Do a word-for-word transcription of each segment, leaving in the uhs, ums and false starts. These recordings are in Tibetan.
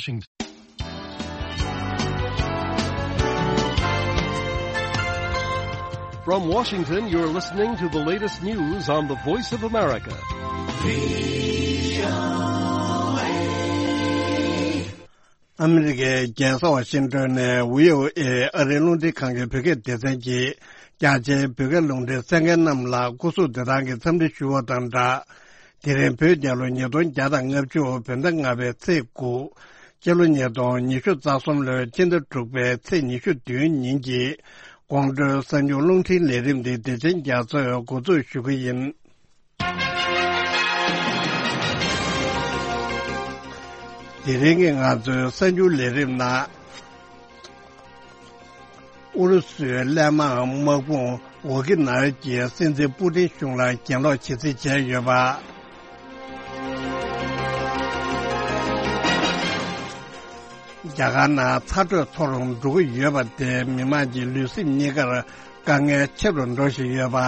Washington. From Washington, you're listening to the latest news on the Voice of America. ཨ་མི་རི་ཀའི་རྒྱལ་ས་ཝ་ཤིང་ཏོན་ནས་བྷི་ཨོ་ཨེ་ཨ་རིའི་རླུང་འཕྲིན་ཁང་གི་བོད་སྐད་སྡེ་ཚན་གྱིས། རྒྱ་ཆེའི་བོད་སྐད་རླུང་འཕྲིན་གསན་མཁན་རྣམས་ལ་སྐུ་གཟུགས་བདེ་ཐང་གི་འཚམས་འདྲི་ཞུ་བ་དང་སྦྲགས། དེ་རིང་བོད་རྒྱལ་ལོ་ཉིས་སྟོང་བརྒྱ་དང་ལྔ་བཅུ་བོད་ཟླ་ལྔ་པའི་ཚེས་དགུ། སྤྱི་ལོ་ཉིས་སྟོང་ཉི་ཤུ་རྩ་གསུམ་ལོའི་སྤྱི་ཟླ་དྲུག་པའི་ཚེས་ཉི་ཤུ་བདུན་ཉིན་གྱི་དགོང་དྲོའི་གསར་འགྱུར་རླུང་འཕྲིན་ལས་རིམ་འདི་བདེ་ཆེན་རྒྱ་མཚོས་འགོ་འཛུགས་ཞུ་གི་ཡིན། དེ་རིང་གི་ང་ཚོའི་གསར་འགྱུར་ལས་རིམ་ནང་། ཨུ་རུ་སུའི་ཀླད་མང་དམག་དཔུང་ཝོ་ཀི་ནར་གྱིས་སྲིད་འཛིན་པུ་ཏིན་གཞུང་ལ་གྱེན་ལོག་བྱེད་རྩིས་བྱས་ཡོད་པ། རྒྱ་གར་ནང་ཚ་དྲོད་མཐོ་རུ་འགྲོ་གི་ཡོད་པ་དེས་མི་དམངས་ཀྱི་ལུས་སེམས་གཉིས་ཀར་དཀའ་ངལ་ཆེ་རུ་འགྲོ་བཞིན་ཡོད་པ།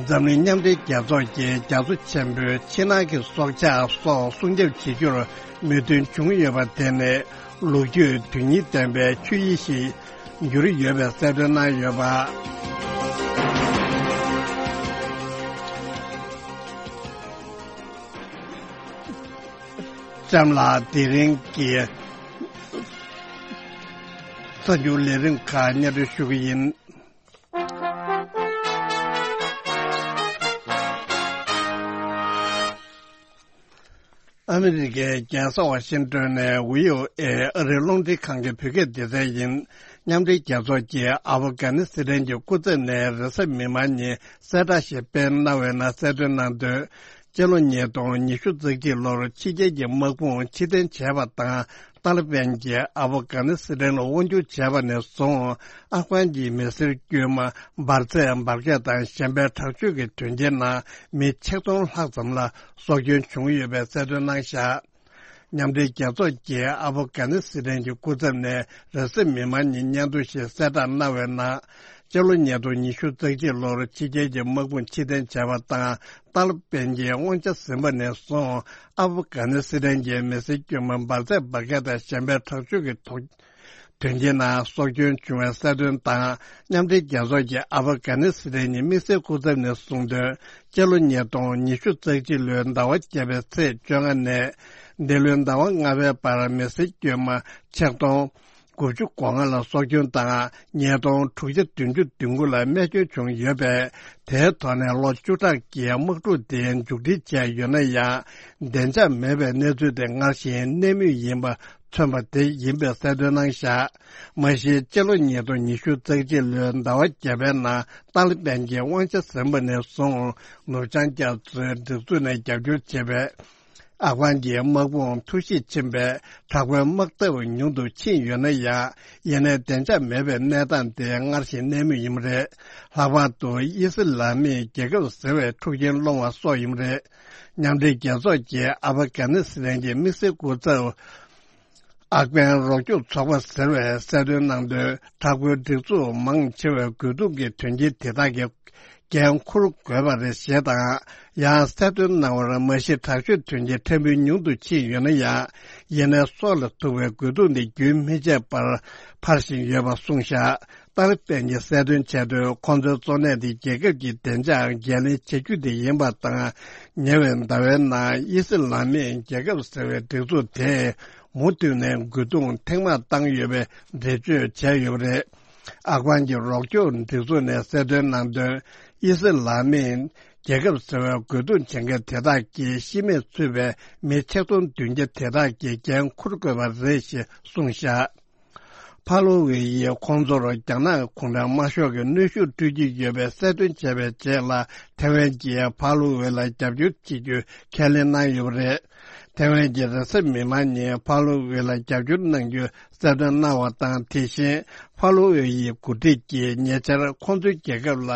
འཛམ་གླིང་མཉམ་འབྲེལ་རྒྱལ་ཚོགས་ཀྱིས་རྒྱ་མཚོ་ཆེན་པོའི་ཕྱི་ནང་གི་སྲོག་ཆགས་སོགས་སྲུང་སྐྱོབ་བྱེད་རྒྱུར་མོས་མཐུན་བྱུང་ཡོད་པ་དེ་ནི་ལོ་རྒྱུས་དོན་སྙིང་ལྡན་པའི་ཆོས་ཉིད་ཞིག་གྱུར་ཡོད་པའི་གསལ་སྟོན་གནང་ཡོད་པ། ལྕམ་ལགས། དེ་རིང་གི་གསར་འགྱུར་ལས་རིམ་ཁག་སྙན་སྒྲོན་ཞུ་གི་ཡིན། ཨ་མི་རི་ཀའི་རྒྱལ་ས་ཝ་ཤིང་ཏོན་ནས་བྷི་ཨོ་ཨེ་ཨ་རིའི་རླུང་འཕྲིན་ཁང་གི་བོད་སྐད་སྡེ་ཚན་ཡིན། མཉམ་འབྲེལ་རྒྱལ་ཚོགས་ཀྱིས་ཨ་ཕ་གྷ་ནི་སི་ཐན་གྱི་སྐུ་ཚབ་ནས་རེས་གཟའ་མིག་དམར་ཉིན་གསལ་བསྒྲགས་ཤིག་སྤེལ་གནང་བའི་ནང་གསལ་སྟོན་གནང་དོན། སྤྱི་ལོ་ཉིས་སྟོང་ཉི་ཤུ་རྩ་གཅིག་ལོར་ཕྱི་རྒྱལ་གྱི་དམག་དཔུང་ཕྱིར་འཐེན་བྱས་པ་དང་། ཏཱ་ལི་པན་གྱིས་ཨ་ཕ་གྷ་ནི་སི་ཐན་ལ་དབང་བསྒྱུར་བྱས་པ་ནས་བཟུང་། ཨབ་གྷན་གྱི་མི་སེར་དཀྱུས་མ་འབར་རྫས་འབར་གས་དང་གཞན་པའི་དྲག་སྤྱོད་ཀྱི་དོན་རྐྱེན་ནང་མི་ཆིག་སྟོང་ལྷག་ཙམ་ལ་སྲོག་སྐྱོན་བྱུང་ཡོད་པའི་གསལ་སྟོན་གནང་བཞག། མཉམ་འབྲེལ་རྒྱལ་ཚོགས་ཀྱིས་ཨ་ཕ་གྷ་ནི་སི་ཐན་གྱི་སྐུ་ཚབ་ནས་རེས་གཟའ་མིག་དམར་ཉིན་སྙན་ཐོ་ཞིག་གསལ་བསྒྲགས་གནང་བའི་ནང་། སྤྱི་ལོ་ཉིས་སྟོང་ཉི་ཤུ་རྩ་གཅིག་ལོར་ཕྱི་རྒྱལ་གྱི་དམག་དཔུང་ཕྱིར་འཐེན་བྱས་པ་དང་། ཏཱ་ལི་པན་གྱིས་དབང་ཆ་ཟིན་པ་ནས་བཟུང་། ཨབ་གྷ་ནི་སི་ཐན་གྱི་མི་སེར་དཀྱུས་མ་འབར་རྫས་འབར་གས་དང་གཞན་པའི་དྲག་སྤྱོད་ཀྱི་ཐོག་དོན་རྐྱེན་ནང་སྲོག་སྐྱོན་བྱུང་བའི་གསལ་སྟོན་དང་། མཉམ་འབྲེལ་རྒྱལ་ཚོགས་ཀྱི་ཨ་ཕ་གྷ་ནི་སི་ཐན་གྱི་དམིགས་བསལ་སྐུ་ཚབ་ནས་གསུངས་དོན། སྤྱི་ལོ་ཉིས་སྟོང་ཉི་ཤུ་རྩ་གཅིག་ལོའི་ཟླ་བ་བརྒྱད་པའི་ཚེས་བཅོ་ལྔ་ནས། འདི་ལོའི་ཟླ་བ་ལྔ་པའི་བར་མི་སེར་དཀྱུས་མ་ཆིག་སྟོང་དགུ་བཅུ་གོ་ལྔ་ལ་སྲོག་སྐྱོན་དང་། ཉིས་སྟོང་དྲུག་བརྒྱ་བདུན་ཅུ་དོན་དགུ་ལ་རྨས་སྐྱོན་བྱུང་ཡོད་པས། དེའི་ཐོག་ནས་ལོ་བཅུ་ཕྲག་གི་དམག་འཁྲུག་དེ་མཇུག་སྒྲིལ་བྱས་ཡོད་ན་ཡང་། བདེ་འཇགས་མེད་པའི་གནས་ཚུལ་དེ་སྔར་བཞིན་གནས་མུས་ཡིན་པ་མཚོན་པ་དེ་ཡིན་པའི་གསལ་སྟོན་གནང་བཞག། མ་གཞི་སྤྱི་ལོ་ཉིས་སྟོང་ཉི་ཤུ་རྩ་གཅིག་ལོའི་ཟླ་བ་བརྒྱད་པའི་ནང་ཏཱ་ལི་པན་གྱིས་དབང་ཆ་ཟིན་པ་ནས་བཟུང་། ནུབ་བྱང་རྒྱ་མཚོའི་སྒྲིག་འཛུགས་ནས་རྒྱབ་སྐྱོར་བྱེད་པའི་ཨབ་གྷན་གྱི་དམག་དཔུང་འཐུས་ཤིག་ཕྱིན་པས། དྲག་པོའི་དམག་འཐབ་ཉུང་དུ་ཕྱིན་ཡོད་ན་ཡང་། ཡིན་ནའི་བདེ་འཇགས་མེད་པའི་གནས་སྟངས་དེ་སྔར་བཞིན་གནས་མུས་ཡིན་པ་རེད། ལྷག་པར་དུ་དབྱི་སི་ལ་མིའི་རྒྱལ་ཁབ་ཟེར་བའི་འཁྲུག་རྐྱེན་སློང་བ་སོགས་ཡིན་པ་རེད། མཉམ་འབྲེལ་རྒྱལ་ཚོགས་ཀྱི་ཨ་ཕ་གྷ་ནི་སི་ཐན་གྱི་དམིགས་བསལ་སྐུ་ཚབ། ཨབ་གྷན་རོགས་སྐྱོབ་ཚོགས་པ་ཟེར་བས་གསལ་སྟོན་གནང་དོན། དྲག་པོའི་སྒྲིག་འཛུགས་མང་ཆེ་བས་རྒོལ་རྡུང་གི་དོན་རྐྱེན་དེ་དག་གི་འགན་འཁུར་དགོས་པ་རེད་ཞེས་དང་། ཡང་གསལ་སྟོན་གནང་བར། མ་གཞི་དྲག་སྤྱོད་དོན་རྐྱེན་ཕྲན་བུ་ཉུང་དུ་ཕྱིན་ཡོད་ན་ཡང་། ཡིན་ནའི་སྲོག་ལ་ཐུག་པའི་རྒོལ་རྡུང་དེ་རྒྱུན་མི་ཆད་པར་འཕར་བཞིན་ཡོད་པ་གསུངས་བཞག། ཏཱ་ལི་པན་གྱིས་གསལ་སྟོན་བྱས་དོན། ཁོང་ཚོའི་གཙོ་གནད་དེ་རྒྱལ་ཁབ་ཀྱི་བདེ་འཇགས་འགན་ལེན་བྱེད་རྒྱུ་དེ་ཡིན་པ་དང་། ཉེ་བའི་ཟླ་བའི་ནང་དབྱི་སི་ལ་མིའི་རྒྱལ་ཁབ་ཟེར་བའི་སྒྲིག་འཛུགས་དེས་མུ་མཐུད་ནས་རྒོལ་རྡུང་ཐེངས་མང་བཏང་ཡོད་པའི་འགྲེལ་བརྗོད་བྱས་ཡོད་པ་རེད། ཨབ་གྷན་གྱི་རོགས་སྐྱོབ་སྒྲིག་འཛུགས་ནས་གསལ་སྟོན་གནང་དོན། དབྱི་སི་ལ་མིའི་རྒྱལ་ཁབ་ཟེར་བའི་རྒོལ་རྡུང་བྱེད་མཁན་དེ་དག་གིས་ཤི་རྨས་ཚུད་པའི་མི་ཆིག་སྟོང་བདུན་བརྒྱ་དེ་དག་གི་འགན་འཁུར་དགོས་པ་རེད་ཞེས་གསུངས་བཞག། ཕ་ལོ་ཝེ་ཡིས་ཁོང་ཚོར་རྒྱ་ནག་གུང་ཁྲན་དམར་ཤོག་གི་གནོན་ཤུགས་སྤྲོད་ཀྱི་ཡོད་པའི་གསལ་སྟོན་བྱས་པའི་རྗེས་ལ། ཐེ་ཝན་གྱིས་ཕ་ལོ་ཝེ་ལ་རྒྱབ་སྐྱོར་བྱེད་རྒྱུ་ཁས་ལེན་གནང་ཡོད་པ་རེད། ཐེ་ཝན་གྱིས་རེས་གཟའ་མིག་དམར་ཉིན་ཕ་ལོ་ཝེ་ལ་རྒྱབ་སྐྱོར་གནང་རྒྱུ་གསལ་སྟོན་གནང་བ་དང་། དེ་བཞིན་ཕ་ལོ་ཝེ་ཡི་འགོ་ཁྲིད་ཀྱིས་ཉེ་ཆར་ཁོང་ཚོའི་རྒྱལ་ཁབ་ལ་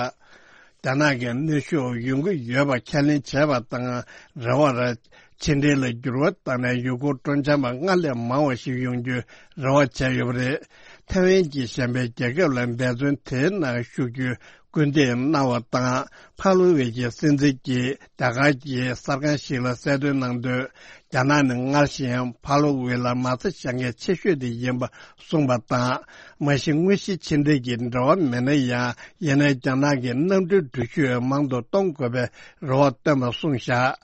རྒྱ་ནག་གི་གནོན་ཤུགས་ཡོང་གི་ཡོད་པ་ཁས་ལེན་བྱས་པ་དང་། རེ་བར། ཕྱི་འབྲེལ་ལ་འགྱུར་བ་བཏང་ནས་ཡུལ་སྐོར་སྤྲོ་འཆམ་པ་སྔར་ལས་མང་བ་ཞིག་ཡོང་རྒྱུའི་རེ་བ་བྱས་ཡོད་པ་རེད། ཐེ་ཝན་གྱིས་གཞན་པའི་རྒྱལ་ཁབ་ལ་འབད་བརྩོན་དེའི་ནང་ཞུགས་རྒྱུའི་ སྐུལ་འདེད་གནང་བ་དང་། ཕ་ལོ་ཝེ་ཡི་སྲིད་འཛིན་གྱིས་རྒྱ་གར་གྱི་གསར་ཁང་ཞིག་ལ་གསལ་སྟོན་གནང་དོན། རྒྱ་ནག་ནི་སྔར་བཞིན་ཕ་ལོ་ཝེ་ལ་མ་རྩ་བཞག་མཁན་ཆེ་ཤོས་དེ་ཡིན་པ་གསུངས་པ་དང་། མ་གཞི་དངོས་གཞི་ཕྱི་འབྲེལ་གྱི་འབྲེལ་བ་མེད་ན་ཡང་། ཡིན་ནའི་རྒྱ་ནག་གི་གནམ་གྲུའི་འགྲུལ་བཞུད་མང་དུ་གཏོང་དགོས་པའི་རེ་བ་བཏོན་པ་གསུངས་བཞག་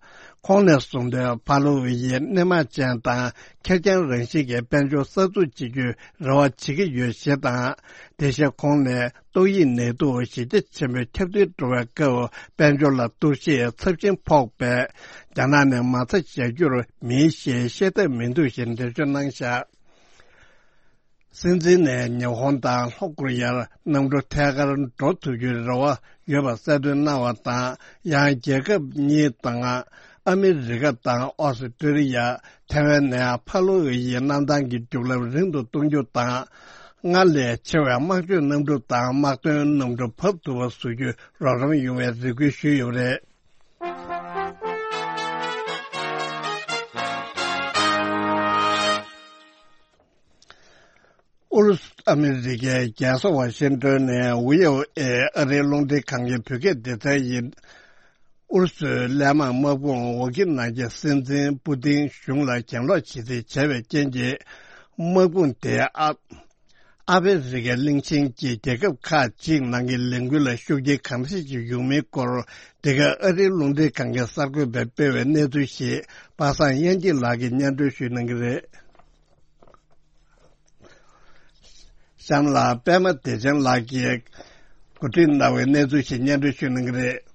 ཁོང་ནས་གསུངས་དོན། ཕ་ལོ་ཝེ་ཡིས་སྣེ་མང་ཅན་དང་ཁེར་རྐྱང་རང་བཞིན་གྱི་དཔལ་འབྱོར་གསར་འཛུགས་བྱེད་རྒྱུའི་རེ་བ་བྱེད་ཀྱི་ཡོད་ཞེས་དང་། དེ་བཞིན་ཁོང་ནས་ཏོག་དབྱིབས་ནད་དུག་གཞི་རྒྱ་ཆེན་པོས་ཁྱབ་གདལ་འགྲོ་བའི་སྐབས། དཔལ་འབྱོར་ལ་གཏོར་བཤིག་ཚབས་ཆེན་ཕོག་པས། རྒྱ་ནག་ནས་མ་རྩ་བཞག་རྒྱུར་མེད་ཞེས་བཤད་ཐབས་མི་འདུག་ཞེས་འགྲེལ་བརྗོད་གནང་བཞག་སྲིད་འཛིན་ནས་ཉི་ཧོང་དང་ལྷོ་ཀོ་རི་ཡར་གནམ་གྲུ་ཐད་ཀར་འགྲོ་ཐུབ་རྒྱུའི་རེ་བ་ཡོད་པ་གསལ་སྟོན་གནང་བ་དང་། ཡང་རྒྱལ་ཁབ་གཉིས་དང་ཨ་མི་རི་ཀ་དང་ཨོ་སི་ཀྲི་ལི་ཡ། ཐེ་ཝན་ནས་ཕ་ལོ་ཝེ་ཡི་གནམ་ཐང་གི་རྒྱུག་ལམ་རིང་དུ་གཏོང་རྒྱུ་དང་། སྔར་ལས་ཆེ་བའི་དམག་སྤྱོད་གནམ་གྲུ་དང་དམག་དོན་གནམ་གྲུ་བབས་ཐུབ་པ་བཟོ་རྒྱུའི་རོགས་རམ་ཡོང་བའི་རེ་སྐུལ་ཞུས་ཡོད་པ་རེད། ཨུ་རུ་སུ་ཨ་མི་རི་ཀའི་རྒྱལ་ས་ཝ་ཤིང་ཏོན་ནས་ཝི་ཨོ་ཨེ་ཨ་རིའི་རླུང་འཕྲིན་ཁང་གི་བོད་སྐད་སྡེ་ཚན་ཡིན། ཨུ་རུ་སུའི་ཀླད་མང་དམག་དཔུང་ཝོ་ཀི་ནཱ་གི་སྲིད་འཛིན་པུ་ཏིན་གཞུང་ལ་གྱེན་ལོག་བྱེད་རྩིས་བྱས་པའི་རྐྱེན་གྱིས། དམག་དཔུང་དེ་ཨ་ཨ་ཕི་རི་ཀའི་གླིང་ཆེན་གྱི་རྒྱལ་ཁབ་ཁག་ཅིག་ནང་གི་ལས་འགུལ་ལ་ཤུགས་རྐྱེན་གང་འཚམ་ཞིག་ཡོང་མིན་སྐོར། འདི་ག་ཨ་རིའི་རླུང་འཕྲིན་ཁང་གི་གསར་འགོད་པས་སྤེལ་བའི་གནས་ཚུལ་ཞིག་པ་སངས་དབྱངས་སྐྱིད་ལགས་ཀྱིས་སྙན་སྒྲོན་ཞུ་གནང་གི་རེད། གཤམ་ལ་པད་མ་བདེ་ཆེན་ལགས་ཀྱིས་གོ་སྒྲིག་གནང་བའི་གནས་ཚུལ་ཞིག་སྙན་སྒྲོན་ཞུ་གནང་གི་རེད།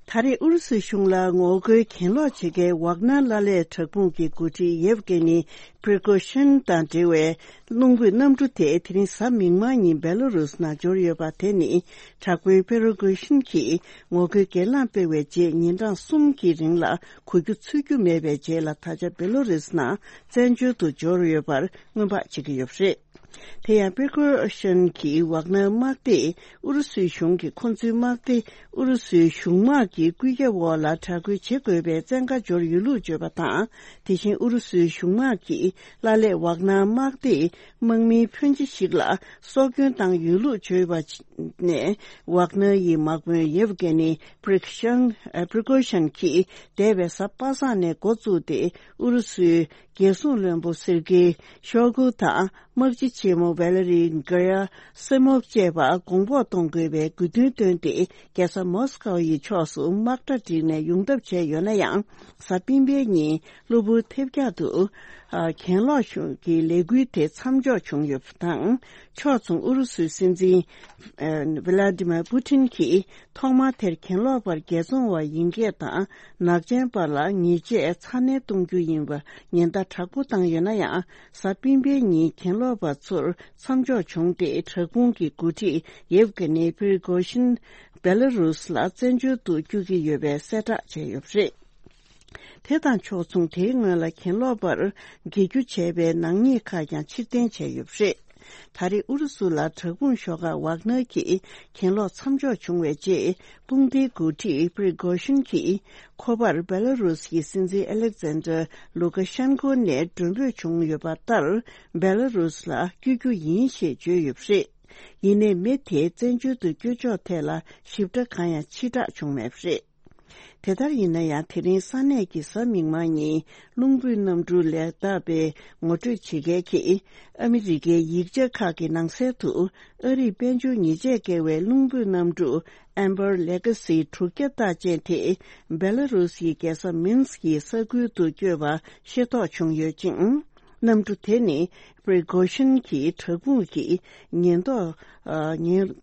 ད་རེས་ཨུ་རུ་སུའི་གཞུང་ལ་ངོ་རྒོལ་གྱེན་ལོག་བྱེད་མཁན་ཝག་ནར་ལ་ལས་དྲག་དཔུང་གི་འགོ་ཁྲིད་ཡེབ་ཀེ་ནི་པྲི་གོ་ཤིན་དང་འབྲེལ་བའི་རླུང་འཕུར་གནམ་གྲུ་དེ་དེ་རིང་གཟའ་མིག་དམར་ཉིན་བེ་ལ་རུས་ནང་འབྱོར་ཡོད་པ་དེ་ནི། དྲག་དཔོན་པྲི་གོ་ཤིན་གྱིས་ངོ་རྒོལ་སྒེར་ལངས་སྤེལ་བའི་རྗེས་ཉིན་གྲངས་གསུམ་གྱི་རིང་ལ་གོ་རྒྱུ་ཚོད་རྒྱུ་མེད་པའི་རྗེས་ལ། ད་ཆ་བེ་ལ་རུས་ནང་བཙན་བྱོལ་དུ་འབྱོར་ཡོད་པར་སྔོན་དཔག་བྱེད་ཀྱི་ཡོད་པ་རེད། དེ་ཡང་པེ་ཀོ་ཤན་གྱིས་ཝག་ནར་དམག་སྡེས་ཨུ་རུ་སུའི་གཞུང་གིས་ཁོ་ཚོའི་དམག་སྡེ་ཨུ་རུ་སུའི་གཞུང་དམག་གི་སྐུལ་ཁྱབ་འོག་ལ་དྲག་རྒོལ་བྱེད་དགོས་པའི་བཙན་བཀའ་འབྱོར་ཡོད་ལུགས་བརྗོད་པ་དང་། དེ་བཞིན་ཨུ་རུ་སུའི་གཞུང་དམག་གིས་ཀླ་ཀླད་ཝག་ནར་དམག་སྡེའི་དམག་མིའི་ཕོན་ཆེ་ཞིག་ལ་སྲོག་སྐྱོན་བཏང་ཡོད་ལུགས་བརྗོད་པ་ནས། ཝག་ནར་ཡི་དམག་དཔོན་ཡེབ་ཀེ་ནི་པྲི་ཤན་པྲི་གོ་ཤན་གྱིས་འདས་པའི་གཟའ་པ་སངས་ནས་འགོ་བཙུགས་ཏེ། ཨུ་རུ་སུའི་རྒྱལ་སྲུང་བློན་པོ་སེར་གེ་ཤོ་གུ་དང་། དམག་སྤྱི་ཆེན་མོ་ཝེ་ལེ་རི་གེ་ར་སི་མོབ་བཅས་པ་དགོངས་པོགས་གཏོང་དགོས་པའི་དགོས་འདུན་བཏོན་ཏེ། རྒྱལ་ས་མོ་སི་ཀོ་ཡི་ཕྱོགས་སུ་དམག་གྲ་བསྒྲིགས་ནས་ཡོང་ཐབས་བྱས་ཡོད་ན་ཡང་། གཟའ་སྤེན་པའི་ཉིན་གློ་བུར་ཐེབས་རྒྱག་ཏུ་གྱེན་ལོག་གི་ལས་འགུལ་དེ་མཚམས་འཇོག་བྱུང་ཡོད་པ་དང་། ཕྱོགས་མཚུངས་ཨུ་རུ་སུའི་སྲིད་འཛིན་ཝི་ལ་ཏི་མེར་པུ་ཏིན་གྱིས། ཐོག་མར་དེར་གྱེན་ལོག་པར་རྒྱལ་བཙོང་བ་ཡིན་སྐད་དང་། ནག་ཅན་པ་ལ་ཉེས་ཆད་ཚ་ནན་གཏོང་རྒྱུ་ཡིན་པ་ཉེན་བརྡ་དྲག་པོ་བཏང་ཡོད་ན་ཡང་། གཟའ་སྤེན་པའི་ཉིན་གྱེན་ལོག་པ་ཚོར་མཚམས་འཇོག་བྱུང་སྟེ། དྲག་དཔུང་གི་འགོ་ཁྲིད་ཡེབ་ཀེ་ནི་པྲི་གོ་ཤིན་བེ་ལ་རུས་ལ་བཙན་བྱོལ་དུ་བསྐྱོད་ཀྱི་ཡོད་པའི་གསལ་བསྒྲགས་བྱས་ཡོད་པ་རེད། དེ་དང་ཕྱོགས་མཚུངས། དེའི་སྔོན་ལ་གྱེན་ལོག་པར་འགེལ་རྒྱུ་བྱས་པའི་ནག་ཉེས་ཁག་ཀྱང་ཕྱིར་འཐེན་བྱས་ཡོད་པ་རེད། ད་རེས་ཨུ་རུ་སུ་ལ་དྲག་དཔུང་ཤོག་ཁག་ཝག་ནར་གྱིས་གྱེན་ལོག་མཚམས་འཇོག་བྱུང་བའི་རྗེས། དཔུང་སྡེའི་འགོ་ཁྲིད་པྲི་གོ་ཤིན་གྱིས་ཁོ་པར་བེ་ལ་རུས་ཀྱི་སྲིད་འཛིན་ཨ་ལེག་ཛན་ཏྲ་ལུ་ཀ་ཤན་ཀོ་ནས་མགྲོན་འབོད་བྱུང་ཡོད་པ་ལྟར། བེ་ལ་རུས་ལ་བསྐྱོད་རྒྱུ་ཡིན་ཞེས་བརྗོད་ཡོད་པ་རེད། ཡིན་ནའི་མི་དེའི་བཙན་བྱོལ་དུ་བསྐྱོད་ཕྱོགས་ཐད་ལ་ཞིབ་ཕྲ་གང་ཡང་ཕྱིར་བསྒྲགས་བྱུང་མེད་པ་རེད། དེ་ལྟར་ཡིན་ན་ཡང་། དེ་རིང་ས་གནས་ཀྱི་གཟའ་མིག་དམར་ཉིན་རླུང་འཕུར་གནམ་གྲུ་ལས་བདའ་བའི་ངོ་སྤྲོད་བྱེད་མཁན་གྱིས། ཨ་མི་རི་ཀའི་ཡིག་ཆ་ཁག་གི་ནང་གསལ་དུ། ཨ་རིས་དཔལ་འབྱོར་ཉེས་ཆད་བཀལ་བའི་རླུང་འཕུར་གནམ་གྲུ་Amber Legacy་དྲུག་བརྒྱ་རྟགས་ཅན་དེ། བེ་ལ་རུས་ཀྱི་རྒྱལ་ས་མིན་སི་ཀྱི་ས་ཁུལ་དུ་བསྐྱོད་པ་ཤེས་རྟོགས་བྱུང་ཡོད་ཅིང་། གནམ་གྲུ་དེ་ནི་པྲི་གོ་ཤིན་གྱི་དྲག་དཔུང་གིས་ཉེན་རྟོག་ཨ་ཉེན།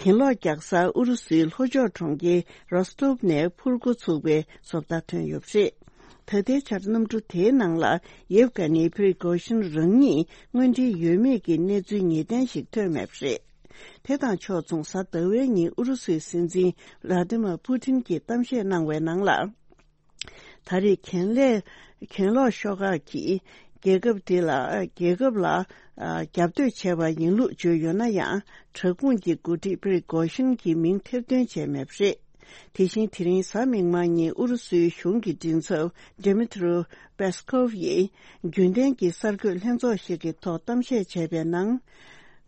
གྱེན་ལོག་རྒྱག་ས་ཨུ་རུ་སུའི་ལྷོ་ཕྱོགས་གྲོང་ཁྱེར་རོ་སྟོབ་ནས་འཕུར་འགོ་ཚུགས་པའི་བཟོ་ལྟ་ཐོན་ཡོད་པ་རེད། ད་ལྟའི་ཆར་གནམ་གྲུ་དེའི་ནང་ལ་ཡེབ་ཀེ་ནི་པྲི་གོ་ཤིན་རང་ཉིད་དངོས་འབྲེལ་ཡོད་མེད་ཀྱི་གནས་ཚུལ་ངེས་གཏན་ཞིག་ཐོན་མེད་པ་རེད། དེ་དང་ཕྱོགས་མཚུངས། གཟའ་ཟླ་བའི་ཉིན་ཨུ་རུ་སུའི་སྲིད་འཛིན་ལ་ཏི་མ་པུ་ཏིན་གྱིས་གཏམ་བཤད་གནང་བའི་ནང་ལ། ད་རེས་གྱེན་ལས་གྱེན་ལོག་ཤོག་ཁག་གིས་རྒྱལ་ཁབ་དེ་ལ། རྒྱལ་ཁབ་ལ་རྒྱབ་གཏོད་བྱས་པ་ཡིན་ལུགས་བརྗོད་ཡོད་ན་ཡང་། དྲག་དཔུང་གི་འགོ་ཁྲིད་པྲི་གོ་ཤིན་གྱི་མིང་ཐེར་འདོན་བྱས་མེད་པ་རེད། དེ་བཞིན་དེ་རིང་གཟའ་མིག་དམར་ཉིན་ཨུ་རུ་སུའི་གཞུང་གི་མགྲིན་ཚབ་Dmitry Peskov་ཡིས་རྒྱུན་ལྡན་གྱི་གསར་འགོད་ལྷན་ཚོགས་ཤིག་གི་ཐོག་གཏམ་བཤད་བྱས་པའི་ནང་།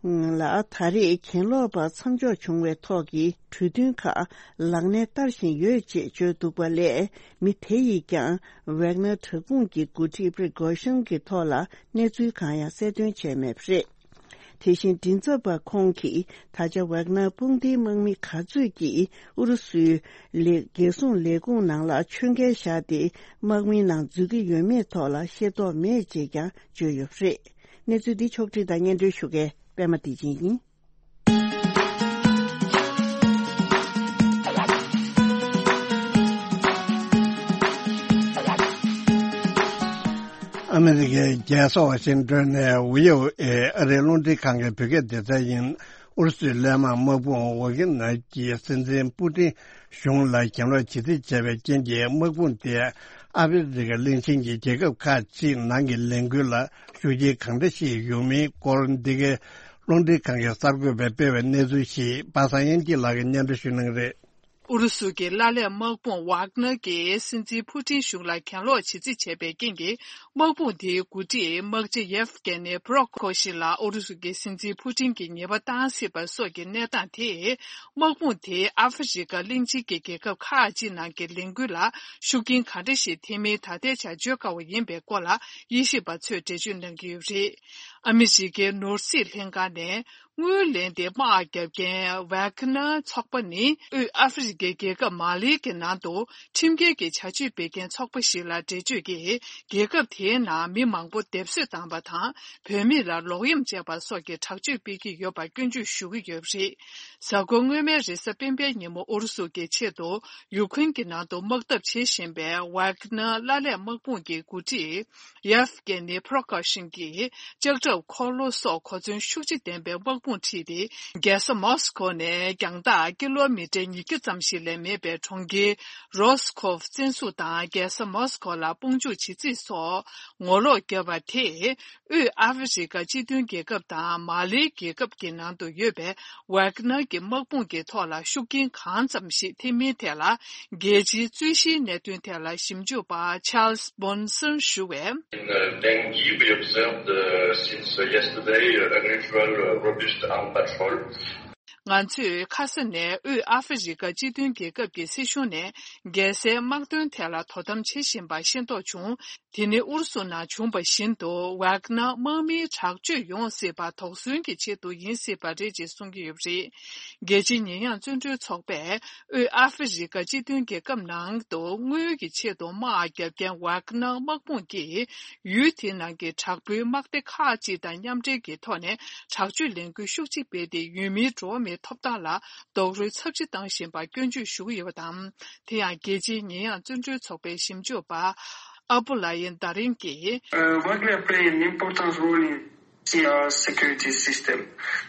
ལ་ད་རེས་གྱེན་ལོག་པ་མཚམས་འཇོག་བྱུང་བའི་ཐོག་གི་གྲོས་མཐུན་ཁག་ལག་ལེན་བསྟར་བཞིན་ཡོད་ཅེས་བརྗོད་འདུག་པ་ལས། མི་དེ་ཡིས་ཀྱང་ཝེག་ནར་དྲག་དཔུང་གི་འགོ་ཁྲིད་པྲི་གོ་ཤིན་གྱི་ཐོག་ལ་གནས་ཚུལ་གང་ཡང་གསལ་སྟོན་བྱས་མེད་པ་རེད། དེ་བཞིན་མགྲིན་ཚབ་པ་ཁོང་གིས་ད་ཆ་ཝེག་ནར་དཔུང་སྡེའི་དམག་མི་ག་ཚོད་ཀྱིས་ཨུ་རུ་སུའི་ལས་རྒྱལ་སྲུང་ལས་ཁུངས་ནང་ལ་ཆོད་མཁན་བཞག་སྟེ། དམག་མིའི་ནང་འཛུལ་གྱི་ཡོད་མེད་ཐོག་ལ་ཤེས་རྟོགས་མེད་ཅེས་ཀྱང་བརྗོད་ཡོད་པ་རེད། གནས་ཚུལ་འདི་ཕྱོགས་བསྒྲིགས་དང་སྙན་སྒྲོན་ཞུ་མཁན་པད་མ་བདེ་ཆེན་ཡིན། ཨ་མི་རི་ཀའི་རྒྱལ་ས་ཝ་ཤིང་ཏོན་ནས་ཝི་ཨོ་ཨེ་ཨ་རིའི་རླུང་འཕྲིན་ཁང་གི་བོད་སྐད་སྡེ་ཚན་ཡིན། ཨུ་རུ་སུའི་ཀླད་དམག་དམག་དཔུང་ཝ་གྷི་ནར་གྱི་སྲིད་འཛིན་པུ་ཏིན་གཞུང་ལ་གྱེན་ལོག་ཇི་སྲིད་བྱས་པའི་རྐྱེན་གྱིས། དམག་དཔུང་དེ་ཨ་ཧྥེ་རི་ཁ་གླིང་ཆེན་གྱི་རྒྱལ་ཁབ་ཁག་ཅིག་ནང་གི་ལས་འགུལ་ལ་ཤུགས་རྐྱེན་གང་འདྲ་ཞིག་ཡོང་མིན་སྐོར། འདི་གའི་རླུང་འཕྲིན་ཁང་གི་གསར་འགོད་པས་སྤེལ་བའི་གནས་ཚུལ་ཞིག་པ་སངས་དབྱངས་སྐྱིད་ལགས་ཀྱིས་སྙན་སྒྲོན་ཞུ་གནང་གི་རེད། ཨུ་རུ་སུ་གྱི་ཀླད་དམག་དམག་དཔུང་ཝག་ནར་གྱིས་སྲིད་འཛིན་ཕུ་ཏིན་གཞུང་ལ་གྱེན་ལོག་བྱེད་རྩིས་བྱས་པའི་རྐྱེན་གྱིས། དམག་དཔུང་དེའི་འགོ་ཁྲིད་དམག་སྤྱི་ཡེབ་གྷེ་ནི་པྲོ་ཁོ་ཤིན་ལ་ཨུ་རུ་སུ་གྱི་སྲིད་འཛིན་ཕུ་ཏིན་གྱིས་ཉེས་པ་བཏང་སྲིད་པ་སོགས་ཀྱི་གནས་སྟངས་དེས། དམག་དཔུང་དེས་ཨ་ཧྥེ་རི་ཁ་གླིང་ཆེན་གྱི་རྒྱལ་ཁབ་ཁག་ཅིག་ནང་གི་ལས་འགུལ་ལ་ཤུགས་རྐྱེན་ག་འདྲ་ཞིག་ཐེབས་མིན་ད་ལྟའི་ཆར་བརྗོད་དཀའ་བ་ཡིན་པའི་སྐོར་ལ། དབྱེ་ཞིབ་པ་ཚོས་འགྲེལ་བརྗོད་གནང་གི་ཡོད་པ་རེད། ཨ་མི་རི་ཀའི་ནོར་སྲིད་ལྷན་ཁང་ནས། དངུལ་ལེན་ཏེ་དམག་བརྒྱབ་མཁན་ཝག་ནར་ཚོགས་པ་ནི། དབུས་ཨ་ཧྥེ་རི་ཁའི་རྒྱལ་ཁབ་མ་ལིའི་གི་ནང་དུ་ཁྲིམས་འགལ་གྱི་བྱ་སྤྱོད་སྤེལ་མཁན་ཚོགས་པ་ཞིག་ལ་འགྲེལ་བརྗོད་ཀྱིས། རྒྱལ་ཁབ་དེའི་ནང་མི་མང་པོ་སྡེབ་གསོད་བཏང་པ་དང་། བུད་མེད་ལ་ལོག་གཡེམ་བྱས་པ་སོགས་ཀྱི་དྲག་སྤྱོད་སྤེལ་གྱི་ཡོད་པ་སྐྱོན་བརྗོད་ཞུ་གི་ཡོད་པ་རེད། གཟའ་འཁོར་སྔོན་མའི་རེས་གཟའ་སྤེན་པའི་ཉིན་མོ་ཨུ་རུ་སུ་གི་ཆེད་དུ་ཡུ་ཁུན་གྱི་ནང་དུ་དམག་འཐབ་བྱེད་བཞིན་པའི་ཝག་ནར་ཀླད་དམག་དམག་དཔུང་གི་འགོ་ཁྲིད། ཡེབ་གྷེ་ནི་པྲོ་ཁོ་ཤིན་གྱིས་ལྕགས་ཁྲབ། འཁོར་ལོ་སོགས་གོ་མཚོན་ཤུགས་ཆེ་ལྡན་པའི་དམག་དཔུང་ཁྲིད་དེ། རྒྱལ་ས་མོ་སི་ཁོ་ནས་རྒྱང་ཐག་ཀི་ལོ་མི་ཊར་ཉིས་བརྒྱ་ཙམ་ཞིག་ལས་མེད་པའི་གྲོང་ཁྱེར་རོ་སི་ཁོབ་བཙན་བཟུང་དང་། རྒྱལ་ས་མོ་སི་ཁོ་ལ་དཔུང་འཇུག་བྱེད་རྩིས་སོགས་ངོ་ལོག་བརྒྱབ་པ་དེས། དབུས་ཨ་ཧྥེ་རི་ཁ་སྤྱི་མཐུན་རྒྱལ་ཁབ་དང་མ་ལིའི་རྒྱལ་ཁབ་ཀྱི་ནང་དུ་ཡོད་པའི་ཝག་ནར་གྱི་དམག་དཔུང་གི་ཐོག་ལ་ཤུགས་རྐྱེན་གང་ཙམ་ཞིག་ཐེབས་མིན་ཐད་ལ། རྒྱལ་སྤྱིའི་རྩོད་གཞིའི་གནད་དོན་ཐད་ལ་ཞིབ་འཇུག་པ་Charles Bonson ཞུ་བས། In uh, Dengki, we observed uh, since uh, yesterday uh, unusual uh, robust armed patrol. ང་ཚོས་ཁ་ས་ནས་དབུས་ཨ་ཧྥེ་རི་ཁ་སྤྱི་མཐུན་རྒྱལ་ཁབ་ཀྱི་སྲིད་གཞུང་ནས་རྒྱལ་སའི་དམག་དོན་ཐད་ལ་དོ་དམ་བྱེད་བཞིན་པ་ཤེས་རྟོགས་བྱུང་། དེ་ནི་ཨུ་རུ་སུ་ནང་བྱུང་བ་བཞིན་དུ་ཝག་ནར་དམག་མིའི་དྲག་སྤྱོད་ཡོང་སྲིད་པ་དོགས་ཟོན་གྱི་ཆེད་དུ་ཡིན་སྲིད་པ་རེད་ཅེས་གསུང་གི་ཡོད་པ་རེད། རྒྱལ་སྤྱིའི་ཉེས་ཡངས་བཙོན་གྲོལ་ཚོགས་པས་དབུས་ཨ་ཧྥེ་རི་ཁ་སྤྱི་མཐུན་རྒྱལ་ཁབ་ནང་དུ་དངུལ་གྱི་ཆེད་དུ་དམག་བརྒྱབ་མཁན་ཝག་ནར་དམག་དཔུང་གིས་ཡུལ་དེའི་ནང་གི་དྲག་པོའི་དམག་སྡེ་ཁག་ཅིག་དང་མཉམ་འབྲེལ་གྱི་ཐོག་ནས་དྲག་སྤྱོད་ལས་འགུལ་ཤུགས་ཆེ་སྤེལ་ཏེ། ཡུལ་མིའི་འགྲོ་བ་མིའི་ཐོབ་ཐང་ལ་རྡོག་རོལ་ཚབས་ཆེ་བཏང་བཞིན་པ་སྐྱོན་བརྗོད་ཞུ་གི་ཡོད་པ་དང་། དེ་ཡང་རྒྱལ་སྤྱིའི་ཉེས་ཡངས་བཙོན་གྲོལ་ཚོགས་པའི་ཞིབ་འཇུག་པ་ཨ་བུ་ལ་ཡིན་ད་རིང་གིས། Uh, Wagner play an important role in the uh, security system.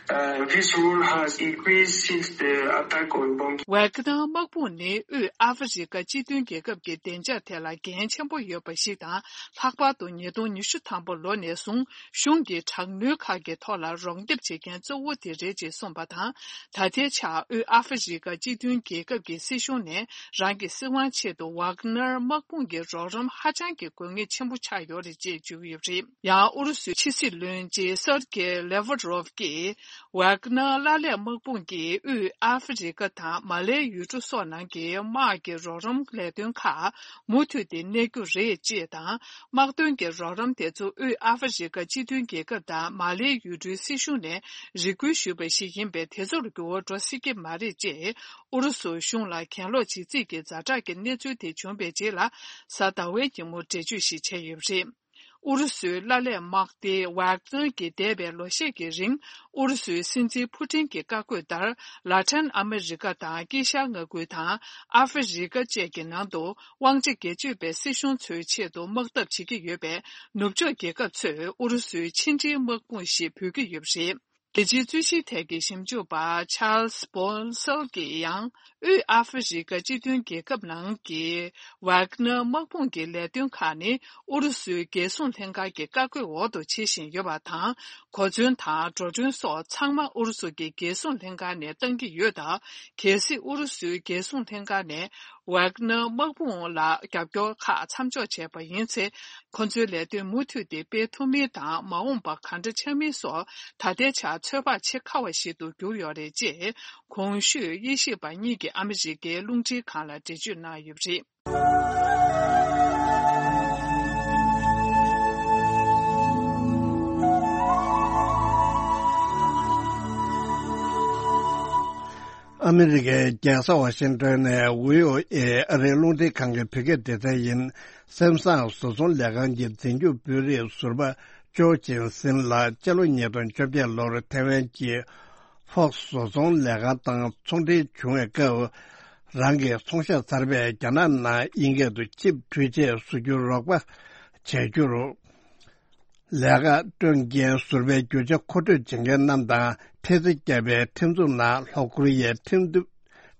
Uh, this role has increased since the attack on Bangui. ཝེག་ནར་དམག་དཔུང་ནི་དབུས་ཨ་ཧྥེ་རི་ཁ་སྤྱི་མཐུན་རྒྱལ་ཁབ་ཀྱི་བདེ་འཇགས་ཐད་ལ་འགན་ཆེན་པོ་ཡོད་པ་ཞིག་དང་། ལྷག་པར་དུ་ཉིས་སྟོང་ཉི་ཤུ་ཐམ་པ་ལོ་ནས་བཟུང་གཞུང་གི་དྲག་གནོན་ཁག་གི་ཐོག་ལ་རོགས་འདེགས་བྱེད་མཁན་གཙོ་བོ་དེ་རེད་ཅེས་གསུངས་པ་དང་། ད་ལྟའི་ཆར་དབུས་ཨ་ཧྥེ་རི་ཁ་སྤྱི་མཐུན་རྒྱལ་ཁབ་ཀྱི་སྲིད་གཞུང་ནས་རང་གི་སྲིད་དབང་ཆེད་དུ་ཝག་ནར་དམག་དཔུང་གི་རོགས་རམ་ཧ་ཅང་གི་དགོས་ངེས་ཆེན་པོ་ཆགས་ཡོད་རེད་ཅེས་བརྗོད་ཀྱི་ཡོད་པ་རེད། ཡང་ཨུ་རུ་སུའི་ཕྱི་སྲིད་བློན་ཆེན་སར་གེ་ལེ་ཝ་རོབ་ཀྱིས། ཝག་ནར་ཀླད་དམག་དཔུང་གིས་དབུས་ཨ་ཧྥེ་རི་ཁ་དང་མ་ལའི་ཡུལ་གྲུ་སོགས་ནང་གི་དམག་གི་རོགས་རམ་ལས་དོན་ཁག་མུ་མཐུད་དེ་གནས་རྒྱུ་རེད་ཅེས་དང་། དམག་དོན་གྱི་རོགས་རམ་དེ་ཚོ་དབུས་ཨ་ཧྥེ་རི་ཁ་སྤྱི་མཐུན་རྒྱལ་ཁབ་དང་མ་ལའི་ཡུལ་གྲུའི་སྲིད་གཞུང་ནས་རེ་སྐུལ་ཞུས་པ་ཞིག་ཡིན་པས། དེ་ཚོར་འགྱུར་བ་འགྲོ་སྲིད་ཀྱི་མ་རེད་ཅེས་ཨུ་རུ་སུ་གཞུང་ལ་གྱེན་ལོག་བྱེད་རྩིས་ཀྱི་ཛ་དྲག་གི་གནས་ཚུལ་དེ་བྱུང་བའི་རྗེས་ལ། གཟའ་ཟླ་བའི་ཉིན་མོ་འགྲེལ་བརྗོད་ཞིག་བྱས་ཡོད་པ་རེད། ཨུ་རུ་སུའི་ཀླད་དམག་སྡེ་ཝག་ནར་གྱིས་འདས་པའི་ལོ་ཤས་ཀྱི་རིང་། ཨུ་རུ་སུའི་སྲིད་འཛིན་ཕུ་ཏིན་གྱི་བཀའ་བཀོད་ལྟར། ལ་ཏིན་ཨ་མི་རི་ཀ་དང་དཀྱིལ་ཤར་མངའ་ཁུལ་དང་ཨ་ཧྥེ་རི་ཀ་བཅས་ཀྱི་ནང་དུ། དབང་ཆ་སྒེར་གཅོད་པའི་སྲིད་གཞུང་ཚོའི་ཆེད་དུ་དམག་འཐབ་བྱེད་ཀྱི་ཡོད་པས། ནུབ་ཕྱོགས་རྒྱལ་ཁབ་ཚོས་ཨུ་རུ་སུའི་ཕྱི་འབྲེལ་དམག་དཔུང་ཞེས་འབོད་ཀྱི་ཡོད་པ་རེད། རྒྱལ་སྤྱིའི་རྩོད་གཞིའི་ཐད་ཀྱི་ཞིབ་འཇུག་པ་Charles Bonsall གྱིས་ཡང་། དབུས་ཨ་ཧྥེ་རི་ཁ་སྤྱི་མཐུན་རྒྱལ་ཁབ་ནང་གི་ཝག་ནར་དམག་དཔུང་གི་ལས་དོན་ཁག་ནི། ཨུ་རུ་སུའི་རྒྱལ་སྲུང་ལྷན་ཁང་གི་བཀའ་བཀོད་འོག་ཏུ་བྱེད་བཞིན་ཡོད་པ་དང་། གོ་མཚོན་དང་འགྲོ་གྲོན་སོགས་ཚང་མ་ཨུ་རུ་སུ་གི་རྒྱལ་སྲུང་ལྷན་ཁང་ནས་བཏང་གི་ཡོད་སྟབས། གལ་སྲིད་ཨུ་རུ་སུའི་རྒྱལ་སྲུང་ལྷན་ཁང་ནས། ཝེག་ནར་དམག་དཔུང་ལ་རྒྱབ་སྐྱོར་ཁག་མཚམས་འཇོག་བྱས་པ་ཡིན་ཚེ། ཁོ་ཚོའི་ལས་དོན་མུ་མཐུད་དེ་སྤེལ་ཐུབ་མིན་དང་། མ་འོངས་པ་གང་འདྲ་ཆགས་མིན་སོགས་ད་ལྟའི་ཆར་ཚོད་དཔག་བྱེད་དཀའ་བ་ཞིག་ཏུ་གྱུར་ཡོད་རེད་ཅེས། གོང་ཞུས་དབྱེ་ཞིབ་པ་གཉིས་ཀྱིས་ཨ་མི་རི་ཀའི་རླུང་འཕྲིན་ཁང་ལ་འགྲེལ་བརྗོད་གནང་ཡོད་པ་རེད། ཨ་མི་རི་ཀའི་རྒྱལ་ས་ཝ་ཤིང་ཏོན་ནས་ཝི་ཨོ་ཨེ་ཨ་རིའི་རླུང་འཕྲིན་ཁང་གི་བོད་སྐད་སྡེ་ཚན་ཡིན། སེམ་བཟང་བཟོ་ཚོང་ལས་ཁང་གི་འཛིན་སྐྱོང་དཔོན་རིགས་ཟུར་པ་ཅོ་ཅིན་སིན་ལ་སྤྱི་ལོ་ཉིས་སྟོང་བཅོ་བརྒྱད་ལོར་ཐེ་ཝན་གྱི་ཧྥོག་སི་བཟོ་ཚོང་ལས་ཁང་དང་ཚོང་འབྲེལ་བྱུང་བའི་སྐབས། རང་གི་ཚོང་ཤག་གསར་པས་རྒྱ་ནག་ནང་དབྱིན་སྐད་དུ་ཅིབ་འཕྲུལ་ཆས་བཟོ་རྒྱུར་རོགས་པ་བྱ་རྒྱུར། ལས་ཀ་སྤྲོད་མཁན་ཟུར་པའི་རྒྱུ་ཆ་མཁོ་སྤྲོད་བྱེད་མཁན་རྣམས་དང་འཕྲལ་སེལ་བརྒྱབ་པའི་ཁྲིམས་འཛུགས་ནང་ལྷོ་ཀོ་རི་ཡའི་ཁྲིམས་འདུ་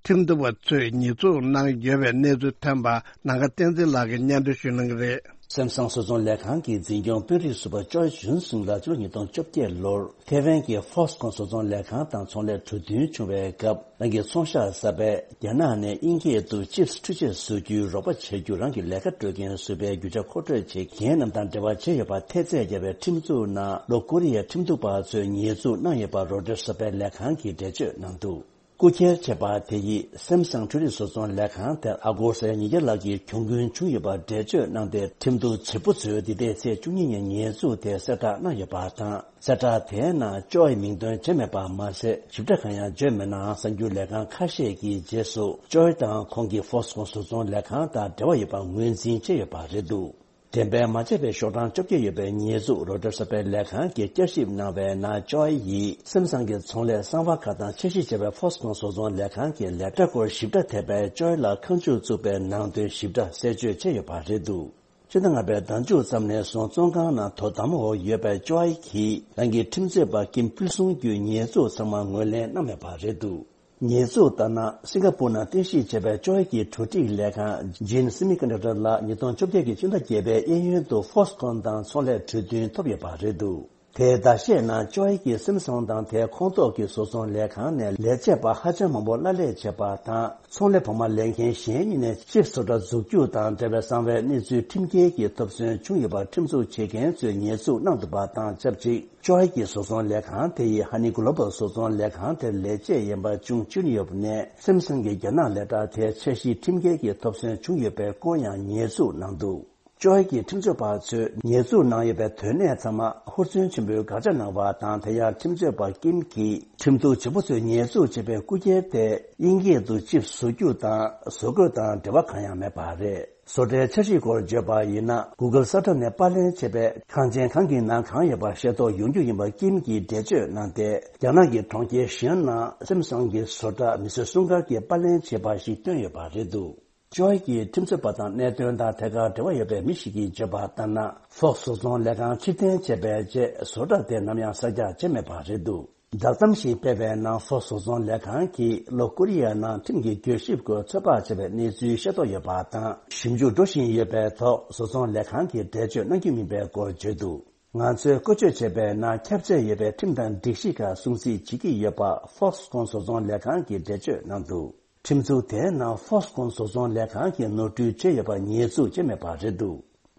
ཁྲིམས་འདུན་པ་ཚོས་ཉེས་འཛུགས་གནང་ཡོད་པའི་གནས་ཚུལ་ཐོན་པ་ནམ་མཁའ་བསྟན་འཛིན་ལགས་ཀྱིས་སྙན་སྒྲོན་ཞུ་གནང་གི་རེད། སེམ་སང་བཟོ་ཚོང་ལས་ཁང་གི་འཛིན་སྐྱོང་དཔོན་རིགས་ཟུར་པ་ཅོའི་ཇུན་སུང་ལགས་ཕྱི་ལོ་ཉིས་སྟོང་བཅོ་བརྒྱད་ལོར་ཐེ་ཝན་གྱི་ཧྥོག་སི་ཁོན་བཟོ་ཚོང་ལས་ཁང་དང་ཚོང་ལས་གྲོས་མཐུན་བྱུང་བའི་སྐབས། རང་གི་ཚོང་ཤག་གསར་པས་རྒྱ་ནག་ནས་དབྱིན་སྐད་དུ་ཅིབ་སི་འཕྲུལ་ཆས་བཟོ་རྒྱུའི་རོགས་པ་བྱ་རྒྱུ་རང་གི་ལས་ཀ་སྤྲོད་མཁན་ཟུར་པའི་རྒྱུ་ཆ་མཁོ་སྤྲོད་བྱེད་མཁན་རྣམས་དང་འབྲེལ་བ་བྱས་ཡོད་པ་ཐེལ་ཙེ་བརྒྱབ་པའི་ཁྲིམས་འཛུགས་ནང་ལྷོ་ཀོ་རི་ཡའི་ཁྲིམས་འཛུགས་པ་ཚོས་ཉེས་འཛུགས་གནང་ཡོད་པ་རོའི་ཊར་གསར་པའི་ལས་ཁང་གིས་འགྲེལ་བརྗོད་གནང་འདུག་རྐུ་འཁྱེར་བྱས་པ་དེ་ཡིས་སེམ་སང་འཕྲུལ་རིག་བཟོ་ཚོང་ལས་ཁང་དེར་ཨ་སྒོར་ས་ཡ་ཉིས་བརྒྱ་ལྷག་གི་གྱོང་གུན་བྱུང་ཡོད་པ་འགྲེལ་བརྗོད་གནང་སྟེ། ཁྲིམས་གཏུག་བྱེད་པོ་ཚོས་འདི་ཟླའི་ཚེས་བཅུ་གཉིས་ཉིན་ཉེས་འཛུགས་དེ་གསལ་བསྒྲགས་གནང་ཡོད་པ་དང་། གསལ་བསྒྲགས་དེའི་ནང་ཅོའི་མིང་འདོན་བྱས་མེད་པ་མ་ཟད། ཞིབ་ཕྲ་གང་ཡང་བརྗོད་མེད་ནའང་། གསར་འགྱུར་ལས་ཁང་ཁ་ཤས་ཀྱིས་རྗེས་སུ་ཅོའི་དང་ཁོང་གི་ཧྥོག་སི་ཁོན་བཟོ་ཚོང་ལས་ཁང་དང་འབྲེལ་བ་ཡོད་པ་ངོས་འཛིན་བྱས་ཡོད་པ་རེད་འདུག་འགྲེམས་སྤེལ་མ་བྱས་པའི་ཤོག་གྲངས་བཅོ་བརྒྱད་ཡོད་པའི་ཉེས་འཛུགས་རོའི་ཊར་གསར་པའི་ལས་ཁང་གིས་བསྐྱར་ཞིབ་གནང་བའི་ནང་། ཅོའི་ཡིས་སེམ་སང་གི་ཚོང་ལས་གསང་བ་ཁག་དང་འཆར་གཞི་བྱས་པའི་ཧྥོག་སི་ཁོན་བཟོ་ཚོང་ལས་ཁང་གི་ལས་གྲྭ་སྐོར་ཞིབ་ཕྲ་ཐེབས་པས། ཅོའི་ལ་ཁ་མཆུ་བཙུགས་པའི་ནང་དོན་ཞིབ་ཕྲ་གསལ་བརྗོད་བྱས་ཡོད་པ་རེད་འདུག་ཕྱི་ཟླ་ལྔ་པའི་ཟླ་མཇུག་ཙམ་ནས་བཟུང་བཙོན་ཁང་ནང་དོ་དམ་འོག་ཡོད་པའི་ཅོའི་གིས་རང་གི་ཁྲིམས་རྩོད་པ་ཀིམ་ཕུལ་བྱུང་གི་ཉེས་འཛུགས་ཚང་མ་ངོས་ལེན་གནང་མེད་པ་རེད་འདུག་ཉེས་འཛུགས་ལྟར་ན། སིང་ག་པུར་ནང་རྟེན་གཞི་བྱས་པའི་ཅོའི་གི་གྲ་སྒྲིག་ལས་ཁང་ཇིན་སི་མི་ཀོན་ཌག་ཊར་ལགས་ཉིས་སྟོང་བཅོ་བརྒྱད་ཀྱི་སྤྱི་ཟླ་བརྒྱད་པའི་གཡས་གཡོན་དུ་ཧྥོག་སི་ཁོན་དང་ཚོང་ལས་གྲོས་མཐུན་ཐོབ་ཡོད་པ་རེད་འདུག་དེའི་ཟླ་ཤས་ནང་ཅོའི་གིས་སེམ་སང་དང་དེའི་ཁོངས་གཏོགས་ཀྱི་བཟོ་ཚོང་ལས་ཁང་ནས་ལས་བྱེད་པ་ཧ་ཅང་མང་པོ་གླ་ལེན་བྱས་པ་དང་། ཚོང་ལས་བོགས་མ་ལེན་མཁན་གཞན་གཉིས་ནས་ཅིབ་བཟོ་གྲྭ་འཛུགས་རྒྱུ་དང་འབྲེལ་བའི་གསང་བའི་གནས་ཚུལ་ཁྲིམས་འགལ་གྱི་ཐོབ་ཚོད་བྱུང་ཡོད་པར་ཁྲིམས་འཛུགས་བྱེད་མཁན་ཚོས་ཉེས་འཛུགས་གནང་འདུག་པ་དང་ཆབས་ཅིག་ཅོའི་གི་བཟོ་ཚོང་ལས་ཁང་དེ་ཡིས་ཧ་ནི་གོ་ལོ་བལ་བཟོ་ཚོང་ལས་ཁང་དེར་ལས་བྱེད་ཡན་པ་ཅུང་བཅུག་ཡོད་པ་ནས། སེམ་སང་གི་རྒྱ་ནག་ལས་གྲྭ་དེའི་འཆར་གཞིའི་ཁྲིམས་འགལ་གྱི་ཐོབ་ཚོད་བྱུང་ཡོད་པའི་སྐོར་ཡང་ཉེས་འཛུགས་གནང་འདུག་ཅོའི་གི་ཁྲིམས་རྩོད་པ་ཚོས་ཉེས་འཛུགས་གནང་ཡོད་པའི་དོན་གནད་ཚང་མ་ཧུར་བརྩོན་ཆེན་པོས་དགག་བྱ་གནང་བ་དང་། དེ་ཡང་ཁྲིམས་རྩོད་པ་ཀིམ་གྱིས་ཁྲིམས་གཏུག་བྱེད་པོ་ཚོས་ཉེས་འཛུགས་བྱས་པའི་རྐུ་འཁྱེར་དེ་དབྱིན་སྐད་དུ་ཅིབ་བཟོ་རྒྱུ་དང་བཟོ་བཀོད་དང་འབྲེལ་བ་གང་ཡང་མེད་པ་རེད། བཟོ་གྲྭའི་འཆར་གཞིའི་སྐོར་བརྗོད་པ་ཡིན་ན། གུ་གལ་གསར་གྲངས་ནས་པར་ལེན་བྱས་པའི་ཁང་ཆེན་གང་གི་ནང་གང་ཡོད་པ་ཤེས་རྟོགས་ཡོང་རྒྱུ་ཡིན་པ་ཀིམ་གྱིས་འགྲེལ་བརྗོད་གནང་སྟེ། རྒྱ་ནག་གི་གྲོང་ཁྱེར་ཞི་ཨན་ནང་སེམ་སང་གི་བཟོ་གྲྭ་མི་སེར་སུམ་ཀ་གིས་པར་ལེན་བྱས་པ་ཞིག་བཏོན་ཡོད་པ་རེད་འདུག་ཅོའི་གིས་ཁྲིམས་རྩོད་པ་དང་གནད་དོན་དང་ཐད་ཀར་འབྲེལ་བ་ཡོད་པའི་མི་ཞིག་གིས་བརྗོད་པ་ལྟར་ན། ཧྥོག་སི་བཟོ་ཚོང་ལས་ཁང་ཕྱིར་འཐེན་བྱས་པའི་རྗེས་བཟོ་གྲྭ་དེ་ནམ་ཡང་གསར་རྒྱག་བྱས་མེད་པ་རེད་འདུག་བསྒྲགས་གཏམ་ཞིག་སྤེལ་བའི་ནང་། ཧྥོག་སི་བཟོ་ཚོང་ལས་ཁང་གིས་ལྷོ་ཀོ་རི་ཡ་ནང་ཁྲིམས་ཀྱི་གྱོད་ཞིབ་སྐོར་ཚོད་དཔག་བྱས་པའི་གནས་ཚུལ་ཤེས་རྟོགས་ཡོད་པ་དང་། ཞིབ་འཇུག་འགྲོ་བཞིན་ཡོད་པའི་ཐོག་བཟོ་ཚོང་ལས་ཁང་གིས་འགྲེལ་བརྗོད་གནང་རྒྱུ་མིན་པའི་སྐོར་བརྗོད་འདུག་ང་ཚོས་བཀོལ་སྤྱོད་བྱས་པའི་ནང་ཁྱབ་ཚད་ཡོད་པའི་ཁྲིམས་དང་སྒྲིག་གཞི་ཁག་སྲུང་བརྩི་བྱེད་ཀྱི་ཡོད་པ་ཧྥོག་སི་ཁོན་བཟོ་ཚོང་ལས་ཁང་གིས་འགྲེལ་བརྗོད་གནང་འདུག་ཁྲིམས་འཛུགས་དེའི་ནང་ཧྥོག་སི་ཁོན་བཟོ་ཚོང་ལས་ཁང་གིས་ནོར་འཁྲུལ་བྱས་ཡོད་པར་ཉེས་འཛུགས་བྱས་མེད་པ་རེད་འདུག་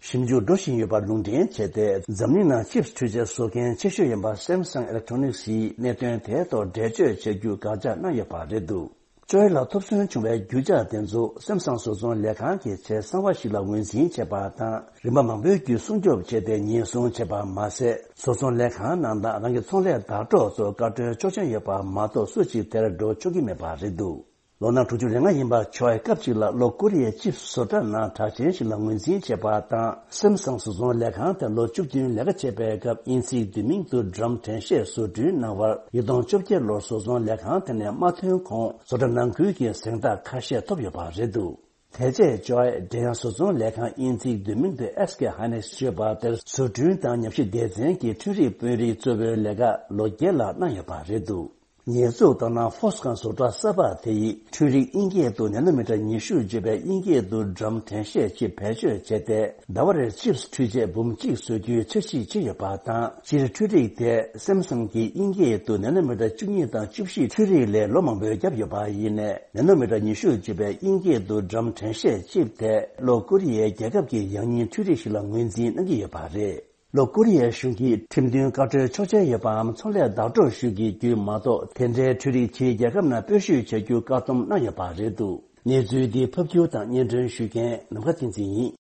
ཞིབ་འཇུག་འགྲོ་བཞིན་ཡོད་པར་ལུང་འདྲེན་བྱས་ཏེ། འཛམ་གླིང་ནང་ཅིབ་སི་འཕྲུལ་ཆས་བཟོ་མཁན་ཆེ་ཤོས་ཡིན་པ་སེམ་སང་ཨི་ལེག་ཊོ་ནིག་སིས་གནད་དོན་དེའི་ཐོག་འགྲེལ་བརྗོད་བྱ་རྒྱུ་དགག་བྱ་གནང་ཡོད་པ་རེད་འདུག་ཅོའི་ལ་ཐོབ་ཚོད་བྱུང་བའི་རྒྱུ་ཆ་དེ་ཚོ་སེམ་སང་བཟོ་ཚོང་ལས་ཁང་གི་ཆེད་གསང་བ་ཞིག་ལ་ངོས་འཛིན་བྱས་པ་དང་། རིམ་པ་མང་པོའི་བརྒྱུད་སྲུང་སྐྱོབ་བྱས་ཏེ་ཉེན་སྲུང་བྱས་པ་མ་ཟད། བཟོ་ཚོང་ལས་ཁང་ནང་དང་རང་གི་ཚོང་ལས་བརྡ་སྤྲོད་སོགས་བཀའ་འཁྲོལ་ཆོག་མཆན་ཡོད་པ་མ་གཏོགས་སུ་གཅིག་དེར་འགྲོ་ཆོག་གི་མེད་པ་རེད་འདུག་ལོ་ན་དྲུག་ཅུ་རེ་ལྔ་ཡིན་པ་ཆོའི་སྐབས་གཅིག་ལ་ལྷོ་ཀོ་རི་ཡའི་ཅིབ་སི་བཟོ་གྲྭ་ནང་གྲགས་ཅན་ཞིག་ལ་ངོས་འཛིན་བྱས་པ་དང་། སེམ་སང་བཟོ་ཚོང་ལས་ཁང་དེར་ལོ་བཅུ་བདུན་ལས་ཀ་བྱེད་པའི་སྐབས། དབྱིན་ཚིག་བསྡུས་མིང་དུ་ཌམ་དྲན་ཤེས་བཟོ་སྐྲུན་གནང་བར། ཉིས་སྟོང་བཅོ་བརྒྱད་ལོར་བཟོ་ཚོང་ལས་ཁང་དེ་ནས་མ་ཐོན་གོང་། བཟོ་གྲྭ་ནང་ཁུལ་གྱི་གཟེངས་རྟགས་ཁ་ཤས་ཐོབ་ཡོད་པ་རེད་འདུག་དེ་རྗེས་ཅོའི་འབྲེལ་ཡང་བཟོ་ཚོང་ལས་ཁང་། དབྱིན་ཚིག་བསྡུས་མིང་དུ་ཨེས་ཀེ་ཧའི་ནེགས་ཞེས་པ་དེར་བཟོ་སྐྲུན་དང་ཉམས་ཞིབ་སྡེ་ཚན་གྱི་འཕྲུལ་རིག་དཔོན་རིགས་གཙོ་བོའི་ལས་ཀ་ལོ་བརྒྱད་ལྷག་གནང་ཡོད་པ་རེད་འདུག་ཉེས་འཛུགས་ལྟར་ན་ཧྥོ་སི་ཁན་བཟོ་གྲྭ་གསར་པ་དེ་ཡིས་འཕྲུལ་རིག་དབྱིན་སྐད་དུ་ནེ་ནོ་མི་ཊར་ཉི་ཤུ་བརྗོད་པའི་དབྱིན་སྐད་དུ་སྒྲམ་དྲན་ཤེས་ཅིབ་བེད་སྤྱོད་བྱས་ཏེ། ཟླ་བ་རེར་ཅིབ་འཕྲུལ་ཆས་འབུམ་གཅིག་བཟོ་རྒྱུའི་འཆར་གཞི་བྱས་ཡོད་པ་དང་། སྤྱིར་འཕྲུལ་རིག་དེ་སེམ་སང་གིས་དབྱིན་སྐད་དུ་ནེ་ནོ་མི་ཊར་བཅུ་གཉིས་དང་བཅུ་བཞི་འཕྲུལ་རིག་ལས་ལོ་མང་པོའི་རྒྱབ་ཡོད་པ་ཡིན་ནས། ནེ་ནོ་མི་ཊར་ཉི་ཤུ་བརྗོད་པའི་དབྱིན་སྐད་དུ་སྒྲམ་དྲན་ཤེས་ཅིབ་དེ་ལྷོ་ཀོ་རི་ཡའི་རྒྱལ་ཁབ་ཀྱི་ཡང་སྙིང་འཕྲུལ་རིག་ཞིག་ལ་ངོས་འཛིན་གནང་གི་ཡོད་པ་རེད། ལྷོ་ཀོ་རི་ཡའི་གཞུང་གིས་ཁྲིམས་མཐུན་བཀའ་འཁྲོལ་ཆོག་མཆན་ཡོད་པའམ་ཚོང་ལས་བདག་སྤྲོད་ཞུ་གི་རྒྱུ་མ་གཏོགས། དེ་འདྲའི་འཕྲུལ་རིག་ཕྱིའི་རྒྱལ་ཁབ་ནང་སྤེལ་བཤུས་བྱ་རྒྱུ་བཀག་སྡོམ་གནང་ཡོད་པ་རེད་འདུག་གནས་ཚུལ་འདི་ཕབ་སྒྱུར་དང་སྙན་སྒྲོན་ཞུ་མཁན་ནམ་མཁའ་བསྟན་འཛིན་ཡིན།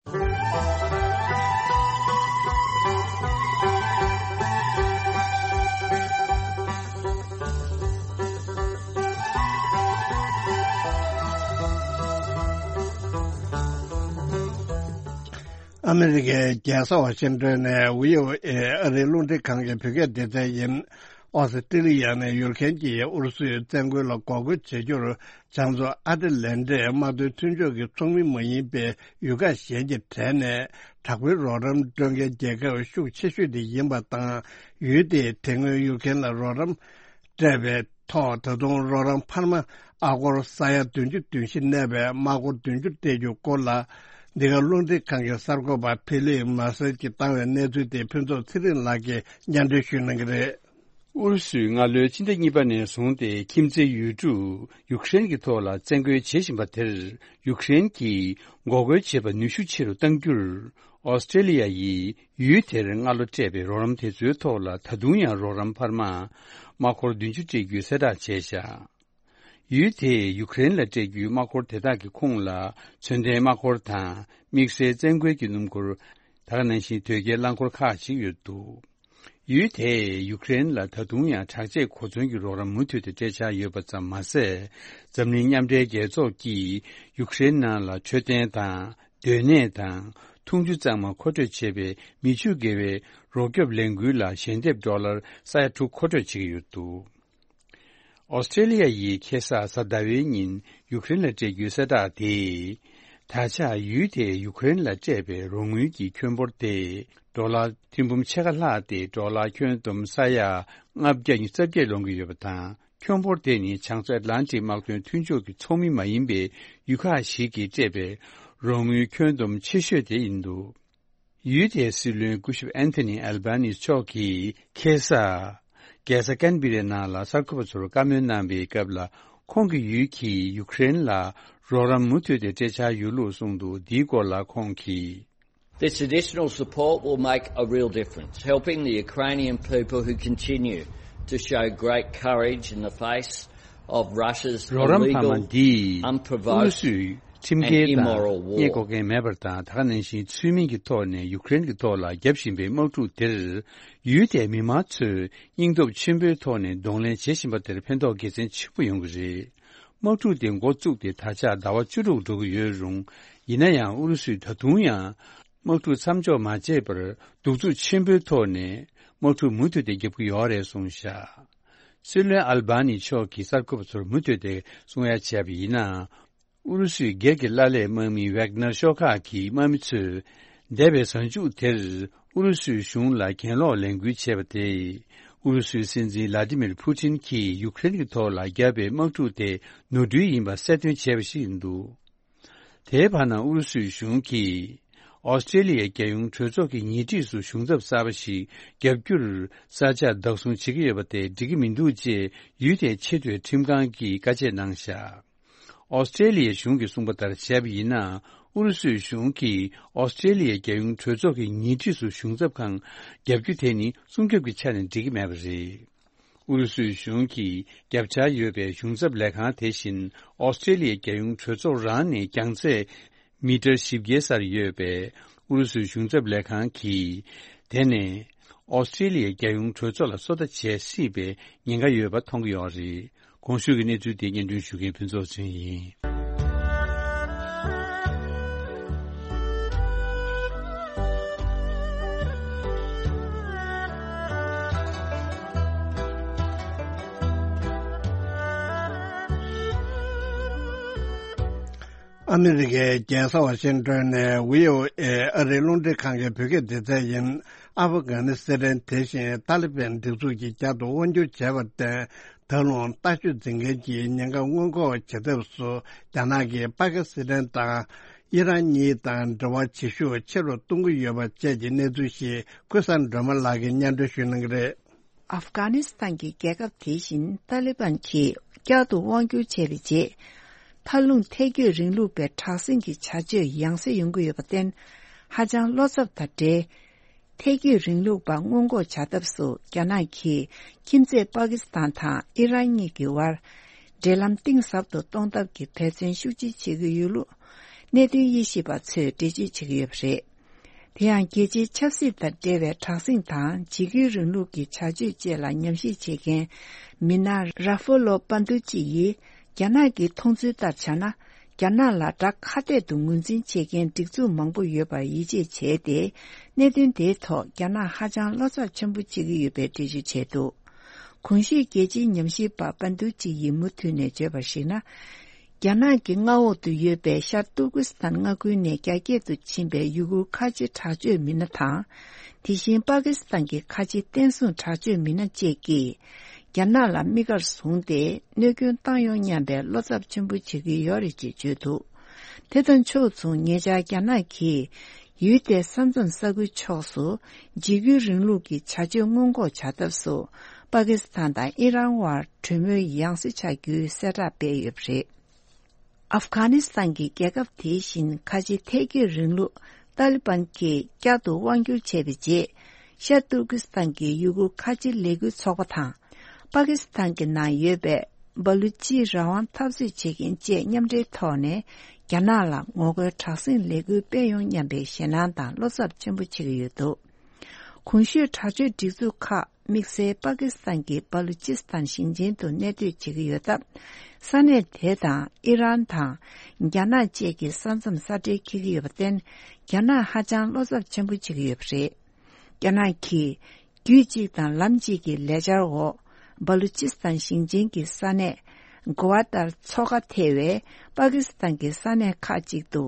ཨ་མི་རི་ཀའི་རྒྱལ་ས་ཝ་ཤིང་ཏོན་ནས་བྷི་ཨོ་ཨེ་ཨ་རིའི་རླུང་འཕྲིན་ཁང་གི་བོད་སྐད་སྡེ་ཚན་ཡིན། ཨོ་སི་ཀྲི་ལི་ཡ་ནས་ཡུལ་མཁན་གྱིས་ཨུ་རུ་སུའི་བཙན་རྒོལ་ལ་འགོག་རྒོལ་བྱེད་རྒྱུར་བྱང་མཚོ་ཨ་ཏི་ལན་ཏི་དམག་དོན་མཐུན་ཕྱོགས་ཀྱི་ཚོགས་མི་མ་ཡིན་པའི་ཡུལ་ཁག་གཞན་གྱི་གྲས་ནས་དྲག་པོའི་རོགས་རམ་སྤྲོད་མཁན་རྒྱལ་ཁབ་ཤུགས་ཆེ་ཤོས་དེ་ཡིན་པ་དང་། ཡུལ་དེས་དེ་སྔོན་ཡུལ་མཁན་ལ་རོགས་རམ་སྤྲད་པའི་ཐོག་ད་དུང་རོགས་རམ་འཕར་མ་ཨ་སྒོར་ས་ཡ་བདུན་ཅུ་དོན་བཞི་གནས་པའི་དམག་འཁོར་བདུན་ཅུ་སྤྲད་རྒྱུའི་སྐོར་ལ། འདི་ག་རླུང་འཕྲིན་ཁང་གི་གསར་འགོད་པ་ཕི་ལིབ་མར་སེལ་གྱིས་བཏང་བའི་གནས་ཚུལ་དེ་ཕུན་ཚོགས་ཚེ་རིང་ལགས་ཀྱིས་སྙན་སྒྲོན་ཞུ་གནང་གི་རེད། ཨུ་རུ་སུས་སྔ་ལོའི་ཕྱི་ཟླ་གཉིས་པ་ནས་བཟུང་སྟེ་ཁྱིམ་མཚེས་ཡུལ་གྲུ་ཡུཀ་རེན་གྱི་ཐོག་ལ་བཙན་རྒོལ་བྱེད་བཞིན་པ་དེར། ཡུཀ་རེན་གྱིས་འགོག་རྒོལ་བྱེད་པ་ནུས་ཤུགས་ཆེ་རུ་གཏང་རྒྱུར། ཨོ་སི་ཀྲེ་ལི་ཡ་ཡིས་ཡུལ་དེར་སྔ་ལོ་སྤྲད་པའི་རོགས་རམ་དེ་ཚོའི་ཐོག་ལ་ད་དུང་ཡང་རོགས་རམ་འཕར་མ་དམག་འཁོར་བདུན་ཅུ་སྤྲད་རྒྱུའི་གསལ་བསྒྲགས་བྱས་བཞག་ཡུལ་དེས་ཡུཀ་རེན་ལ་སྤྲད་རྒྱུའི་དམག་འཁོར་དེ་དག་གི་ཁོངས་ལ་མཚོན་ལྡན་དམག་འཁོར་དང་། དམིགས་བསལ་བཙན་རྒོལ་གྱི་སྣུམ་འཁོར། ད་ག་ནང་བཞིན་དོས་སྐྱེལ་རླངས་འཁོར་ཁག་ཅིག་ཡོད་འདུག་ཡུལ་དེས་ཡུཀ་རེན་ལ་ད་དུང་ཡང་དྲག་ཆས་གོ་མཚོན་གྱི་རོགས་རམ་མུ་མཐུད་དུ་སྤྲད་འཆར་ཡོད་པ་ཙམ་མ་ཟད། འཛམ་གླིང་མཉམ་འབྲེལ་རྒྱལ་ཚོགས་ཀྱིས་ཡུཀ་རེན་ནང་ལ་འཕྲོད་བསྟེན་དང་། སྡོད་གནས་དང་། འཐུང་ཆུ་གཙང་མ་མཁོ་སྤྲོད་བྱེད་པའི་མི་ཆུ་བརྒལ་བའི་རོགས་སྐྱོབ་ལས་འགུལ་ལ་ཞལ་འདེབས་ཌོ་ལར་ས་ཡ་དྲུག་མཁོ་སྤྲོད་བྱེད་ཀྱི་ཡོད་འདུག་ཨོ་སི་ཀྲེ་ལི་ཡ་ཡིས་ཁ་སང་གཟའ་ཟླ་བའི་ཉིན་ཡུཀ་རེན་ལ་སྤྲད་རྒྱུའི་གསལ་བསྒྲགས་དེས། ད་ཆ་ཡུལ་དེས་ཡུཀ་རེན་ལ་སྤྲད་པའི་རོགས་དངུལ་གྱི་ཁྱོན་འབོར་དེ་ཌོ་ལར་ཐེར་འབུམ་ཕྱེད་ཀ་ལྷག་སྟེ་ཌོ་ལར་ཁྱོན་བསྡོམས་ས་ཡ་ལྔ་བརྒྱ་ཉི་ཤུ་རྩ་བརྒྱད་ལོངས་ཀྱི་ཡོད་པ་དང་། ཁྱོན་འབོར་དེ་ནི་བྱང་མཚོ་ཨེཊ་ལན་ཊིག་དམག་དོན་མཐུན་ཕྱོགས་ཀྱི་ཚོགས་མི་མ་ཡིན་པའི་ཡུལ་ཁག་ཞིག་གིས་སྤྲད་པའི་རོགས་དངུལ་ཁྱོན་བསྡོམས་ཆེ་ཤོས་དེ་ཡིན་འདུག་ཡུལ་དེའི་སྲིད་བློན་སྐུ་ཞབས་ཨན་ཐོ་ནི་ཨལ་བྷ་ནི་མཆོག་གིས་ཁ་སང་རྒྱལ་ས་ཀན་བི་རའི་ནང་ལ་གསར་འགོད་པ་ཚོར་བཀའ་མོལ་གནང་བའི་སྐབས་ལ། ཁོང་གི་ཡུལ་གྱིས་ཡུཀ་རེན་ལ་རོགས་རམ་མུ་མཐུད་དེ་སྤྲད་འཆར་ཡོད་ལུགས་གསུངས་འདུག་འདིའི་སྐོར་ལ་ཁོང་གིས། This additional support will make a real difference, helping the Ukrainian people who continue to show great courage in the face of Russia's illegal, unprovoked, and immoral war. རོགས་རམ་འཕར་མ་འདིས་ཨུ་རུ་སུའི་ཁྲིམས་འགལ་དང་ཁྲིམས་འགལ་དང་ཉེས་འགོག་མཁན་མེད་པར་དང་། ད་ག་ནང་བཞིན་ཚུལ་མིན་གྱི་ཐོག་ནས་ཡུཀ་རེན་གྱི་ཐོག་ལ་རྒྱབ་བཞིན་པའི་དམག་འཁྲུག་དེར། ཡུལ་དེའི་མི་མང་ཚོས་སྙིང་སྟོབས་ཆེན་པོའི་ཐོག་ནས་གདོང་ལེན་བྱེད་བཞིན་པ་དེར་ཕན་ཐོགས་དགེ་མཚན་ཆེན་པོ་ཡོང་གི་རེད། དམག་འཁྲུག་དེ་འགོ་བཙུགས་ཏེ་ད་ཆ་ཟླ་བ་བཅུ་དྲུག་འགྲོ་གི་ཡོད་རུང་། ཡིན་ན་ཡང་ཨུ་རུ་སུས་ད་དུང་ཡང་དམག་འཁྲུག་མཚམས་འཇོག་མ་བྱས་པར་གདུག་རྩུབ་ཆེན་པོའི་ཐོག་ནས་དམག་འཁྲུག་མུ་མཐུད་དེ་རྒྱབ་ཀྱི་ཡོད་རེད་གསུངས་བཞག་སྲིད་བློན་ཨལ་བྷ་ནི་མཆོག་གིས་གསར་འགོད་པ་ཚོར་མུ་མཐུད་དེ་གསུང་ཡ་བྱས་པ་ཡིན་ན། ཨུ་རུ་སུའི་སྒེར་གྱི་ཀླད་པའི་དམག་མི་ཝེག་ནར་ཤོག་ཁག་གི་དམག་མི་ཚོས། འདས་པའི་གཟའ་མཇུག་དེར་ཨུ་རུ་སུའི་གཞུང་ལ་གྱེན་ལོག་ལས་འགུལ་བྱས་པ་དེས། ཨུ་རུ་སུའི་སྲིད་འཛིན་ལ་ཏི་མིར་ཕུ་ཏིན་གྱིས་ཡུཀ་རེན་གྱི་ཐོག་ལ་བརྒྱབ་པའི་དམག་འཁྲུག་དེ་ནོར་འཁྲུལ་ཡིན་པ་གསལ་སྟོན་བྱས་པ་ཞིག་ཡིན་འདུག་དེའི་བར་ན་ཨུ་རུ་སུའི་གཞུང་གིས། ཨོ་སི་ཀྲེ་ལི་ཡའི་རྒྱལ་ཡོངས་གྲོས་ཚོགས་ཀྱི་ཉེ་འཁྲིས་སུ་གཞུང་ཚབ་གསར་པ་ཞིག་བརྒྱབ་རྒྱུར་ས་ཆ་བདག་བཟུང་བྱེད་ཀྱི་ཡོད་པ་དེ་འགྲིག་གི་མི་འདུག་ཅེས་ཡུལ་དེའི་ཆེས་མཐོའི་ཁྲིམས་ཁང་གིས་བཀའ་ཆད་གནང་བཞག་ཨོ་སི་ཀྲེ་ལི་ཡའི་གཞུང་གིས་གསུངས་པ་ལྟར་བྱས་པ་ཡིན་ན། ཨུ་རུ་སུའི་གཞུང་གིས་ཨོ་སི་ཀྲེ་ལི་ཡའི་རྒྱལ་ཡོངས་གྲོས་ཚོགས་ཀྱི་ཉེ་འཁྲིས་སུ་གཞུང་ཚབ་ཁང་བརྒྱབ་རྒྱུ་དེ་ནི་སྲུང་སྐྱོབ་ཀྱི་ཆ་ནས་འགྲིག་གི་མེད་པ་རེད། ཨུ་རུ་སུའི་གཞུང་གིས་བརྒྱབ་འཆར་ཡོད་པའི་གཞུང་ཚབ་ལས་ཁང་དེ་བཞིན་ཨོ་སི་ཀྲེ་ལི་ཡའི་རྒྱལ་ཡོངས་གྲོས་ཚོགས་རང་ནས་རྒྱང་ཚད་མི་ཊར་བཞི་བརྒྱའི་སར་ཡོད་པའི་ཨུ་རུ་སུའི་གཞུང་ཚབ་ལས་ཁང་གིས། དེ་ནས་ཨོ་སི་ཀྲེ་ལི་ཡའི་རྒྱལ་ཡོངས་གྲོས་ཚོགས་ལ་སོ་ལྟ་བྱེད་སྲིད་པའི་ཉེན་ཁ་ཡོད་པ་མཐོང་གི་ཡོད་རེད། གོང་ཞུས་ཀྱི་གནས་ཚུལ་དེ་སྙན་སྒྲོན་ཞུ་མཁན་ཕུན་ཚོགས་ཚེ་རིང་ཡིན། ཨ་མི་རི་ཀའི་རྒྱལ་ས་ཝ་ཤིང་ཏོན་ནས་བྷི་ཨོ་ཨེ་ཨ་རིའི་རླུང་འཕྲིན་ཁང་གི་བོད་སྐད་སྡེ་ཚན་ཡིན། ཨ་ཕ་གྷ་ནི་སི་ཐན་དེ་བཞིན་ཏཱ་ལི་བན་སྒྲིག་འཛུགས་ཀྱིས་བསྐྱར་དུ་དབང་བསྒྱུར་བྱས་པར་བརྟེན། ད་རུང་ལྟ་སྤྱོད་འཛིན་མཁན་གྱི་ཉེན་ཁ་སྔོན་འགོག་བྱེད་ཐབས་སུ་རྒྱ་ནག་གིས་པ་ཀི་སི་ཐན་དང་ཨི་རན་གཉིས་དང་འབྲེལ་བ་བྱེད་ཤུགས་ཆེ་རུ་གཏོང་གི་ཡོད་པ་བཅས་ཀྱི་གནས་ཚུལ་ཞིག་ཀུན་བཟང་སྒྲོལ་མ་ལགས་ཀྱིས་སྙན་སྒྲོན་ཞུ་གནང་གི་རེད། ཨབ་གྷ་ནི་སི་ཐན་གྱི་རྒྱལ་ཁབ་དེ་བཞིན་ཏཱ་ལི་བན་གྱིས་བསྐྱར་དུ་དབང་བསྒྱུར་བྱས་པའི་རྗེས། མཐའ་ལྷུང་ཐལ་སྐྱོད་རིང་ལུགས་པའི་དྲག་ཟིང་གི་བྱ་སྤྱོད་ཡང་སེ་ཡོང་གི་ཡོད་པར་བརྟེན། ཧ་ཅང་བློ་འཚབ་དང་འབྲེལ། ཐལ་སྐྱོད་རིང་ལུགས་པ་སྔོན་འགོག་བྱ་ཐབས་སུ་རྒྱ་ནག་གིས་ཁྱིམ་མཚེས་པ་ཀི་སི་ཐན་དང་ཨི་རན་གཉིས་ཀྱི་དབར་འབྲེལ་ལམ་གཏིང་ཟབ་ཏུ་གཏོང་ཐབས་ཀྱི་འབད་བརྩོན་ཤུགས་ཆེ་བྱེད་ཀྱི་ཡོད་ལུགས་གནད་དོན་དབྱེ་ཞིབ་པ་ཚོས་འགྲེལ་བརྗོད་བྱེད་ཀྱི་ཡོད་པ་རེད། དེ་ཡང་རྒྱལ་སྤྱིའི་ཆབ་སྲིད་དང་འབྲེལ་བའི་དྲག་ཟིང་དང་འཇིགས་སྐུལ་རིང་ལུགས་ཀྱི་བྱ་སྤྱོད་བཅས་ལ་ཉམས་ཞིབ་བྱེད་མཁན་མི་སྣ་ར་ཧྥོ་ལོ་པན་དུ་ཅི་ཡིས། རྒྱ་ནག་གི་མཐོང་ཚུལ་ལྟར་བྱས་ན། རྒྱ་ནག་ལ་དགྲ་ཁ་གཏད་དུ་ངོས་འཛིན་བྱེད་མཁན་སྒྲིག་འཛུགས་མང་པོ་ཡོད་པར་ཡིད་ཆེས་བྱས་ཏེ། གནད་དོན་དེའི་ཐོག་རྒྱ་ནག་ཧ་ཅང་བློ་འཚབ་ཆེན་པོ་བྱེད་ཀྱི་ཡོད་པའི་འགྲེལ་བརྗོད་བྱས་འདུག་གོང་ཞུས་རྒྱལ་སྤྱིའི་ཉམས་ཞིབ་པ་པན་དུ་ཅི་ཡིས་མུ་མཐུད་ནས་བརྗོད་པར་གཞིགས་ན། རྒྱ་ནག་གི་མངའ་འོག་ཏུ་ཡོད་པའི་ཤར་ཏུར་ཀི་སི་ཐན་མངའ་ཁུལ་ནས་རྒྱ་སྐྱེད་དུ་ཕྱིན་པའི་ཡུ་གུར་ཁ་ཆེ་དྲག་སྤྱོད་མི་སྣ་དང་། དེ་བཞིན་པ་ཀི་སི་ཐན་གྱི་ཁ་ཆེ་བསྟན་སྲུང་དྲག་སྤྱོད་མི་སྣ་བཅས་ཀྱིས། རྒྱ་ནག་ལ་དམིགས་བཀར་བཟུང་སྟེ་གནོད་སྐྱོན་བཏང་ཡོང་སྙམ་པའི་བློ་འཚབ་ཆེན་པོ་བྱེད་ཀྱི་ཡོད་རེད་ཅེས་བརྗོད་འདུག་དེ་དང་ཕྱོགས་མཚུངས་ཉེ་ཆར་རྒྱ་ནག་གིས་ཡུལ་དེའི་ས་མཚམས་ས་ཁུལ་ཕྱོགས་སུ་འཇིགས་སྐུལ་རིང་ལུགས་ཀྱི་བྱ་སྤྱོད་སྔོན་འགོག་བྱ་ཐབས་སུ་པ་ཀི་སི་ཐན་དང་ཨི་རན་དབར་གྲོས་མོལ་ཡང་སེ་བྱ་རྒྱུའི་གསལ་བསྒྲགས་སྤེལ་ཡོད་པ་རེད། ཨབ་གྷ་ནི་སི་ཐན་གྱི་རྒྱལ་ཁབ་དེ་བཞིན་ཁ་ཆེ་ཐལ་སྐྱོད་རིང་ལུགས་ཏཱ་ལི་བན་གྱིས་བསྐྱར་དུ་དབང་བསྒྱུར་བྱས་པའི་རྗེས། ཤར་ཏུར་ཀི་སི་ཐན་གྱི་ཡུ་གུར་ཁ་ཆེ་ལས་འགུལ་ཚོགས་པ་དང་། པ་ཀི་སི་ཐན་གྱི་ནང་ཡོད་པའི་སྦ་ལུ་ཅི་རང་དབང་འཐབ་རྩོད་བྱེད་མཁན་བཅས་མཉམ་འབྲེལ་ཐོག་ནས་རྒྱ་ནག་ལ་ངོ་རྒོལ་དྲག་ཟིང་ལས་འགུལ་སྤེལ་ཡོང་སྙམ་པའི་ཞེད་སྣང་དང་བློ་འཚབ་ཆེན་པོ་བྱེད་ཀྱི་ཡོད་འདུག་གོང་ཞུས་དྲག་སྤྱོད་སྒྲིག་འཛུགས་ཁག་དམིགས་བསལ་པ་ཀི་སི་ཐན་གྱི་སྦ་ལུ་ཅི་སི་ཐན་ཞིང་ཆེན་དུ་གནས་སྡོད་བྱེད་ཀྱི་ཡོད་སྟབས། ས་གནས་དེ་དང་ཨི་རན་དང་རྒྱ་ནག་བཅས་ཀྱི་ས་མཚམས་ས་འབྲེལ་འཁེལ་གྱི་ཡོད་པར་བརྟེན། རྒྱ་ནག་ཧ་ཅང་བློ་འཚབ་ཆེན་པོ་བྱེད་ཀྱི་ཡོད་པ་རེད། རྒྱ་ནག་གིས་རྒྱུད་གཅིག་དང་ལམ་གཅིག་གི་ལས་འཆར་འོག་སྦ་ལུ་ཅི་སི་ཐན་ཞིང་ཆེན་གྱི་ས་གནས་གོ་བ་ཏར་མཚོ་ཁ་ཐེ་བའི་པ་ཀི་སི་ཐན་གྱི་ས་གནས་ཁག་ཅིག་ཏུ་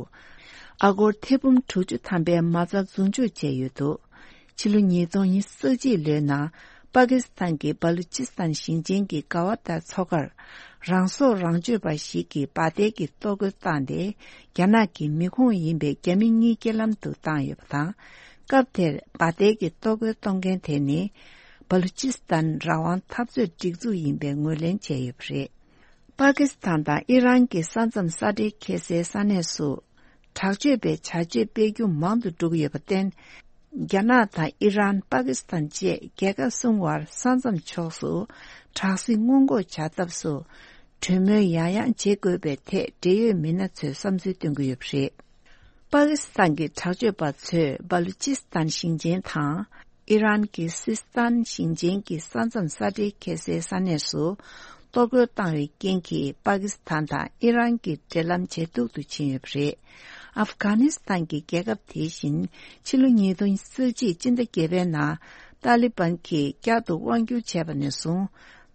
ཨ་སྒོར་ཐེར་འབུམ་དྲུག་ཅུ་ཐམ་པའི་མ་རྩ་འཛུགས་འཇུག་བྱས་ཡོད་འདུག་ཕྱི་ལོ་ཉིས་སྟོང་ཉི་ཤུ་རྩ་གཅིག་ལོའི་ནང་པ་ཀི་སི་ཐན་གྱི་སྦ་ལུ་ཅི་སི་ཐན་ཞིང་ཆེན་གྱི་ག་བ་ཏར་མཚོ་ཁར་རང་སྲོག་རང་གཅོད་པ་ཞིག་གིས་འབར་མདེལ་གྱི་གཏོར་རྒོལ་བཏང་སྟེ། རྒྱ་ནག་གི་མི་ཁོངས་ཡིན་པའི་རྒྱ་མི་གཉིས་རྐྱེན་ལམ་དུ་བཏང་ཡོད་པ་དང་། སྐབས་དེར་འབར་མདེལ་གྱི་གཏོར་རྒོལ་གཏོང་མཁན་དེ་ནི་སྦ་ལུ་ཅི་སི་ཐན་རང་དབང་འཐབ་རྩོད་སྒྲིག་འཛུགས་ཡིན་པའི་ངོས་ལེན་བྱས་ཡོད་པ་རེད། པ་ཀི་སི་ཐན་དང་ཨི་རན་གྱི་ས་མཚམས་ས་འབྲེལ་འཁེལ་སའི་ས་གནས་སུ། དྲག་སྤྱོད་པའི་བྱ་སྤྱོད་སྤེལ་རྒྱུ་མང་དུ་འགྲོ་གི་ཡོད་པར་བརྟེན། རྒྱ་ནག་དང་ཨི་རན། པ་ཀི་སི་ཐན་བཅས་རྒྱལ་ཁབ་གསུམ་བར་ས་མཚམས་ཕྱོགས་སུ་དྲག་ཟིང་སྔོན་འགོག་བྱ་ཐབས་སུ། གྲོས་མོལ་ཡང་ཡང་བྱེད་དགོས་པའི་ཐད་འབྲེལ་ཡོད་མི་སྣ་ཚོས་བསམ་ཚུལ་བཏོན་གྱི་ཡོད་པ་རེད། པ་ཀི་སི་ཐན་གྱི་དྲག་སྤྱོད་པ་ཚོས་སྦ་ལུ་ཅི་སི་ཐན་ཞིང་ཆེན་དང་། ཨི་རན་གྱི་སིས་ཐན་ཞིང་ཆེན་གྱི་ས་མཚམས་ས་འབྲེལ་འཁེལ་སའི་ས་གནས་སུ་གཏོར་རྒོལ་བཏང་བའི་རྐྱེན་གྱིས་པ་ཀི་སི་ཐན་དང་ཨི་རན་གྱི་འབྲེལ་ལམ་ཇེ་སྡུག་ཏུ་ཕྱིན་ཡོད་པ་རེད། ཨབ་གྷ་ནི་སི་ཐན་གྱི་རྒྱལ་ཁབ་དེ་བཞིན་ཕྱི་ལོ་ཉིས་སྟོང་ཉི་ཤུ་རྩ་གཅིག་སྤྱི་ཟླ་བརྒྱད་པའི་ནང་ཏཱ་ལི་བན་གྱིས་བསྐྱར་དུ་དབང་བསྒྱུར་བྱས་པ་ནས་བཟུང་།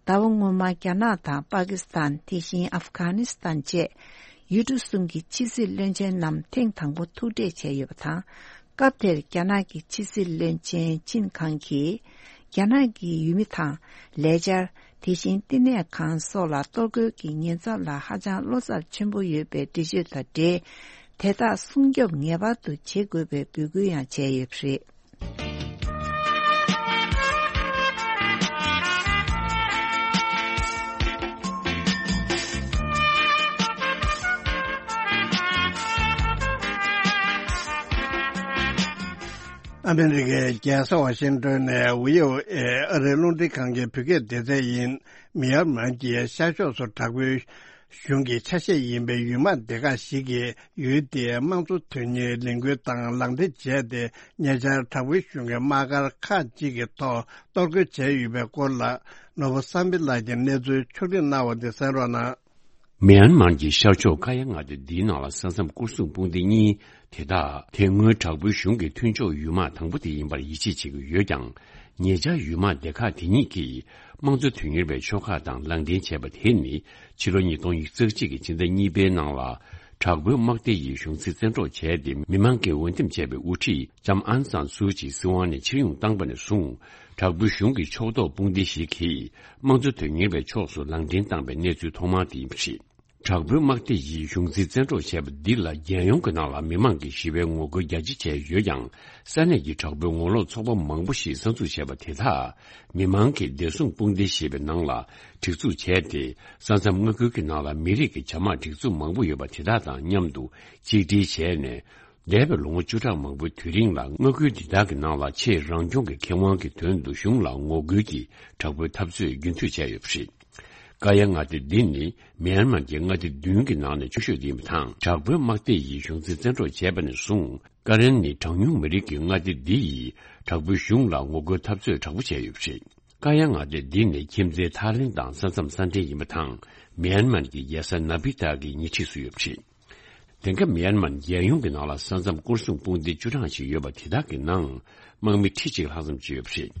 ཟླ་བ་སྔོན་མ་རྒྱ་ནག་དང་པ་ཀི་སི་ཐན། དེ་བཞིན་ཨབ་གྷ་ནི་སི་ཐན་བཅས་ཡུལ་གྲུ་གསུམ་གྱི་ཕྱི་སྲིད་བློན་ཆེན་རྣམས་ཐེངས་དང་པོ་ཐུག་འཕྲད་བྱས་ཡོད་པ་དང་། སྐབས་དེར་རྒྱ་ནག་གི་ཕྱི་སྲིད་བློན་ཆེན་ཆིན་ཁང་གིས། རྒྱ་ནག་གི་ཡུལ་མི་དང་ལས་འཆར། དེ་བཞིན་བསྟི་གནས་ཁང་སོགས་ལ་གཏོར་རྒོལ་གྱི་ཉེན་ཚབས་ལ་ཧ་ཅང་བློ་འཚབ་ཆེན་པོ་ཡོད་པའི་འགྲེལ་བརྗོད་དང་འབྲེལ། དེ་དག་སྲུང་སྐྱོབ་ངེས་པར་དུ་བྱེད་དགོས་པའི་འབོད་སྐུལ་ཡང་བྱས་ཡོད་པ་རེད། ཨ་མེ་རི་ཀའི་རྒྱལ་ས་ཝ་ཤིང་ཏོན་ནས་ཝི་ཨོ་ཨེ་ཨ་རིའི་རླུང་འཕྲིན་ཁང་གི་བོད་སྐད་སྡེ་ཚན་ཡིན། མི་ཡར་མར་གྱི་ཤར་ཕྱོགས་སུ་དྲག་པོའི་གཞུང་གི་ཆ་ཤས་ཡིན་པའི་ཡུལ་དམག་སྡེ་ཁག་ཞིག་གིས་ཡུལ་དེའི་དམངས་གཙོ་དོན་གཉེར་ལས་འགུལ་དང་ལག་འབྲེལ་བྱས་ཏེ། ཉེ་ཆར་དྲག་པོའི་གཞུང་གི་དམག་སྒར་ཁག་ཅིག་གི་ཐོག་གཏོར་རྒོལ་བྱས་ཡོད་པའི་སྐོར་ལ། ནོར་བུ་བསམ་འཕེལ་ལགས་ཀྱིས་གནས་ཚུལ་ཕྱོགས་སྒྲིག་གནང་བ་དེ་གསན་རོགས་གནང་། མི་ཡན་མར་གྱི་ཤར་ཕྱོགས་ཀ་ཡ་མངའ་སྡེ་འདིའི་ནང་ལ་ས་མཚམས་སྐོར་སྲུང་དཔུང་སྡེ་གཉིས། དེ་དག་དེ་སྔོན་དྲག་པོའི་གཞུང་གི་མཐུན་ཕྱོགས་ཡུལ་དམག་དང་པོ་དེ་ཡིན་པར་ཡིད་ཆེས་བྱེད་ཀྱི་ཡོད་ཀྱང་། ཉེ་ཆར་ཡུལ་དམག་སྡེ་ཁག་དེ་གཉིས་ཀྱིས་དམངས་གཙོ་དོན་གཉེར་བའི་ཕྱོགས་ཁག་དང་ལག་འདེང་བྱས་པ་དེ་ནི། ཕྱི་ལོ་ཉིས་སྟོང་ཉི་ཤུ་རྩ་གཅིག་གི་ཕྱི་ཟླ་གཉིས་པའི་ནང་ལ། དྲག་པོའི་དམག་སྡེ་ཡིས་གཞུང་སྲིད་བཙན་འཕྲོག་བྱས་ཏེ། མི་མང་གིས་འོས་འདེམས་བྱས་པའི་དབུ་ཁྲིད་ལྕམ་ཨང་སང་སུའུ་ཅི་སྲིད་དབང་ནས་ཕྱིར་ཡོང་བཏང་པ་ནས་བཟུང་། དྲག་པོའི་གཞུང་གི་ཕྱོགས་གཏོགས་དཔུང་སྡེ་ཞིག་གིས་དམངས་གཙོ་དོན་གཉེར་བའི་ཕྱོགས་སུ་ལམ་འདྲེན་བཏང་པའི་གནས་ཚུལ་ཐོག་མ་དེ་ཡིན་པ་རེད། དྲག་པོའི་དམག་སྡེ་ཡིས་གཞུང་འཛིན་བཙན་འཕྲོག་བྱས་པ་འདི་ལ། རྒྱལ་ཡོངས་ཀྱི་ནང་ལ་མི་མང་གིས་ཞི་བའི་ངོ་རྒོལ་རྒྱ་ཆེ་བྱས་ཡོད་ཀྱང་། ས་གནས་ཀྱི་དྲག་པོའི་ངོ་ལོག་ཚོགས་པ་མང་པོ་ཞིག་གསར་འཛུགས་བྱས་པ་དེ་དག་མི་མང་གི་བདེ་སྲུང་དཔུང་སྡེ་ཞེས་པའི་ནང་ལ་སྒྲིག་འཛུགས་བྱས་ཏེ། ས་མཚམས་མངའ་ཁུལ་གྱི་ནང་ལ་མི་རིགས་ཀྱི་བྱ་དམག་སྒྲིག་འཛུགས་མང་པོ་ཡོད་པ་དེ་དག་དང་མཉམ་དུ་གཅིག་སྒྲིལ་བྱས་ནས། འདས་པའི་ལོ་ངོ་བཅུ་ཕྲག་མང་པོའི་དུས་རིང་ལ། མངའ་ཁུལ་འདི་དག་གི་ནང་ལ་ཆེས་རང་སྐྱོང་གི་ཁེ་དབང་གི་དོན་དུ་གཞུང་ལ་ངོ་རྒོལ་གྱི་དྲག་པོའི་འཐབ་རྩོད་རྒྱུན་མཐུད་བྱས་ཡོད་པ་རེད། ཀ་ཡ་མངའ་སྡེ་འདི་ནི་མིའན་མར་གྱི་མངའ་སྡེ་བདུན་གྱི་ནང་ནས་ཆུང་ཤོས་དེ་ཡིན་པ་དང་། དྲག་པོའི་དམག་སྡེ་ཡིས་གཞུང་འཛིན་བཙན་འཕྲོག་བྱས་པ་ནས་བཟུང་། ཀ་རན་ནི་གྲངས་ཉུང་མི་རིགས་ཀྱི་མངའ་སྡེ་འདི་ཡིས་དྲག་པོའི་གཞུང་ལ་ངོ་རྒོལ་འཐབ་རྩོད་དྲག་པོ་བྱས་ཡོད་པ་རེད། ཀ་ཡ་མངའ་སྡེ་འདི་ནི་ཁྱིམ་མཚེས་ཐའི་ལེན་དང་ས་མཚམས་ས་འབྲེལ་ཡིན་པ་དང་། མིའན་མར་གྱི་རྒྱལ་ས་ན་པི་ཏཱ་གི་ཉེ་འཁྲིས་སུ་ཡོད་པ་རེད། དེང་སྐབས་མིའན་མར་རྒྱལ་ཡོངས་ཀྱི་ནང་ལ་ས་མཚམས་སྐོར་སྲུང་དཔུང་སྡེ་བཅུ་གྲངས་ཤིག་ཡོད་པ་དེ་དག་གི་ནང་། དམག་མི་ཁྲི་གཅིག་ལྷག་ཙམ་ཅིག་ཡོད་པ་རེད།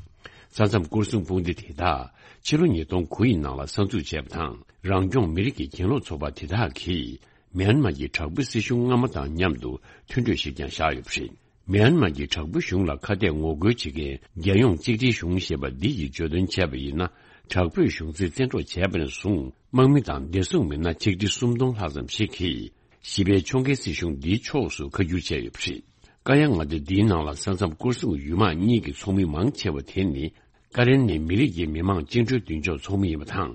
ས་མཚམས་སྐོར་སྲུང་དཔུང་སྡེ་དེ་དག་ཕྱི་ལོ་ཉིས་སྟོང་དགུ་ཡི་ནང་ལ་གསར་འཛུགས་བྱས་པ་དང་། རང་སྐྱོང་མི་རིགས་ཀྱི་གྱེན་ལོག་ཚོགས་པ་དེ་དག་གིས། མིའན་མར་གྱི་དྲག་པོའི་སྲིད་གཞུང་སྔ་མ་དང་མཉམ་དུ་མཐུན་གྲོས་ཤིག་ཀྱང་བཞག་ཡོད་པ་རེད། མིའན་མར་གྱི་དྲག་པོའི་གཞུང་ལ་ཁ་གཏད་ངོ་རྒོལ་བྱེད་མཁན་རྒྱལ་ཡོངས་གཅིག་སྒྲིལ་གཞུང་ཞེས་པ་འདི་ཡིས་བརྗོད་དོན་བྱས་པ་ཡིན་ན། དྲག་པོས་གཞུང་འཛིན་བཙན་འཕྲོག་བྱས་པ་ནས་བཟུང་། དམག་མི་དང་བདེ་སྲུང་མི་སྣ་ཆིག་ཁྲི་སུམ་སྟོང་ལྷག་ཙམ་ཞིག་གིས་ཞི་བའི་ཕྱོགས་འགལ་སྲིད་གཞུང་འདིའི་ཕྱོགས་སུ་ཁ་བསྒྱུར་བྱས་ཡོད་པ་རེད། ཀ་ཡ་མངའ་སྡེ་འདིའི་ནང་ལ་ས་མཚམས་སྐོར་སྲུང་ཡུལ་དམག་གཉིས་ཀྱི་ཚོགས་མི་མང་ཆེ་བ་དེ་ནི། ཀ་རན་ནི་མི་རིགས་ཀྱི་མི་དམངས་བཅིངས་འགྲོལ་མདུན་ཕྱོགས་ཚོགས་མི་ཡིན་པ་དང་།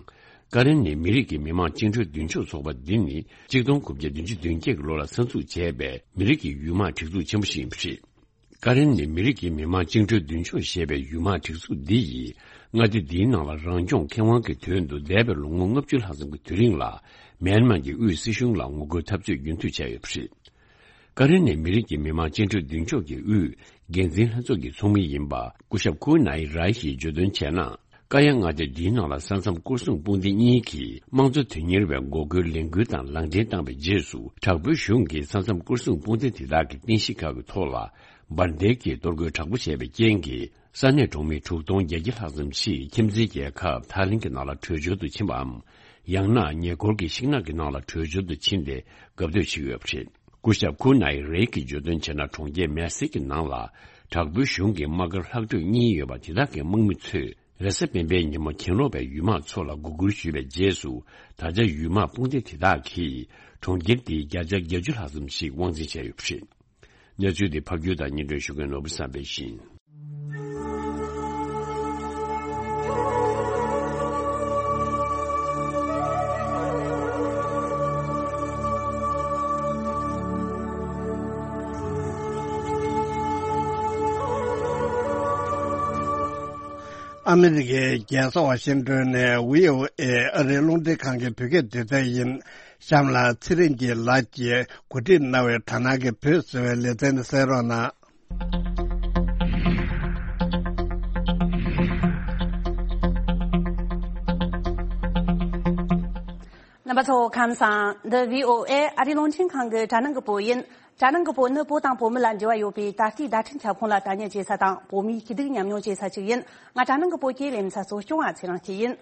ཀ་རན་ནི་མི་རིགས་ཀྱི་མི་དམངས་བཅིངས་འགྲོལ་མདུན་ཕྱོགས་ཚོགས་པ་འདི་ནི་གཅིག་སྟོང་དགུ་བརྒྱ་བདུན་ཅུ་དོན་བརྒྱད་ཀྱི་ལོ་ལ་གསར་འཛུགས་བྱས་པའི་མི་རིགས་ཀྱི་ཡུལ་དམག་སྒྲིག་འཛུགས་ཆེན་པོ་ཞིག་ཡིན་པ་རེད། ཀ་རན་ནི་མི་རིགས་ཀྱི་མི་དམངས་བཅིངས་འགྲོལ་མདུན་ཕྱོགས་ཞེས་པའི་ཡུལ་དམག་སྒྲིག་འཛུགས་འདི་ཡིས་མངའ་སྡེ་འདིའི་ནང་ལ་རང་སྐྱོང་ཁེ་དབང་གི་དོན་དུ་འདས་པའི་ལོ་ངོ་ལྔ་བཅུ་ལྷག་ཙམ་གྱི་དུས་རིང་ལ་མིའན་མར་གྱི་དབུས་སྲིད་གཞུང་ལ་ངོ་རྒོལ་འཐབ་རྩོད་རྒྱུན་མཐུད་བྱས་ཡོད་པ་རེད། ཀ་རན་ནི་མི་རིགས་ཀྱི་མི་དམངས་བཅིངས་འགྲོལ་མདུན་ཕྱོགས་ཀྱི་དབུས་འགན་འཛིན་ལྷན་ཚོགས་ཀྱི་ཚོགས་མི་ཡིན་པ་སྐུ་ཞབས་ཁུ་ནའི་རའི་ཡིས་བརྗོད་དོན་བྱས་ན། ཀ་ཡ་མངའ་སྡེ་འདིའི་ནང་ལ་ས་མཚམས་སྐོར་སྲུང་དཔུང་སྡེ་གཉིས་ཀྱིས་དམངས་གཙོ་དོན་གཉེར་བའི་འགོག་རྒོལ་ལས་འགུལ་དང་ལག་འབྲེལ་བཏང་བའི་རྗེས་སུ། དྲག་པོའི་གཞུང་གིས་ས་མཚམས་སྐོར་སྲུང་དཔུང་སྡེ་དེ་དག་གི་རྟེན་གཞི་ཁག་གི་ཐོག་ལ་འབར་མདེལ་གྱིས་གཏོར་རྒོལ་དྲག་པོ་བྱས་པའི་རྐྱེན་གྱིས། ས་གནས་གྲོང་མི་དྲུག་སྟོང་བརྒྱད་བརྒྱ་ལྷག་ཙམ་ཞིག་ཁྱིམ་མཚེས་རྒྱལ་ཁབ་ཐའི་ལེན་གྱི་ནང་ལ་བྲོས་བྱོལ་དུ་ཕྱིན་པའམ། ཡང་ན་ཉེ་འཁོར་གྱི་ཤིང་ནགས་ཀྱི་ནང་ལ་བྲོས་བྱོལ་དུ་ཕྱིན་ཏེ་འགབ་སྡོད་བྱེད་ཀྱི་ཡོད་པ་རེད། སྐུ་ཞབས་ཁུ་ནའི་རེ་གིས་བརྗོད་དོན་བྱས་ན། གྲོང་ཁྱེར་མེ་སི་གི་ནང་ལ་དྲག་པོའི་གཞུང་གི་དམག་སྒར་ལྷག་འཕྲོས་གཉིས་ཡོད་པ་དེ་དག་གི་དམག་མི་ཚོས་རེས་གཟའ་སྤེན་པའི་ཉིན་མོ་གྱེན་ལོག་པའི་ཡུལ་དམག་ཚོ་ལ་འགོག་རྒོལ་ཞུས་པའི་རྗེས་སུ། ད་ཆ་ཡུལ་དམག་དཔུང་སྡེ་དེ་དག་གིས་གྲོང་ཁྱེར་འདིའི་བརྒྱ་ཆ་བརྒྱད་ཅུ་ལྷག་ཙམ་ཞིག་དབང་འཛིན་བྱས་ཡོད་པ་རེད། གནས་ཚུལ་འདི་ཕབ་སྒྱུར་དང་སྙན་སྒྲོན་ཞུ་མཁན་ནོར་བུ་བསམ་འཕེལ་ཡིན། ཨ་མི་རི་ཀའི་རྒྱལ་ས་ཝ་ཤིང་ཏོན་ནས་བྷི་ཨོ་ཨེ་ཨ་རིའི་རླུང་འཕྲིན་ཁང་གི་བོད་སྐད་སྡེ་ཚན་ཡིན། གཤམ་ལ་ཚེ་རིང་སྐྱིད་ལགས་ཀྱིས་གོ་སྒྲིག་གནང་བའི་དྲ་སྣང་གི་བོད་ཟེར་བའི་ལེ་ཚན་གསན་རོགས་གནང་། རྣམ་པ་ཚོ་ཁམས་བཟང་། འདི་བྷི་ཨོ་ཨེ་ཨ་རིའི་རླུང་འཕྲིན་ཁང་གི་དྲ་སྣང་གི་བོད་ཡིན། དྲ་སྣང་གི་བོད་ནི་བོད་དང་བོད་མི་ལ་འབྲེལ་བ་ཡོད་པའི་ད་ལྟའི་བརྡ་འཕྲིན་ཁྱབ་ཁོངས་ལ་དད་མོས་བྱེད་ས་དང་། བོད་མིའི་སྐྱིད་སྡུག་མཉམ་མྱོང་བྱེད་ས་ཞིག་ཡིན། ང་དྲ་སྣང་གི་བོད་སྐད་ལས་མི་ཚ་གཙོ་སྐྱོང་བ་ཚེ་རིང་སྐྱིད་ཡིན།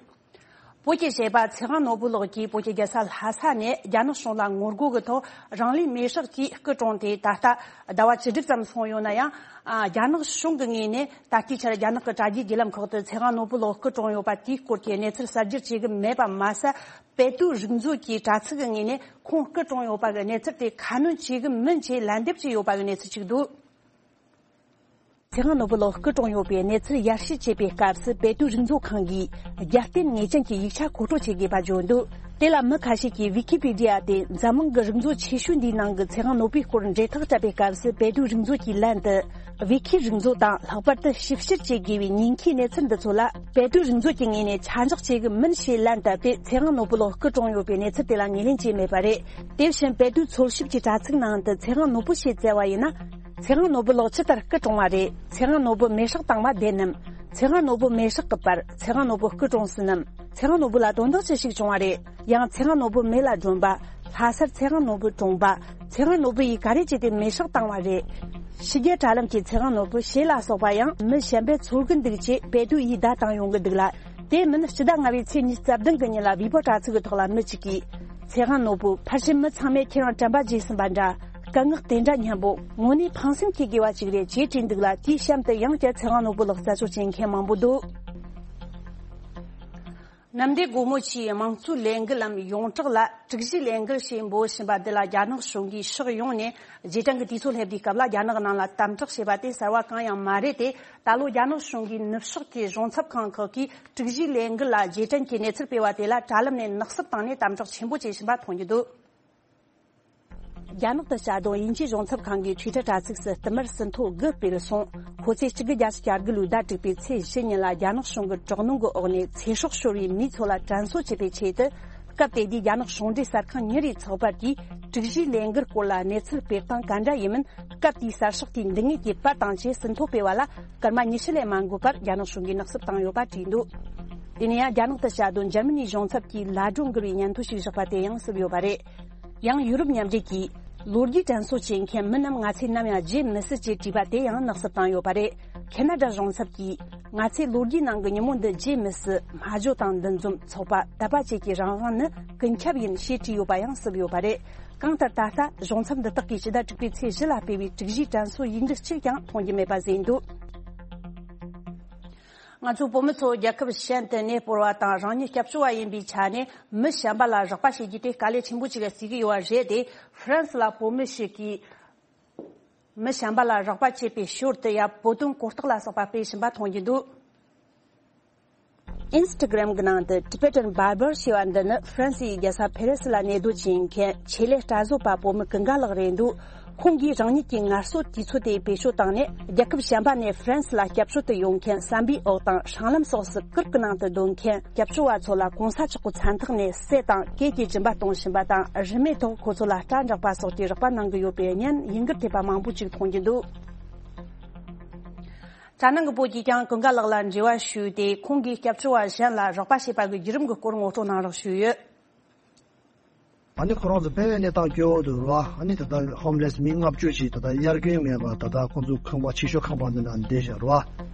བོད་ཀྱི་གཞས་པ་ཚེ་དབང་ནོར་བུ་ལགས་ཀྱིས་བོད་ཀྱི་རྒྱལ་ས་ལྷ་ས་ནས་རྒྱ་ནག་གཞུང་ལ་ངོ་རྒོལ་གྱི་ཐོག་རང་ལུས་མེར་སྲེག་གིས་སྐུ་གྲོངས་ཏེ་ད་ལྟ་ཟླ་བ་བཅུ་དྲུག་ཙམ་སོང་ཡོད་ན་ཡང་། ཨ། རྒྱ་ནག་གཞུང་གི་ངོས་ནས་ད་ལྟའི་ཆར་རྒྱ་ནག་གི་དྲ་རྒྱའི་བརྒྱུད་ལམ་ཁག་ཏུ་ཚེ་དབང་ནོར་བུ་ལགས་སྐུ་གྲོངས་ཡོད་པ་དེའི་སྐོར་གྱི་གནས་ཚུལ་གསར་བསྒྱུར་བྱེད་ཀྱི་མེད་པ་མ་ཟད། པེ་ཏུའུ་རིག་མཛོད་ཀྱི་དྲ་ཚིགས་ཀྱི་ངོས་ནས་ཁོང་སྐུ་གྲོངས་ཡོད་པ་གི་གནས་ཚུལ་དེ་ཁ་སྣོན་བྱེད་ཀྱི་མིན་ཞེས་ལན་འདེབས་བྱས་ཡོད་པ་གི་གནས་ཚུལ་ཅིག་འདུག། ཚེ་དབང་ནོར་བུ་ལགས་སྐུ་གྲོངས་ཡོད་པའི་གནས་ཚུལ་ཡར་ཞུ་བྱེད་པའི་སྐབས་སུ། པེ་ཏུའུ་རིག་མཛོད་ཁང་གིས་རྒྱབ་རྟེན་ངེས་ཅན་གྱི་ཡིག་ཆ་མཁོ་སྤྲོད་བྱེད་དགོས་པ་བརྗོད་འདུག། དེ་ལ་མི་ཁ་ཤས་ཀྱིས་ཝི་ཀི་པི་ཌི་ཡ་སྟེ་འཛམ་གླིང་གི་རིག་མཛོད་ཆེ་ཤོས་འདིའི་ནང་གི་ཚེ་དབང་ནོར་བུའི་སྐོར་འབྲེལ་ཐག་བཅད་པའི་སྐབས་སུ། པེ་ཏུའུ་རིག་མཛོད་ཀྱིས་ལན་དུ། ཝི་ཁི་རིག་མཛོད་དང་ལྷག་པར་དུ་ཞིབ་བཤེར་བྱེད་དགོས་པའི་ཉེན་ཁའི་གནས་ཚུལ་འདི་ཚོ་ལ། པེ་ཏུའུ་རིག་མཛོད་ཀྱི་ངོས་ནས་ཆ་འཇོག་བྱེད་ཀྱི་མིན་ཞེས་ལན་བཏབ་སྟེ། ཚེ་དབང་ནོར་བུ་ལགས་སྐུ་གྲོངས་ཡོད་པའི་གནས་ཚུལ་དེ་ལ་ངོས་ལེན་བྱས་མེད་པ་རེད། དེ་བཞིན་པེ་ཏུའུ་འཚོལ་ཞིབ་ཀྱི་དྲ་ཚིགས་ནང་དུ་ཚེ་དབང་ནོར་བུ་ཞེས་བཙལ་བ་ཡིན་ན། ཚེ་དབང་ནོར་བུ་ལགས་ཇི་ལྟར་སྐུ་གྲོངས་པ་རེད། ཚེ་དབང་ནོར་བུ་མེ་སྲེག་བཏང་བ་བདེན་ནམ། ཚེ་དབང་ནོར་བུ་མེ་སྲེག་གི་བར་ཚེ་དབང་ནོར་བུ་སྐུ་གྲོངས་ཟིན་ནམ། ཚེ་དབང་ནོར་བུ་ལ་དོན་དག་ཅི་ཞིག་བྱུང་བ་རེད། ཡང་ཚེ་དབང་ནོར་བུ་མེ་ལ་སྒྲོན་པ། ལྷ་སར་ཚེ་དབང་ནོར་བུ་གྲོངས་པ། ཚེ་དབང་ནོར་བུ་ཡིས་ག་རེ་བྱས་ཏེ་མེ་སྲེག་བཏང་བ་རེད། ཕྱི་རྒྱལ་དྲ་ལམ་གྱི་ཚེ་དབང་ནོར་བུ་ཞེས་ལ་སོགས་པ་ཡང་མི་གཞན་པས་འཚོལ་གྱི་འདུག་ཅེས་པེ་ཏུའུ་ཡིས་བརྡ་བཏང་ཡོང་གི་འདུག་ལ། དེ་མིན་སྤྱི་ཟླ་ལྔ་པའི་ཚེས་ཉི་ཤུ་རྩ་བདུན་གྱི་ཉིན་ལ་ཝི་པོ་དྲ་ཚིགས་ཀྱི་ཐོག་ལ་མི་གཅིག་གིས། ཚེ་དབང་ནོར་བུ་ཕལ་ཆེར་མི་ཚང་མས་ཁྱེད་རང་དྲན་པ་བརྗེད་ཟིན་པ་འདྲ། སྐད་ངག་དེ་འདྲ་སྙན་པོ་དངོས་གནས་ཕངས་སེམས་སྐྱེ་དགོས་པ་ཅིག་རེད་ཅེས་བྲིས་འདུག་ལ། དེའི་གཤམ་དུ་ཡང་བསྐྱར་ཚེ་དབང་ནོར་བུ་ལགས་རྩད་གཅོད་བྱེད་མཁན་མང་པོ་འདུག་གནམ་བདེ་སྒོ་མོ་ཆེའི་དམངས་གཙོའི་ལས་འགུལ་ལམ་ཡོངས་གྲགས་ལ་དྲུག་བཞིའི་ལས་འགུལ་ཞེས་འབོད་བཞིན་པ་འདི་ལ་རྒྱ་ནག་གཞུང་གིས་ཕྱོགས་ཡོངས་ནས་རྗེས་དྲན་གྱི་དུས་ཚོད་སླེབས་དུས་སྐབས་ལ་རྒྱ་ནག་ནང་ལ་དམ་དྲག་བྱས་པ་དེ་གསར་བ་གང་ཡང་མ་རེད་དེ། ད་ལོ་རྒྱ་ནག་གཞུང་གིས་ནུབ་ཕྱོགས་ཀྱི་གཞུང་ཚབ་ཁང་ཁག་གིས་དྲུག་བཞིའི་ལས་འགུལ་ལ་རྗེས་དྲན་གྱི་གནས་ཚུལ་སྤེལ་བ་དེ་ལ་དྲ་ལམ་ནས་ནག་བསུབ་བཏང་ནས་དམ་དྲག་ཆེན་པོ་བྱེད་བཞིན་པ་མཐོང་རྒྱུ་འདུག་རྒྱ་ནག་ཏུ་བྱ་དོན་དབྱིན་ཇིའི་གཞུང་ཚབ་ཁང་གིས་Twitter་དྲ་ཚིགས་སུ་བསྟུད་མར་ཟིན་ཐོ་དགུ་སྤེལ་སོང་། ཁོ་ཚོས་གཅིག་དགུ་བརྒྱད་ཅུ་གྱ་དགུ་ལོའི་ཟླ་དྲུག་པའི་ཚེས་བཞི་ཉིན་ལ་རྒྱ་ནག་གཞུང་གི་དྲག་གནོན་གྱི་འོག་ནས་ཚེ་སྲོག་ཤོར་བའི་མིའི་ཚོ་ལ་དྲན་གསོ་བྱེད་པའི་ཆེད་དུ། སྐབས་དེ་དུས་རྒྱ་ནག་གཞུང་འབྲེལ་གསར་ཁང་གཉིས་རེའི་ཚགས་པར་གྱིས་དྲུག་བཞིའི་ལས་འགུལ་སྐོར་ལ་གནས་ཚུལ་སྤེལ་སྟངས་ག་འདྲ་ཡིན་མིན། སྐབས་དེའི་གསར་ཤོག་དེའི་འདི་ངོས་ཀྱི་པར་དང་བཅས་ཟིན་ཐོ་སྤེལ་བ་ལ་སྐར་མ་ཉི་ཤུ་ལས་མ་འགོར་བར་རྒྱ་ནག་གཞུང་གིས་ནག་བསུབ་བཏང་ཡོད་པ་བྲིས་འདུག་དེ་ནས་ཡང་རྒྱ་ནག་ཏུ་བྱ་དོན་འཇར་མ་ནིའི་གཞུང་ཚབ་ཀྱིས་ལ་སྒྲོ་འགུལ་བའི་སྙན་ཐོ་ཞིག་བཞག་པ་དེ་ཡང་བསུབས་ཡོད་པ་རེད། ཡང་ཡུ་རོབ་མཉམ་འབྲེལ་གྱིས་ལོ་རྒྱུས་དྲན་གསོ་བྱེད་མཁན་མི་རྣམས་ང་ཚོས་ནམ་ཡང་བརྗེད་མི་སྲིད་ཅེས་བྲིས་པ་དེ་ཡང་ནག་བསུབ་བཏང་ཡོད་པ་རེད། ཁེ་ན་ཌ་གཞུང་ཚབ་ཀྱིས་ང་ཚོས་ལོ་རྒྱུས་ནང་གི་ཉིན་མོ་འདི་བརྗེད་མི་སྲིད། སྨྲ་བརྗོད་དང་འདུ་འཛོམས་ཚོགས་པ་དད་པ་བཅས་ཀྱི་རང་དབང་ནི་ཀུན་ཁྱབ་ཡིན་ཞེས་བྲིས་ཡོད་པ་ཡང་བསུབས་ཡོད་པ་རེད། གང་ལྟར་ད་ལྟ་གཞུང་ཚབ་འདི་དག་གིས་ཕྱི་ཟླ་དྲུག་པའི་ཚེས་བཞི་ལ་སྤེལ་བའི་དྲུག་བཞིའི་དྲན་གསོ་ཡིག་འབྲུ་གཅིག་ཀྱང་མཐོང་རྒྱུ་མེད་པ་ཟིན་འདུག་ང་ཚོའི་བོད་མི་ཚོ་རྒྱལ་ཁབ་གཞན་དུ་གནས་སྤོར་བ་དང་རང་ཉིད་སྐྱབས་བཅོལ་བ་ཡིན་པའི་ཆ་ནས་མི་གཞན་པ་ལ་རོགས་པ་བྱེད་རྒྱུ་དེ་དཀའ་ལས་ཆེན་པོ་ཅིག་བརྩི་གི་ཡོད་པ་རེད་དེ། ཧྥ་རན་སི་ལ་བོད་མི་ཞིག་གིས་མི་གཞན་པ་ལ་རོགས་པ་བྱེད་པའི་ཞོར་དུ་ཡང་བོད་དོན་གོ་རྟོགས་ལ་སོགས་པ་སྤེལ་བཞིན་པ་མཐོང་རྒྱུ་འདུག Instagram་གི་ནང་དུ་Tibetan Barber་ཞེས་པ་འདི་ནི་ཧྥ་རན་སིའི་རྒྱལ་ས་ཕེ་རེ་སི་ལ་གནས་སྡོད་བྱེད་མཁན་ཆེད་ལས་སྐྲ་བཟོ་པ་བོད་མི་ཀུན་དགའ་ལགས་རེད་འདུག་ཁོང་གིས་རང་ཉིད་ཀྱི་ངལ་གསོ་དུས་ཚོད་དེ་བེད་སྤྱོད་བཏང་ནས་རྒྱལ་ཁབ་གཞན་པ་ནས་ཧྥ་རན་སི་ལ་སྐྱབས་བཅོལ་དུ་ཡོང་མཁན་བསམ་པའི་འོག་དང་སྲང་ལམ་སོགས་སུ་གུར་གྱི་ནང་དུ་སྡོད་མཁན་སྐྱབས་བཅོལ་བ་ཚོ་ལ་གོང་ས་མཆོག་གི་མཚན་རྟགས་ནས་སྲས་དང་སྐད་ཀྱི་སྦྱིན་པ་གཏོང་བཞིན་པ་དང་རིན་མེད་ཐོག་ཁོ་ཚོ་ལ་སྐྲ་འདྲག་པ་སོགས་ཀྱི་རོགས་པ་གནང་གི་ཡོད་པའི་བརྙན་ཡིན་གུར་ཐེབས་པ་མང་པོ་ཅིག་མཐོང་རྒྱུ་འདུག་རྒྱ་ནག་གི་བོད་ཀྱིས་ཀྱང་ཀུན་དགའ་ལགས་ལ་འབྲེལ་བ་ཞུས་ཏེ་ཁོང་གིས་སྐྱབས་བཅོལ་བ་གཞན་ལ་རོགས་པ་བྱེད་པ་གི་བརྒྱུད་རིམ་གྱི་སྐོར་ངོ་སྤྲོད་གནང་རོགས་ཞུས་ཡོད། ཨ་ནི་ཁོ་རང་ཚོ་དཔེ་མེད་གནས་སྟངས་སྐྱོ་བོ་འདུག་ར། ཨ་ནི་ད་ལྟ་ཧོམ་ལེས་མི་ལྔ་བཅུ་ཞིག་ད་ལྟ་དབྱར་དགུན་མེད་པར་ད་ལྟ་ཁོང་ཚོ་ཁང་པ་ཕྱི་ཤོག་ཁང་པ་འདི་ནང་བསྡད་བཞག་ར།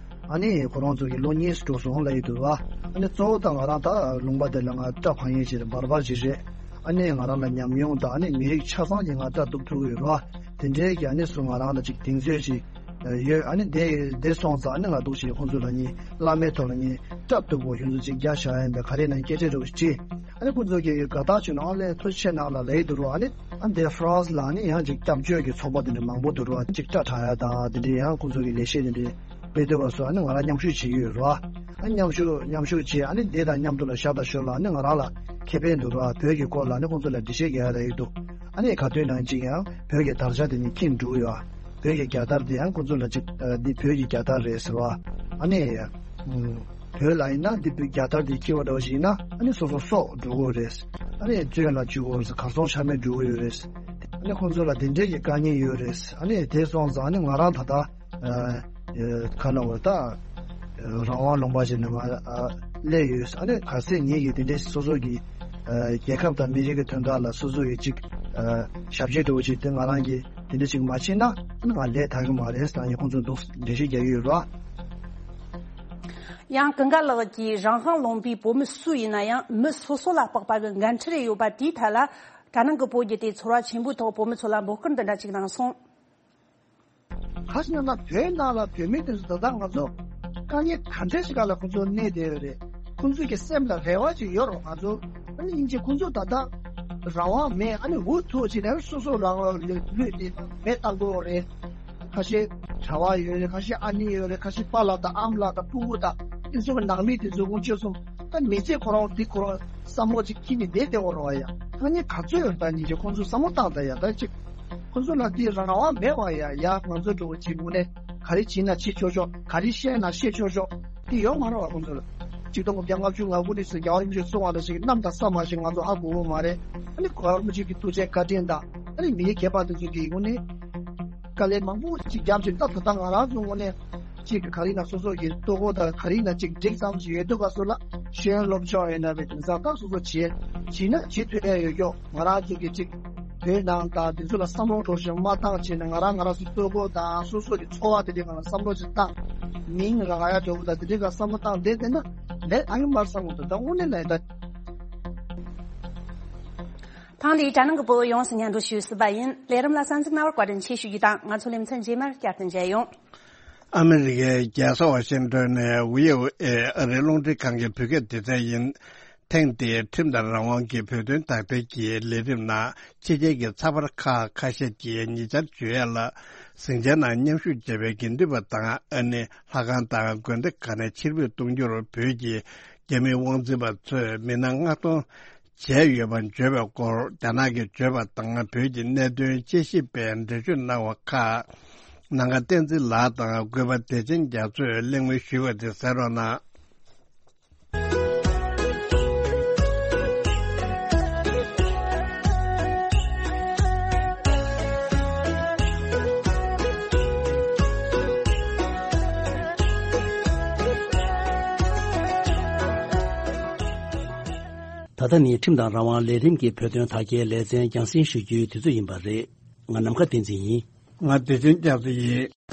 ཨ་ནི་ཁོ་རང་ཚོ་གི་ལོ་གཉིས་སུ་འགྲོ་སོང་ལབ་ཡི་འདུག་ར། ཨ་ནི་གཙོ་བོ་ད་ང་རང་ད་ལུང་པ་འདི་ལ་ང་སྐྲ་འཕར་མཁན་ཞིག་རེད། བར་བར་ཞིག་རེད། ཨ་ནི་ང་རང་ལ་ཉམས་མྱོང་དང་ཨ་ནི་མི་རིགས་ཆ་ཚང་གི་ང་སྐྲ་གཏུབ་ཐུབ་ཀྱི་ཡོད་ར། དེ་འདྲའི་གི་ཨ་ནི་སུ་ང་རང་ལ་ཅིག་གདེང་ཚོད་ཅིག་ཡོད། ཨ་ནི་དེ་དེ་སོང་ཙང་ཨ་ནི་ང་འདུག་ཅིག་ཁོང་ཚོ་ལ་ནི་བླ་མའི་ཐོག་ལ་ནི་སྐྲ་གཏུབ་དགོས་ཡོང་ཚུལ་ཅིག་རྒྱག་བཞག་ཡིན་པའི་ག་རེ་ན་སྐད་ཆ་འདྲ་བོ་ཅིག་ཨ་ནི་ཁོང་ཚོ་གི་དགའ་རྟགས་བྱུང་ན་ཨ་ལས་ཐུགས་རྗེ་ཆེ་གནང་ལ་ལབ་ཡི་འདུག་ར། ཨ་ནི་ཨ་འདི་ཧྥ་རན་སི་ལ་ནི་ཡང་ཅིག་སྐྱབས་བཅོལ་གྱི་ཚོགས་པ་དེ་འདྲ་མང་པོ་འདུག་ར། ཅིག་སྐྲ་བྲེག་ཡ་དང་དེ་འདྲའི་ཡང་ཁོང་ཚོ་གི་ལས་བྱེད་དེ་འདྲའི་དཔེ་དེ་བ་སོགས་ཨ་ནི་ང་རང་མཉམ་ཞུགས་བྱེད་ཀྱི་ཡོད་ར། ཨ་མཉམ་ཞུགས་མཉམ་ཞུགས་བྱས་ཨ་ནི་དེ་དང་མཉམ་དུ་ལ་ཞག་དང་ཞོར་ལ་ཨ་ནི་ང་རང་ལ་ཁེ་ཕན་འདུག་ར། བོད་ཀྱི་སྐོར་ལ་ཨ་ནི་ཁོང་ཚོ་ལ་འགྲེལ་བཤད་རྒྱག་ཡ་ལ་ཡོད་འདུག་ཨ་ནི་ག་དུས་ནང་ཅིག་ཡང་བོད་ཀྱི་དར་ཆ་དེ་ནི་ཁྱེར་འགྲོ་གི་ཡོད། བོད་ཀྱི་རྒྱལ་དར་དེ་ཡང་ཁོང་ཚོ་ལ་ཅིག་འདི་བོད་ཀྱི་རྒྱལ་དར་རེད་ཟེར་བ། ཨ་ནི་བོད་ལ་ཡིན་ན་འདི་བོད་རྒྱལ་དར་དེ་འཁྱེར་བ་འདྲ་བ་ཞིག་ཡིན་ན་ཨ་ནི་སོ་སོ་སྲོག་འགྲོ་གི་ཡོད་རེད། ཨ་ནི་བཙོན་ལ་འཇུག་གི་ཡོད་རེད། གར་སོང་ཆ་མེད་འགྲོ་གི་ཡོད་རེད། ཨ་ནི་ཁོང་ཚོ་ལ་དེ་འདྲས་ཀྱི་དཀའ་ངལ་ཡོད་རེད། ཨ་ནི་དེ་སོང་ཙང་ཨ་ནི་ང་རང་ད་ལྟ་ཨ་ཨ་ག་ལ་བ་ད་རང་དབང་ལུང་པ་ཞིག་ནས་མ་ཨ་སླེབས་ཡོད། ཨ་ནི་གལ་སྲིད་ངེད་ཀྱིས་དེ་འདྲས་སོ་སོ་གི་ཨ་རྒྱལ་ཁབ་དང་མི་རིགས་ཀྱི་དོན་དག་ལ་སོ་སོ་གི་ཅིག་ཨ་ཞབས་ཕྱི་འདྲ་བོ་ཅིག་དེ་ང་རང་གིས་དེ་འདྲ་ཅིག་མ་བྱས་ན་ཨ་ནི་ང་ལས་ཐར་གི་མ་རེད་ཟེར་ཡང་ཁོང་ཚོ་འདུག་འགྲེལ་བཤད་རྒྱག་གི་ཡོད་ར། ཡང་ཀུན་དགའ་ལགས་ཀྱིས་རང་དབང་ལུང་པའི་བོད་མི་སུ་ཡིན་ན་ཡང་མི་སོ་སོ་ལ་དཔག་པ་གི་འགན་འཁྲི་རེ་ཡོད་པ་དེའི་ཐད་ལ་དྲ་ནང་གི་བོད་བརྒྱུད་དེ་ཚོར་བ་ཆེན་པོའི་ཐོག་བོད་མི་ཚོ་ལ་འབོད་སྐུལ་འདི་འདྲ་ཅིག་གནང་སོང་། ག་ཟེར་ན་བོད་ནང་ལ་བོད་མི་དེ་ཚོ་ད་ལྟ་ང་ཚོ་དཀའ་ངལ་ག་འདྲ་ཞིག་སྒང་ལ་ཁོང་ཚོ་གནས་བསྡད་ཡོད་རེད། ཁོང་ཚོའི་གི་སེམས་ལ་རེ་བ་ཅིག་ཡོད་རེད། ང་ཚོ་ཨ་ནི་སྙིང་རྗེ་ཁོང་ཚོ་ད་ལྟ་རང་དབང་མེད། ཨ་ནི་འུ་ཐུག་ཅིག་ནས་སོ་སོ་རང་དབང་ལུས་ལུས་ཏེ་མེད་བཏང་དགོས་རེད། ཁ་ཤས་གྲྭ་པ་ཡོད་རེད། ཁ་ཤས་ཨ་ནེ་ཡོད་རེད། ཁ་ཤས་པཱ་ལགས་དང་ཨ་མ་ལགས་དང་སྤུ་གུ་དང་དེ་ཚོ་གི་ནང་མི་དེ་ཚོ་དཀོན་མཆོག་གསུམ་ད་མི་ཚེ་ཁོ་རང་འདི་ཁོ་རང་བསམ་བློ་ཅིག་འཁྱེར་ནས་བསྡད་བསྡད་འོ་རོགས་ཡ། ད་ནི་ག་ཚོད་ཡོད་ད་ཉིན་ཅིག་ཁོང་ཚོ་བསམ་བློ་བཏང་ད་ཡ། ད་ཅིག་ཁོང་ཚོ་ལ་འདི་རང་དབང་མེད་བ་ཡ། ཡ་ང་ཚོ་འགྲོ་བ་ཅིག་དངོས་གནས་ག་རེ་བྱེད་ན་བྱེད་ཆོག་ཆོག་ག་རེ་བཤད་ན་བཤད་ཆོག་ཆོག་དེ་ཡོད་མ་རེད་བ། ཁོང་ཚོ་ལ་ཆིག་སྟོང་དགུ་བརྒྱ་ལྔ་བཅུ་ང་དགུ་ནས་བཟུང་རྒྱལ་བ་རིན་པོ་ཆེས་གསུངས་པ་ལ་ཞིག་གནམ་དང་ས་མ་ཞིག་ང་ཚོ་ཧ་གོ་གི་མ་རེད། ཨ་ནི་རྒྱལ་བ་རིན་པོ་ཆེ་གི་ཐུགས་རྗེ་བཀའ་དྲིན་དང་ཨ་ནི་མི་རིགས་སྐྱེས་པ་དེ་ཚོ་གི་ངོས་ནས་དཀའ་ལས་མང་པོ་ཅིག་བརྒྱབ་ཅིག་ད་ད་ལྟ་ང་རང་ཚོ་ངོས་ནས་ཅིག་ག་རེ་ན་སོ་སོ་གི་ལྟོ་གོས་དང་ག་རེ་ན་ཅིག་འགྲིག་ཙམ་ཅིག་ཡོད་དུས་ག་སོ་ལ་ཤེས་ཡོན་སློབ་སྦྱོང་ཡོད་ན་བའི་དེང་སང་ད་སོ་སོ་བྱེད་བྱེད་ན་བྱེད་ཐུབ་ཡ་ཡོད་ཀྱོག་ང་རང་ཚོ་གི་ཅིག་བོད་ནང་དང་དེ་ཚོ་ལ་བསམ་བློ་འགྲོ་བཞིན་མ་བཏང་བྱས་ནས་ང་རང་ང་རང་ཚོ་ལྟོ་གོས་དང་སོ་སོ་གི་འཚོ་བ་དེ་འདྲའི་སྒང་ལ་བསམ་བློ་ཅིག་བཏང་མིང་རག་ཡ་འགྲོ་བ་དང་དེ་འདྲའི་སྒང་བསམ་བློ་བཏང་བསྡད་བསྡད་ན་ལས་ཨ་ཡོད་མ་རེད་བསམ་གི་འདུག་ད་དངོས་གནས་ལས་ད། ཐེངས་འདིའི་དྲ་སྣང་གི་བོད་ཡོངས་སུ་སྙན་སྒྲོན་ཞུས་ཟིན་པ་ཡིན། ལས་རིམ་ལ་གསན་གཟིགས་གནང་བར་བཀའ་དྲིན་ཆེ་ཞུ་རྒྱུ་དང་། ང་ཚོ་ལེ་ཚན་རྗེས་མར་བསྐྱར་དུ་མཇལ་ཡོང་། ཨ་མི་རི་ཀའི་རྒྱལ་ས་ཝ་ཤིང་ཏོན་ནས་ཝི་ཨོ་ཨེ་ཨ་རིའི་རླུང་འཕྲིན་ཁང་གི་བོད་སྐད་སྡེ་ཚན་ཡིན། ཐེངས་འདིའི་ཁྲིམས་དང་རང་དབང་གི་བོད་དོན་དག་ཐེར་གྱི་ལས་རིམ་ནང་ཕྱི་རྒྱལ་གྱི་ཚགས་པར་ཁག་ཁ་ཤས་ཀྱིས་ཉེ་ཆར་བརྗོད་ཡ་ལ། ཟིང་ཆའི་ནང་མཉམ་ཞུགས་བྱས་པའི་དགེ་འདུན་པ་དང་ཨ་ནེ་ལྷ་ཁང་དང་དགོན་སྡེ་ཁག་ནས་ཕྱིར་འབུད་གཏོང་རྒྱུར་བོད་ཀྱི་རྒྱ་མི་དབང་འཛིན་པ་ཚོས་མི་སྣ་མངགས་གཏོང་བྱས་ཡོད་པ་བརྗོད་པའི་སྐོར། རྒྱ་ནག་གིས་བརྗོད་པ་དང་། བོད་ཀྱི་གནད་དོན་དཔྱད་ཞིབ་པས་འགྲེལ་བརྗོད་གནང་བ་ཁག་ནམ་མཁའ་བསྟན་འཛིན་ལགས་དང་གུས་པ་བདེ་ཆེན་རྒྱ་མཚོས་གླེང་མོལ་ཞུས་པ་དེ་གསན་རོགས་གནང་། ད་ལྟ་ནི་ཁྲིམས་དང་རང་དབང་ལས་རིམ་གྱི་བོད་དོན་དག་ཐེར་ལེ་ཚན་རྒྱང་སྲིང་ཞུ་རྒྱུའི་དུས་ཚོད་ཡིན་པ་རེད། ང་ནམ་མཁའ་བསྟན་འཛིན་ཡིན། ང་བདེ་ཆེན་རྒྱ་མཚོ་ཡིན།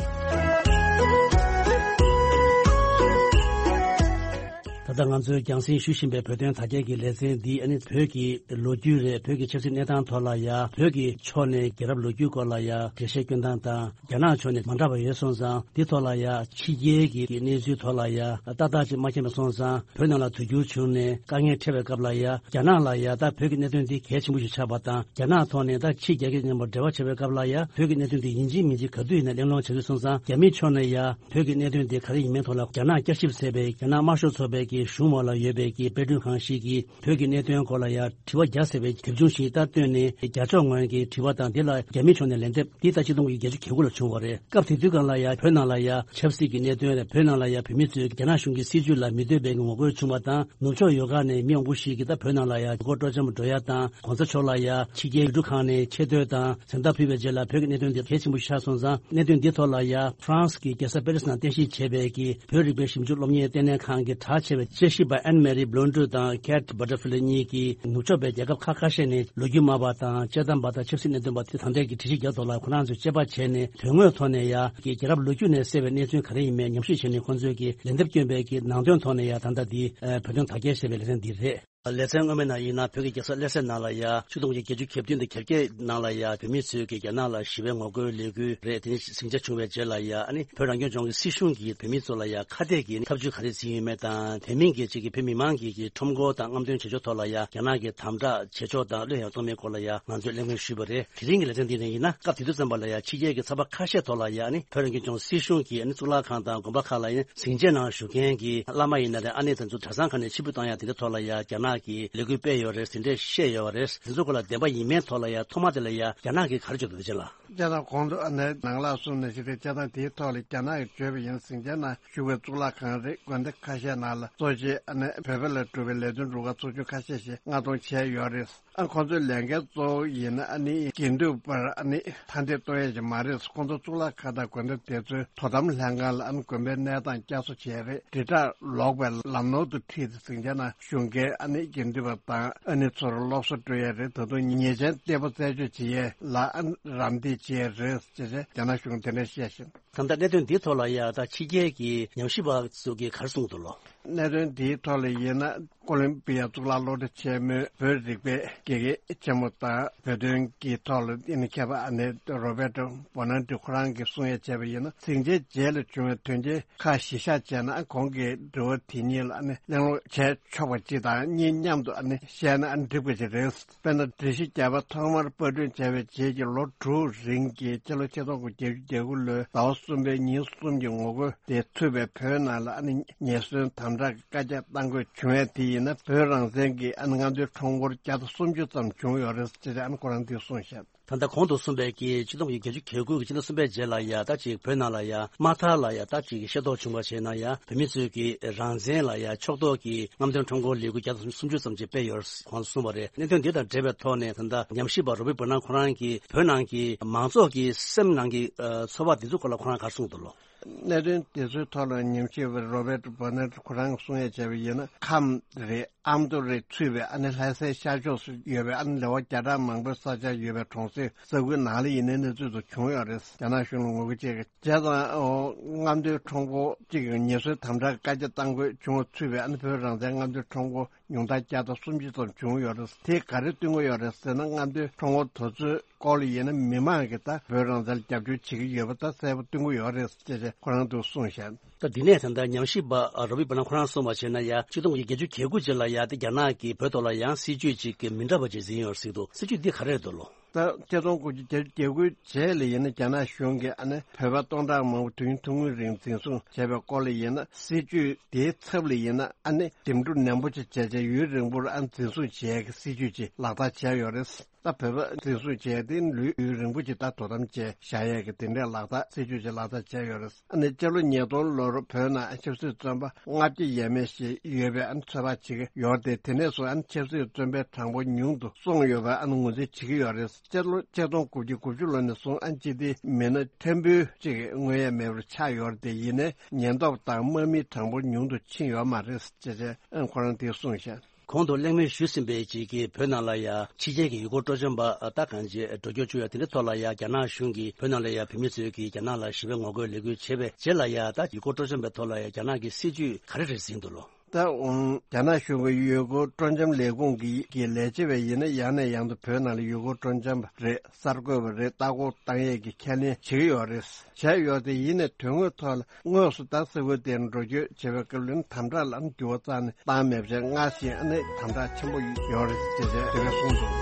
ད་ལྟ་ང་ཚོས་རྒྱང་སྲིང་ཞུ་བཞིན་པའི་བོད་དོན་དག་ཐེར་གྱི་ལེ་ཚན་འདི་ཨ་ནི་བོད་ཀྱི་ལོ་རྒྱུས་རེད། བོད་ཀྱི་ཆབ་སྲིད་གནས་སྟངས་ཐོག་ལ་ཡ། བོད་ཀྱི་ཕྱོགས་ནས་རྒྱལ་རབས་ལོ་རྒྱུས་སྐོར་ལ་ཡ་འགྲེལ་བཤད་སྐྱོན་སྟངས་དང་། རྒྱ་ནག་ཕྱོགས་ནས་མ་འདྲ་བ་ཡོད་སོང་ཙང་། འདི་ཐོག་ལ་ཡ་ཕྱི་རྒྱལ་གྱི་གནས་ཚུལ་ཐོག་ལ་ཡ་ཏག་ཏག་ཅིག་མ་མཁྱེན་པ་སོང་ཙང་། བོད་ནང་ལ་དུས་འགྱུར་བྱུང་ནས་དཀའ་ངལ་འཕྲད་པའི་སྐབས་ལ་ཡ། རྒྱ་ནག་ལ་ཡ་ད་བོད་ཀྱི་གནད་དོན་འདི་གལ་ཆེན་པོ་ཞིག་ཆགས་པ་དང་། རྒྱ་ནག་ཐོག་ནས་ད་ཕྱི་རྒྱལ་ཁབ་མཉམ་པོ་འབྲེལ་བ་བྱེད་པའི་སྐབས་ལ་ཡ། བོད་ཀྱི་གནད་དོན་འདི་ཡིན་གཅིག་མིན་གཅིག་ག་དུས་ཡིན་ན་གླེང་སློང་བྱེད་དགོས་སོང་ཙང་། རྒྱ་མིའི་ཕྱོགས་ནས་ཡ་བོད་ཀྱི་གནད་དོན་འདི་ག་རེ་ཡིན་མིན་ཐོག་ལ་རྒྱ་ནག་བསྐྱར་ཞིབ་ཟེར་བའི་རྒྱ་ནག་དམར་ཤོག་ཚོགས་པའི་གི་གཞུང་འོག་ལ་ཡོད་པའི་གི་དཔེ་སྐྲུན་ཁང་ཞིག་གིས་བོད་ཀྱི་གནད་དོན་སྐོར་ལ་ཡ་དྲི་བ་བརྒྱ་ཟེར་བའི་དེབ་ཆུང་ཞིག་ད་བཏོན་ནས། རྒྱ་ཕྱོགས་ངོས་ཀྱི་དྲི་བ་དང་། འདི་ལ་རྒྱ་མིའི་ཕྱོགས་ནས་ལན་འདེབས། འདི་ད་ཆིག་སྟོང་དགུ་བརྒྱ་བརྒྱད་ཅུ་གྱ་དགུ་ལ་བྱུང་བ་རེད། སྐབས་དེ་དུས་སྒང་ལ་ཡ་བོད་ནང་ལ་ཡ་ཆབ་སྲིད་ཀྱི་གནད་དོན་རེད། བོད་ནང་ལ་ཡ་བོད་མི་ཚོས་རྒྱ་ནག་གཞུང་གི་སྲིད་བྱུས་ལ་མི་འདོད་པའི་ངོ་རྒོལ་བྱུང་བ་དང་། ནུབ་ཕྱོགས་ཡོལ་ཁ་ནས་མི་མང་པོ་ཞིག་གིས་ད་བོད་ནང་ལ་ཡ་ཡུལ་སྐོར་སྤྲོ་འཆམ་འགྲོ་ཡ་དང་། གོང་ས་མཆོག་ལ་ཡ་ཕྱི་རྒྱལ་ཡུལ་གྲུ་ཁག་ནས་ཆེ་བསྟོད་དང་གཟེངས་རྟགས་ཕུལ་བའི་རྗེས་ལ། བོད་ཀྱི་གནད་དོན་འདི་གལ་ཆེན་པོ་ཞིག་ཆགས་སོང་ཙང་། གནད་དོན་འདི་ཐོག་ལ་ཡ་ཧྥ་རན་སི་གི་རྒྱལ་ས་པེ་རི་སི་ནང་རྟེན་གཞི་བྱས་པའི་གི་བོད་རིག་པའི་ཞིབ་འཇུག་སློབ་གཉེར་ལྟེ་གནས་ཁང་གིས་གྲགས་ཆེ་བའི་དཔྱད་ཞིབ་པ་ཨན་མེ་རི་བྷི་ལོན་ཌུ་དང་ཁེ་ཊི་བྷ་ཊར་ཕི་ལེ་གཉིས་ཀྱིས་ནུབ་ཕྱོགས་པའི་རྒྱལ་ཁབ་ཁག་ཁ་ཤས་ནས་ལོ་རྒྱུས་སྨྲ་བ་དང་དཔྱད་གཏམ་པ་དང་ཆབ་སྲིད་གནད་དོན་པ་དེ་ད་ལྟའི་གི་དྲི་ཞིབ་རྒྱག་ཐོག་ལ་ཁོ་རང་ཚོས་དཔྱད་པ་བྱས་ནས། དོན་དངོས་ཐོག་ནས་ཡ་གི་རྒྱལ་རབས་ལོ་རྒྱུས་ནས་གསལ་བའི་གནས་ཚུལ་ག་རེ་ཡིན་མིན་ཉམས་ཞིབ་བྱས་ནས། ཁོང་ཚོས་ཀྱི་ལན་འདེབས་བསྐྱོན་པའི་གི་ནང་དོན་ཐོག་ནས་ཡ་ད་ལྟ་འདི་བོད་དོན་དག་ཐེར་ཞེས་པའི་ལེ་ཚན་འདི་རེད། ལེ་ཚན་སྔོན་མའི་ནང་ཡིན་ན། བོད་ཀྱི་རྒྱལ་ས་ལྷ་སའི་ནང་ལ་ཡ་ཆིག་སྟོང་དགུ་བརྒྱ་བརྒྱད་ཅུ་གྱ་བདུན་དང་གྱ་བརྒྱད་ནང་ལ་ཡ་བོད་མི་ཚོས་ཀྱིས་རྒྱ་ནག་ལ་ཞི་བའི་ངོ་རྒོལ་ལས་འགུལ་རེད། དེ་ནས་ཟིང་ཆ་བྱུང་བའི་རྗེས་ལ་ཡ། ཨ་ནི་བོད་རང་སྐྱོང་ལྗོངས་ཀྱི་སྲིད་གཞུང་གིས་བོད་མི་ཚོ་ལ་ཡ་ཁ་གཏད་ཀྱི་ཐབས་ཇུས་ག་རེ་འཛིན་ཡོད་མེད་དང་། དེ་མིན་གྱི་ཅིག་གི་བོད་མི་མང་གི་གི་ཁྲོམ་སྐོར་དང་རྔམ་སྟོན་བྱེད་ཕྱོགས་ཐོག་ལ་ཡ་རྒྱ་ནག་གིས་དམ་དྲག་བྱེད་ཕྱོགས་དང་བློས་ཡང་གཏོང་མིན་སྐོར་ལ་ཡ་ང་ཚོས་གླེང་མོལ་ཞུས་པ་རེད། དེ་རིང་གི་ལེ་ཚན་འདི་ནས་ཡིན་ན། སྐབས་དེ་དུས་ཙམ་པ་ལ་ཡ་ཕྱི་རྒྱལ་གྱི་ཚགས་པར་ཁ་ཤས་ཐོག་ལ་ཡ། ཨ་ནི་བོད་རང་སྐྱོང་ལྗོངས་སྲིད་གཞུང་གིས་ཨ་ནི་གཙུག་ལག་ཁང་དང་དགོན་པ་ཁག་ལ་ཡ་ཟིང་ཆའི་ནང་བཞུགས་མཁན་གྱི་བླ་མ་ཡིན་ན་རེད། ཨ་ནེ་དེ་ཚོ་གྲྭ་ཚང་ཁག་ནས་ཕྱིར་འབུད་བཏང་ཡ་དེ་འདྲའི་ཐོག་ལ་ཡ་རྒྱ་ནག་གིས་ལས་འགུལ་སྤེལ་ཡོད་རེད། ཟིན་བྲིས་བཤད་ཡོད་རེད། དེ་ཚོ་སྐོར་ལ་བདེན་པ་ཡིན་མིན་ཐོག་ལ་ཡ་ཐོག་མ་དེ་ལ་ཡ་རྒྱ་ནག་གིས་ག་རེ་བརྗོད་འདུག་ཅེ་ལ། སྤྱིར་བཏང་གོང་དུ་ཨ་ནེ་ནང་ལ་གསུངས་ནང་བཞིན་རེད། སྤྱིར་བཏང་དེའི་ཐོག་ལ་རྒྱ་ནག་གིས་བརྗོད་པ་ཡིན། ཟིང་ཆའི་ནང་བཞུགས་པའི་གཙུག་ལག་ཁང་རེད། དགོན་སྡེ་ཁ་ཤས་ནང་ལ་གཙོ་ཆེ་ཨ་ནེ་བོད་པ་ལ་གྲུབ་པའི་ལས་དོན་རུ་ཁག་ཚོགས་ཆུང་ཁ་ཤས་ཤིག་མངགས་གཏོང་བྱས་ཡོད་རེད། ཨ། ཁོང་ཚོའི་ལས་འགན་གཙོ་བོ་ཡིན་ན་ཨ་ནི་དགེ་འདུན་པར་ཨ་ནི་མཐའ་འདེད་གཏོང་ཡ་ཞིག་མ་རེད། ཁོང་ཚོ་གཙུག་ལག་ཁང་དང་དགོན་སྡེ་དེ་ཚོའི་དོ་དམ་ལྷན་ཁང་ལ་ཨ་ནི་དགོན་པའི་གནས་སྟངས་བསྐྱར་གསོ་བྱས་རེད། དྲིལ་བསྒྲགས་ལོག་པའི་ལམ་ནོར་དུ་ཁྲིད་དེ་ཟིང་ཆ་ནང་ཞུགས་མཁན་ཨ་ནི་དགེ་འདུན་པ་དང་ཨ་ནི་ཚོར་སློབ་གསོ་སྤྲོད་ཡ་རེད། ད་དུང་ཉེས་ཅན་གཏེ་པོ་རྩད་གཅོད་བྱེད་ཡས་ལ་ཨ་ནི་རམ་འདེགས་བྱེད་ཡས་རེད་ཅེས་རྒྱ་ནག་གཞུང་དེ་འདྲ་བཤད་བཞིན། ད་ལྟ་གནད་དོན་འདིའི་ཐོག་ལ་ཡ་ད་ཕྱི་རྒྱལ་གྱི་ཉམས་ཞིབ་པ་ཚོ་གིས་ག་རེ་གསུངས་འདུག་ལོ། གནད་དོན་འདིའི་ཐོག་ལ་ཡིན་ན། ཀོ་ལོམ་བི་ཡ་གཙུག་ལག་སློབ་གྲྭ་ཆེན་མོའི་བོད་རིག་པའི་དགེ་རྒན་ཆེན་མོ་དང་། བོད་དོན་གྱི་ཐོག་ལ་ཨ་ནི་མཁས་པ་ཨ་ནེ་རོ་བེ་ཏོ་བོ་ན་ཏི་ཁོ་རང་གིས་གསུང་ཡ་བྱས་པ་ཡིན་ན། ཟིང་ཆའི་རྗེས་ལ་བྱུང་བའི་དོན་རྐྱེན་ཁག་གཞི་བཞག་བྱས་ན། ཁོང་གིས་དྲི་བ་དེ་གཉིས་ལ་ཨ་ནི་གླེང་སློང་བྱས་ཆོག་པ་གཅིག་དང་། གཉིས་མཉམ་དུ་ཨ་ནི་བཤད་ན་ཨ་ནི་འགྲིག་པ་ཅིག་རེད། དཔེར་ན། སྒྲིག་གཞི་བརྒྱད་པ་ཐོག་མར་པར་སྐྲུན་བྱས་པའི་རྗེས་ཀྱི་ལོ་དྲུག་རིང་གི་ཕྱི་ལོ་ཆིག་སྟོང་དགུ་བརྒྱ་བརྒྱད་ཅུ་གྱ་དགུ་ལོའི་ཟླ་བ་གསུམ་པའི་ཉིན་གསུམ་གྱི་ངོ་རྒོལ་དེ་ཐུབ་པའི་བོད་ནང་ལ་ཨ་ནི་ཉེས་ཟོན་དམ་དྲག་གི་བཀའ་རྒྱ་གཏང་དགོས་བྱུང་བ་དེ་ཡིན་ན། བོད་རང་བཙན་གྱི་ཨ་ནི་སྔ་འདོན་ཁྲོམ་སྐོར་བརྒྱ་དང་སུམ་ཅུ་ཙམ་བྱུང་ཡོད་རེད་ཅེས་ཨ་ནི་ཁོ་རང་གིས་གསུངས་ཤག། ད་ལྟ་གོང་དུ་གསུངས་པའི་གི་ཆིག་སྟོང་དགུ་བརྒྱ་བརྒྱད་ཅུ་གྱ་དགུ་གི་ཕྱི་ཟླ་གསུམ་པའི་རྗེས་ལ་ཡ་ད་ཅིག་བོད་ནང་ལ་ཡ་དམག་ཐར་ལ་ཡ་ད་ཅིག་ཤེས་རྟོགས་བྱུང་བ་བྱས་ན་ཡ། བོད་མི་ཚོས་ཀྱི་རང་བཙན་ལ་ཡ་ཕྱོགས་གཏོགས་ཀྱི་རྔམ་སྟོན་ཁྲོམ་སྐོར་ལས་འགུལ་བརྒྱ་དང་སུམ་ཅུ་ཙམ་ཅིག་སྤེལ་ཡོད་ཁོང་གསུངས་པ་རེད། གནད་དོན་འདི་དང་འབྲེལ་བའི་ཐོག་ནས་ད་ལྟ་ཉམས་ཞིབ་པ་རོ་བི་བྷ་ན་ཁོ་རང་གིས་བོད་ནང་གི་མང་ཚོགས་ཀྱི་སེམས་ནང་གི་ཨ་ཚོར་བ་འདི་ཚོ་སྐོར་ལ་ཁོ་རང་ག་རེ་གསུངས་འདུག་ལོ། གནད་དོན་དེ་ཚོའི་ཐོག་ལ་ཉམས་ཞིབ་པ་རོ་བེད་བོ་ནེ་ཁོ་རང་གིས་གསུང་ཡ་བྱས་པ་ཡིན་ན། ཁམས་རེད། ཨ་མདོ་རེད། ཚུད་པའི་ཨ་ནི་ལྷ་སའི་ཤར་ཕྱོགས་སུ་ཡོད་པའི་ཨ་ནི་ལེ་དབར་བརྒྱ་ཕྲག་མང་པོའི་ས་ཆར་ཡོད་པའི་གྲོང་གསེབ་ས་ཁུལ་ནང་ལ་ཡིན་ནའི་གནས་ཚུལ་དུ་བྱུང་ཡོད་རེད། རྒྱ་ནག་གཞུང་ལ་ངོ་རྒོལ་བྱེད་མཁན་བྱས་ཙང་། ཨོ། རྔམ་སྟོན་ཁྲོམ་སྐོར་གཅིག་གི་ངལ་གསོའི་དམ་དྲག་བཀའ་རྒྱ་བཏང་དགོས་བྱུང་བ། ཚུད་པའི་ཨ་ནི་བོད་རང་བཙན་རྔམ་སྟོན་ཁྲོམ་སྐོར་ཉུང་མཐར་བརྒྱ་དང་སུམ་ཅུ་ཙམ་བྱུང་ཡོད་རེད། དེས་ག་རེ་སྟོན་གྱི་ཡོད་རེད་ཟེར་ན། རྔམ་སྟོན་ཁྲོམ་སྐོར་དེ་ཚོའི་སྐོར་ལ་ཡིན་ན་མི་མང་གིས་ད་བོད་རང་བཙན་ལ་རྒྱབ་སྐྱོར་བྱེད་ཀྱི་ཡོད་པ་ད་གསལ་པོ་སྟོན་གྱི་ཡོད་རེད་ཅེས་ཁོ་རང་ཚོས་གསུངས་ཤག་ད་དེ་ནས་ད་ལྟ་ཉམས་ཞིབ་པ་རོ་བི་པ་ན་ཁོ་རང་གསུངས་པ་བྱས་ན། ཡ་ཆིག་སྟོང་དགུ་བརྒྱ་བརྒྱད་ཅུ་གྱ་དགུ་རྗེས་ལ་ཡ་དེ་རྒྱ་ནག་གིས་བོད་ཐོག་ལ་ཡང་སྲིད་ཇུས་ཅིག་གི་མི་འདྲ་བ་ཅིག་འཛིན་ཡོད་རེད་ཟེར་འདུག་སྲིད་ཇུས་འདི་ག་རེ་རེད་འདུག་ལོ། ད་ཆིག་སྟོང་དགུ་བརྒྱ་བརྒྱད་ཅུ་གྱ་དགུ་རྗེས་ལ་ཡིན་ན། རྒྱ་ནག་གཞུང་གིས་ཨ་ནི་བོད་པ་སྟོང་ཕྲག་མང་པོ་དུས་ཡུན་ཐུང་ངུའི་རིང་འཛིན་བཟུང་བྱས་པའི་སྐོར་ལ་ཡིན་ན། སྲིད་ཇུས་དེའི་ཚབ་ལ་ཡིན་ན་ཨ་ནི་འདེམས་སྒྲུག་ནན་པོ་ཅིག་བྱས་བྱས་ཡུན་རིང་པོར་ཨ་འཛིན་བཟུང་བྱེད་ཡས་ཀྱི་སྲིད་ཇུས་ཅིག་ལག་བསྟར་བྱས་ཡོད་རེད། ད་བོད་པ་འཛིན་བཟུང་བྱས་ཏེ་ལུས་ཡུན་རིང་པོ་ཅིག་ད་དོ་དམ་བྱས་བཞག་ཡས་ཀྱི་དེ་འདྲའི་ལག་བསྟར་སྲིད་ཇུས་ཅིག་ལག་བསྟར་བྱས་ཡོད་རེད། ཨ་ནི་སྤྱི་ལོ་ཉིས་སྟོང་ལོར་བོད་ནང་ཆབ་སྲིད་བཙོན་པ་ལྔ་བརྒྱ་ཡས་མས་ཤིག་ཡོད་པའི་ཨ་ནི་ཚོད་དཔག་བྱེད་ཀྱི་ཡོད་རེད་དེ། དེ་ནས་བཟུང་ཨ་ནི་ཆབ་སྲིད་བཙོན་པའི་གྲངས་འབོར་ཉུང་དུ་སོང་ཡོད་པ་ཨ་ནི་ངོས་འཛིན་བྱེད་ཀྱི་ཡོད་རེད། སྤྱི་ལོ་ཆིག་སྟོང་དགུ་བརྒྱ་དགུ་བཅུ་ལོ་ནས་བཟུང་ཨ་ནི་སྤྱི་བདེའི་མི་སྣ་ཕྲན་བུ་ཅིག་མངོན་ཡས་མེད་པར་ཆགས་ཡོད་རེད་དེ། ཡིན་ནའི་ཉེན་རྟོག་དང་དམག་མིའི་གྲངས་འབོར་ཉུང་དུ་ཕྱིན་ཡོད་མ་རེད་ཅེས་ཨ་ནི་ཁོ་རང་གིས་གསུངས་ཤག་གོང་དུ་གླེང་མོལ་ཞུས་ཟིན་པའི་ཅིག་གིས་བོད་ནང་ལ་ཡ་ཕྱི་རྒྱལ་གྱི་ཡུལ་སྐོར་སྤྲོ་འཆམ་པ་ད་གང་ཅི་འགྲོ་སྐྱོད་བྱུང་ཡ་དེ་འདྲའི་ཐོག་ལ་ཡ་རྒྱ་ནག་གཞུང་གིས་བོད་ནང་ལ་ཡ་བོད་མི་ཚོས་ཀྱིས་རྒྱ་ནག་ལ་ཞི་བའི་ངོ་རྒོལ་ལས་འགུལ་བྱས་པའི་རྗེས་ལ་ཡ་ད་ཡུལ་སྐོར་སྤྲོ་འཆམ་པའི་ཐོག་ལ་ཡ་རྒྱ་ནག་གི་སྲིད་ཇུས་ག་རེ་རེད་ཟིན་འདུག་ལོ། ད་འོང་རྒྱ་ནག་གཞུང་གི་ཡུལ་སྐོར་སྤྲོ་འཆམ་ལས་ཁུངས་ཀྱི་ཀྱི་ལས་བྱེད་པ་ཡིན་ན་ཡང་ནས་ཡང་དུ་བོད་ནང་ལ་ཡུལ་སྐོར་སྤྲོ་འཆམ་པ་རེད། གསར་འགོད་པ་རེད། ལྟ་སྐོར་བཏང་ཡས་ཀྱི་ཁས་ལེན་བྱེད་ཀྱི་ཡོད་རེད། བྱས་ཡོད་དེ། ཡིན་ནའི་དོན་དངོས་ཐོག་ལ་དངོས་སུ་ད་ས་ཁུལ་དེར་འགྲོ་སྐྱོད་བྱེད་པའི་སྐབས་ལ་དམ་དྲག་ལ་འགྱུར་བ་རྩ་ནས་བཏང་མེད་པ་བྱས། སྔར་བཞིན་ཨ་ནི་དམ་དྲག་ཆེན་པོ་ཡོད་རེད་ཅེས་དེ་འདྲ་གསུངས་འདུག་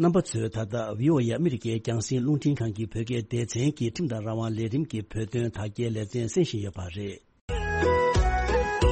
རྣམ་པ་ཚོས་ད་ལྟ་བྷི་ཨོ་ཨེ་ཨ་མི་རི་ཀའི་རྒྱང་སྲིང་རླུང་འཕྲིན་ཁང་གི་བོད་སྐད་སྡེ་ཚན་གྱི་ཁྲིམས་དང་རང་དབང་ལས་རིམ་གྱི་བོད་དོན་དག་སྐྱེལ་ལེ་ཚན་གསན་བཞིན་ཡོད་པ་རེད།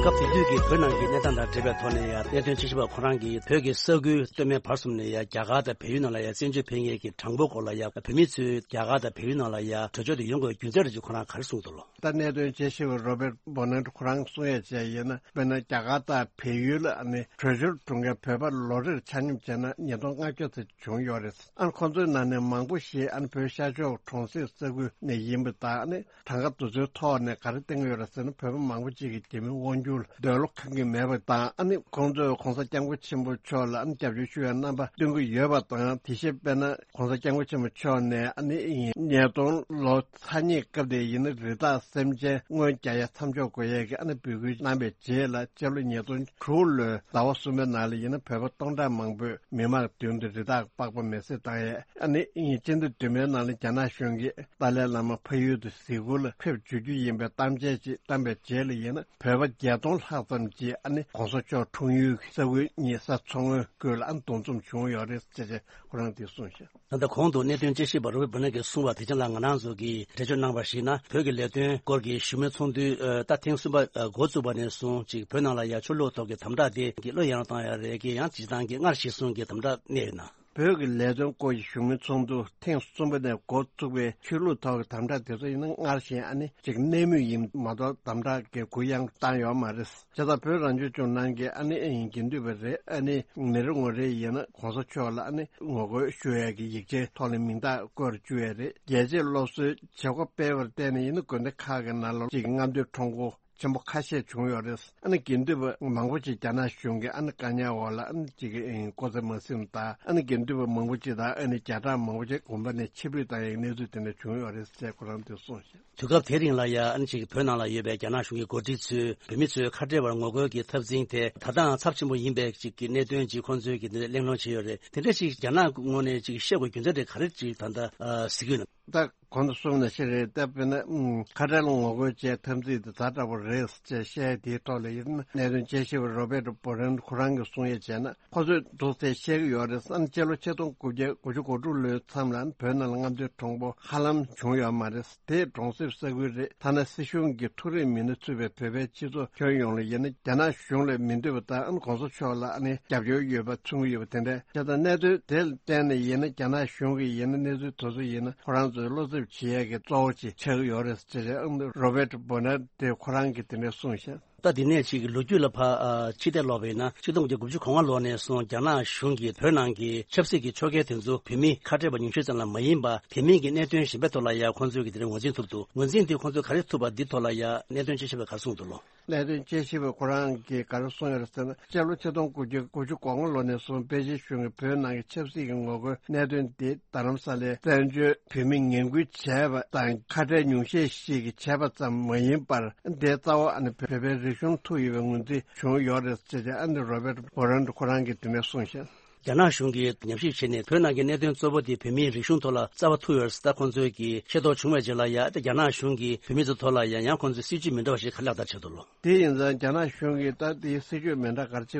སྐབས་དེ་དུས་ཀྱི་བོད་ནང་གི་གནས་སྟངས་དང་འབྲེལ་བའི་ཐོག་ནས་ཡང་གནད་དོན་དཔྱད་ཞིབ་པ་ཁོ་རང་གིས་བོད་ཀྱི་ས་ཁུལ་སྟོད་སྨད་བར་གསུམ་ནས་ཡང་རྒྱ་གར་དང་བལ་ཡུལ་ནང་ལ་ཡང་བཙན་བྱོལ་ཕེབས་མཁན་གྱི་གྲངས་འབོར་སྐོར་ལ་ཡང་བོད་མི་ཚོས་རྒྱ་གར་དང་བལ་ཡུལ་ནང་ལ་ཡང་བྲོས་བྱོལ་དུ་ཡོང་དགོས་རྒྱུ་མཚན་རེ་ཅིག་ཁོ་རང་ག་རེ་གསུངས་འདུག་ལོ། ད་གནད་དོན་དཔྱད་ཞིབ་པ་རོ་བེད་བོ་ནན་ཁོ་རང་གསུང་ཡ་བྱས་ཡིན་ན། དཔེར་ན་རྒྱ་གར་དང་བལ་ཡུལ་ལ་ཨ་ནི་བྲོས་བྱོལ་འགྲོ་མཁན་བོད་པ་ལོ་རེར་ཆ་སྙོམས་བྱས་ན་ཉིས་སྟོང་ལྔ་བརྒྱ་ཙམ་བྱུང་ཡོད་རེད། ཨ་ནི་ཁོང་ཚོའི་ནང་ནས་མང་པོ་ཞིག་ཨ་ནི་བོད་ཤར་ཕྱོགས་གྲོང་གསེབ་ས་ཁུལ་ནས་ཡིན་པ་དང་། ཨ་ནི་གྲངས་ཀ་དེ་ཚོའི་ཐོག་ནས་ག་རེ་བསྟན་གྱི་ཡོད་རེད་ཟེར་ན། བོད་པ་མང་པོ་ཅིག་གིས་རྒྱ་མིའི་དབང་སྒྱུར་ལ་འདོད་བློ་ཁེངས་ཀྱི་མེད་པ་དང་། ཨ་ནི་ཁོང་ཚོས་༸གོང་ས་༸སྐྱབས་མགོན་ཆེན་པོ་མཆོག་ལ་ཨ་ནི་རྒྱབ་སྐྱོར་ཞུ་བའི་རྣམ་པ་སྟོན་གྱི་ཡོད་པ་དང་། དེ་བཞིན་དཔེར་ན་༸གོང་ས་༸སྐྱབས་མགོན་ཆེན་པོ་མཆོག་ནས་ཨ་ནི་ཉིས་སྟོང་ལོ་ཚ་ཉེ་སྐབས་དེ་ཡིན་ན་རི་དྭགས་སེམས་ཅན་རྔོན་རྒྱག་ཡ་མཚམས་འཇོག་དགོས་ཡས་ཀྱི་ཨ་ནི་འབོད་སྐུལ་གནང་བའི་རྗེས་ལ་སྤྱི་ལོ་ཉིས་སྟོང་དྲུག་ལོའི་ཟླ་བ་གསུམ་པའི་ནང་ལ་ཡིན་ན་བོད་པ་སྟོང་ཕྲག་མང་པོས་མི་མང་མདུན་དུ་རི་དྭགས་པགས་པ་མེ་བསྲེགས་བཏང་ཡས། ཨ་ནི་སྤྱི་ཟླ་བདུན་པའི་ནང་ལ་རྒྱ་ནག་གཞུང་གིས་ཏཱ་ལའི་བླ་མ་ཕ་ཡུལ་དུ་གཟིགས་སྐོར་ལ་ཕེབས་འཇུག་རྒྱུ་ཡིན་པའི་གཏམ་བཤད་ཅིག་བཏང་བའི་རྗེས་ལ་ཡིན་ན། བོད་པ་བརྒྱད་སྟོང་ལྷག་ཙམ་གྱིས་ཨ་ནི་༸གོང་ས་མཆོག་འཁྲུངས་ཡུལ་གྱི་ས་ཁུལ་གཉིས་ས་མཚོ་སྔོན་ཁུལ་ལ་ཨ་ནི་འདུ་འཛོམས་བྱུང་ཡོད་རེད་ཅེས་ཁོ་རང་གིས་གསུངས་ཤག་ད་ལྟ་གོང་དུ་གནད་དོན་དཔྱད་ཞིབ་པ་རོ་བེད་བོ་ནན་གྱིས་གསུངས་པ་དེ་ཅན་ལ་ང་རང་ཚོ་གིས་འགྲེལ་བརྗོད་གནང་བར་གཞིགས་ན། བོད་ཀྱི་ལས་དོན་སྐོར་གྱི་བཞུགས་མོལ་ཚོགས་འདུ་ཨ་ད་ཐེངས་གསུམ་པ་ཨ་འགོ་བཙུགས་པ་ནས་བཟུང་ཅིག་བོད་ནང་ལ་ཡ་ཆོས་ལུགས་ཐོག་གི་དམ་དྲག་དེ་གི་བློ་ཡར་བཏང་ཡ་རེད་གི་ཡང་སྤྱིར་བཏང་གི་སྔར་བཞིན་བཟུང་གི་དམ་དྲག་གནས་ཡོད་ན། བོད་ཀྱི་ལས་དོན་སྐོར་གྱི་བཞུགས་མོལ་ཚོགས་འདུ་ཐེངས་གསུམ་པ་ནས་འགོ་བཙུགས་པའི་ཆོས་ལུགས་ཐོག་གི་དམ་དྲག་དེ་ཚོ་ཡིན་ན་སྔར་བཞིན་ཨ་ནི་ཅིག་གནས་མུས་ཡིན་མ་གཏོགས་དམ་དྲག་གི་གུ་ཡངས་བཏང་ཡོད་མ་རེད། བྱས་ཙང་བོད་རང་སྐྱོང་ལྗོངས་ནང་གི་ཨ་ནི་དགེ་འདུན་པ་རེད། ཨ་ནི་མི་རེ་ངོ་རེ་ཡིན་ན་༸གོང་ས་མཆོག་ལ་ཨ་ནི་ངོ་རྒོལ་ཞུ་ཡས་ཀྱི་ཡིག་ཆའི་ཐོག་ལ་མིང་རྟགས་བཀོད་བཅུག་ཡས་རེད། རྒྱལ་གཅེས་སློབ་གསོའི་བྱེད་སྒོ་སྤེལ་བར་བརྟེན་ནས་ཡིན་ན་དགོན་སྡེ་ཁག་གི་ནང་ལ་ཅིག་རྔམ་སྟོན་ཁྲོམ་སྐོར་ཆེན་པོ་ཁ་ཤས་བྱུང་ཡོད་རེད། ཨ་ནི་དགེ་འདུན་པ་མང་པོ་ཅིག་རྒྱ་ནག་གཞུང་གི་ཨ་ནི་བཀག་ཉར་འོག་ལ་ཨ་ནི་ཅིག་གི་ཨེ་ཀོ་ཙེ་མ་ཟིན་དང་། ཨ་ནི་དགེ་འདུན་པ་མང་པོ་ཅིག་དང་ཨ་ནི་བརྒྱ་ཕྲག་མང་པོ་ཅིག་དགོན་པ་ནས་ཕྱིར་འབུད་བཏང་ཡག་གནས་ཚུལ་དེ་འདྲ་བྱུང་ཡོད་རེད་ཅེས་ཁོ་རང་ཚོས་གསུངས་ཤག་དུས་སྐབས་དེ་རིང་ལ་ཡ་ཨ་ནི་ཅིག་བོད་ནང་ལ་ཡོད་པའི་རྒྱ་ནག་གཞུང་གི་འགོ་ཁྲིད་ཚོས་བོད་མི་ཚོའི་ཁ་བྲལ་བར་ངོ་རྒོལ་གྱི་འཐབ་འཛིང་དེ་ད་ལྟའང་ཚབས་ཆེན་པོ་ཡིན་པའི་ཅིག་གི་གནད་དོན་ཅིག་ཁོང་ཚོས་ཀྱི་འདི་གླེང་སློང་བྱས་ཡོད་རེད། དེ་འདྲ་ཅིག་རྒྱ་ནག་ངོས་ནས་ཅིག་བཤད་དགོས་རྒྱུ་མཚན་དེ་ག་རེ་ཅིག་ད་ལྟ་ཨ་གཟིགས་ཀྱི་ཡོད་ན། ད་གོང་དུ་གསུངས་ནང་བཞིན་རེད། ད་དཔེར་ན་ཨུམ་ཁ་བྲལ་ངོ་རྒོལ་བཅས་འཐབ་འཛིང་དེ་ཛ་དྲག་པོ་རེད་ཅེས་བཤད་དེའི་ཐོག་ལ་ཡིན་ན། གནད་དོན་དཔྱད་ཞིབ་པ་རོ་བེད་བོ་རན་ཁོ་རང་གིས་གསུང་ཡས་བྱས་ན། ཁོ་ཚོས་འདུག་སེ་བཤད་ཀྱི་ཡོད་རེད། ཨ་ནི་སྤྱི་ལོ་ཆིག་སྟོང་དགུ་བརྒྱ་དགུ་བཅུ་གོ་དྲུག་ལོའི་མཚམས་ལ་བོད་ནང་ལ་རྔམ་སྟོན་ཁྲོམ་སྐོར་ཧ་ལམ་བྱུང་ཡོད་མ་རེད། དེས་གྲོང་གསེབ་ས་ཁུལ་རེད། ཐ་ན་སྲིད་གཞུང་གི་ཐུགས་རེ་མིན་སྣ་ཚུད་པའི་བོད་པའི་སྤྱི་ཚོགས་ཁྱོན་ཡོངས་ལ་ཡིན་ན་རྒྱ་ནག་གཞུང་ལ་མི་འདོད་པ་དང་༸གོང་ས་མཆོག་ལ་ཨ་ནི་རྒྱབ་སྐྱོར་ཡོད་པ་མཚོན་གྱི་ཡོད་པ་དེ་འདྲ་བྱས་ཙང་། གནད་དོན་དེ་ལ་བརྟེན་ནས་ཡིན་ན་རྒྱ་ནག་གཞུང་གིས་ཡིན་ན་གནས་ཚུལ་དེ་ཚོ་ཡིན་ན་ཁོ་རང་ཚོའི་བློ་འཚབ་བྱེད་ཡས་ཀྱི་གཙོ་བོ་ཅིག་ཆགས་ཀྱི་ཡོད་རེད་ཟེར་ཏེ། ཨ་ནི་རོ་བེད་བོ་ནན་དེ་ཁོ་རང་གིས་དེ་འདྲ་གསུངས་ཤག་ད་འདི་ནས་ཅིག་ལོ་རྒྱུས་ལ་ཕར་ཨ་ཕྱི་བལྟས་ལོག་པ་ཡིན་ན། ཆིག་སྟོང་དགུ་བརྒྱ་དགུ་བཅུ་གོ་ལྔ་ལོ་ནས་བཟུང་རྒྱ་ནག་གཞུང་གིས་བོད་ནང་གི་ཆབ་སྲིད་ཀྱི་ཕྱོགས་འགལ་དེ་ཚོ་བོད་མི་ཁ་བྲལ་བ་ཉུང་ཤས་ཙམ་ལ་མ་ཡིན་པར། དེ་མིན་གྱི་གནད་དོན་གཞན་པའི་ཐོག་ལ་ཡང་ཁོང་ཚོས་ཀྱི་དེ་རིང་ངོས་འཛིན་ཐུབ་འདུག། ངོས་འཛིན་དེ་ཁོང་ཚོས་ག་རེ་ཐུབ་པ་འདི་ཐོག་ལ་ཡང་གནད་དོན་དཔྱད་ཞིབ་པས་ག་རེ་གསུངས་འདུག་ལོ། གནད་དོན་དཔྱད་ཞིབ་པས་ཁོ་རང་གིས་ག་རེ་གསུངས་ཡོད་རེད་ཟེར་ན། སྤྱི་ལོ་ཆིག་སྟོང་དགུ་བརྒྱ་དགུ་བཅུ་གོ་ལྔ་ལོ་ནས་བཟུང་པེ་ཅིན་གཞུང་གིས་བོད་ནང་གི་ཆབ་སྲིད་ཀྱི་ངོ་རྒོལ་གནད་དོན་དེ་རྡ་རམ་ས་ལའི་བཙན་བྱོལ་བོད་མི་ངན་སྐུལ་བྱས་པ་དང་ཁ་བྲལ་ཉུང་ཤས་ཤིག་གིས་བྱས་པ་ཙམ་མ་ཡིན་པར། དེ་རྩ་བ་ཨ་ནི་བོད་པའི་རིག་གཞུང་ཐུག་ཡོད་པའི་ངོས་འཛིན་བྱུང་ཡོད་རེད་ཅེས་ཨ་ནི་རོ་བེར་ཏ་བྷོ་རན་ཁོ་རང་གིས་དེ་ནས་གསུངས་ཤག། རྒྱ་ནག་གཞུང་གིས་ཉམས་ཞིབ་བྱས་ནས་བོད་ནང་གི་གནད་དོན་གཙོ་བོ་དེ་བོད་མིའི་རིག་གཞུང་ཐོག་ལ་རྩ་བ་ཐུག་ཡོད་རེད་ཟེར། ད་ཁོང་ཚོས་ཀྱིས་ཤེས་རྟོགས་བྱུང་བའི་རྗེས་ལ་ཡ། ད་རྒྱ་ནག་གཞུང་གིས་བོད་མི་ཚོའི་ཐོག་ལ་ཡ་ཡང་ཁོང་ཚོས་སྲིད་ཇུས་མི་འདྲ་བ་ཞིག་ག་ལག་བསྟར་བྱས་འདུག་ལོ། དེ་ཡིན་ཙང་རྒྱ་ནག་གཞུང་གིས་ད་དེའི་སྲིད་ཇུས་མི་འདྲ་ག་རེ་བྱེད་ཀྱི་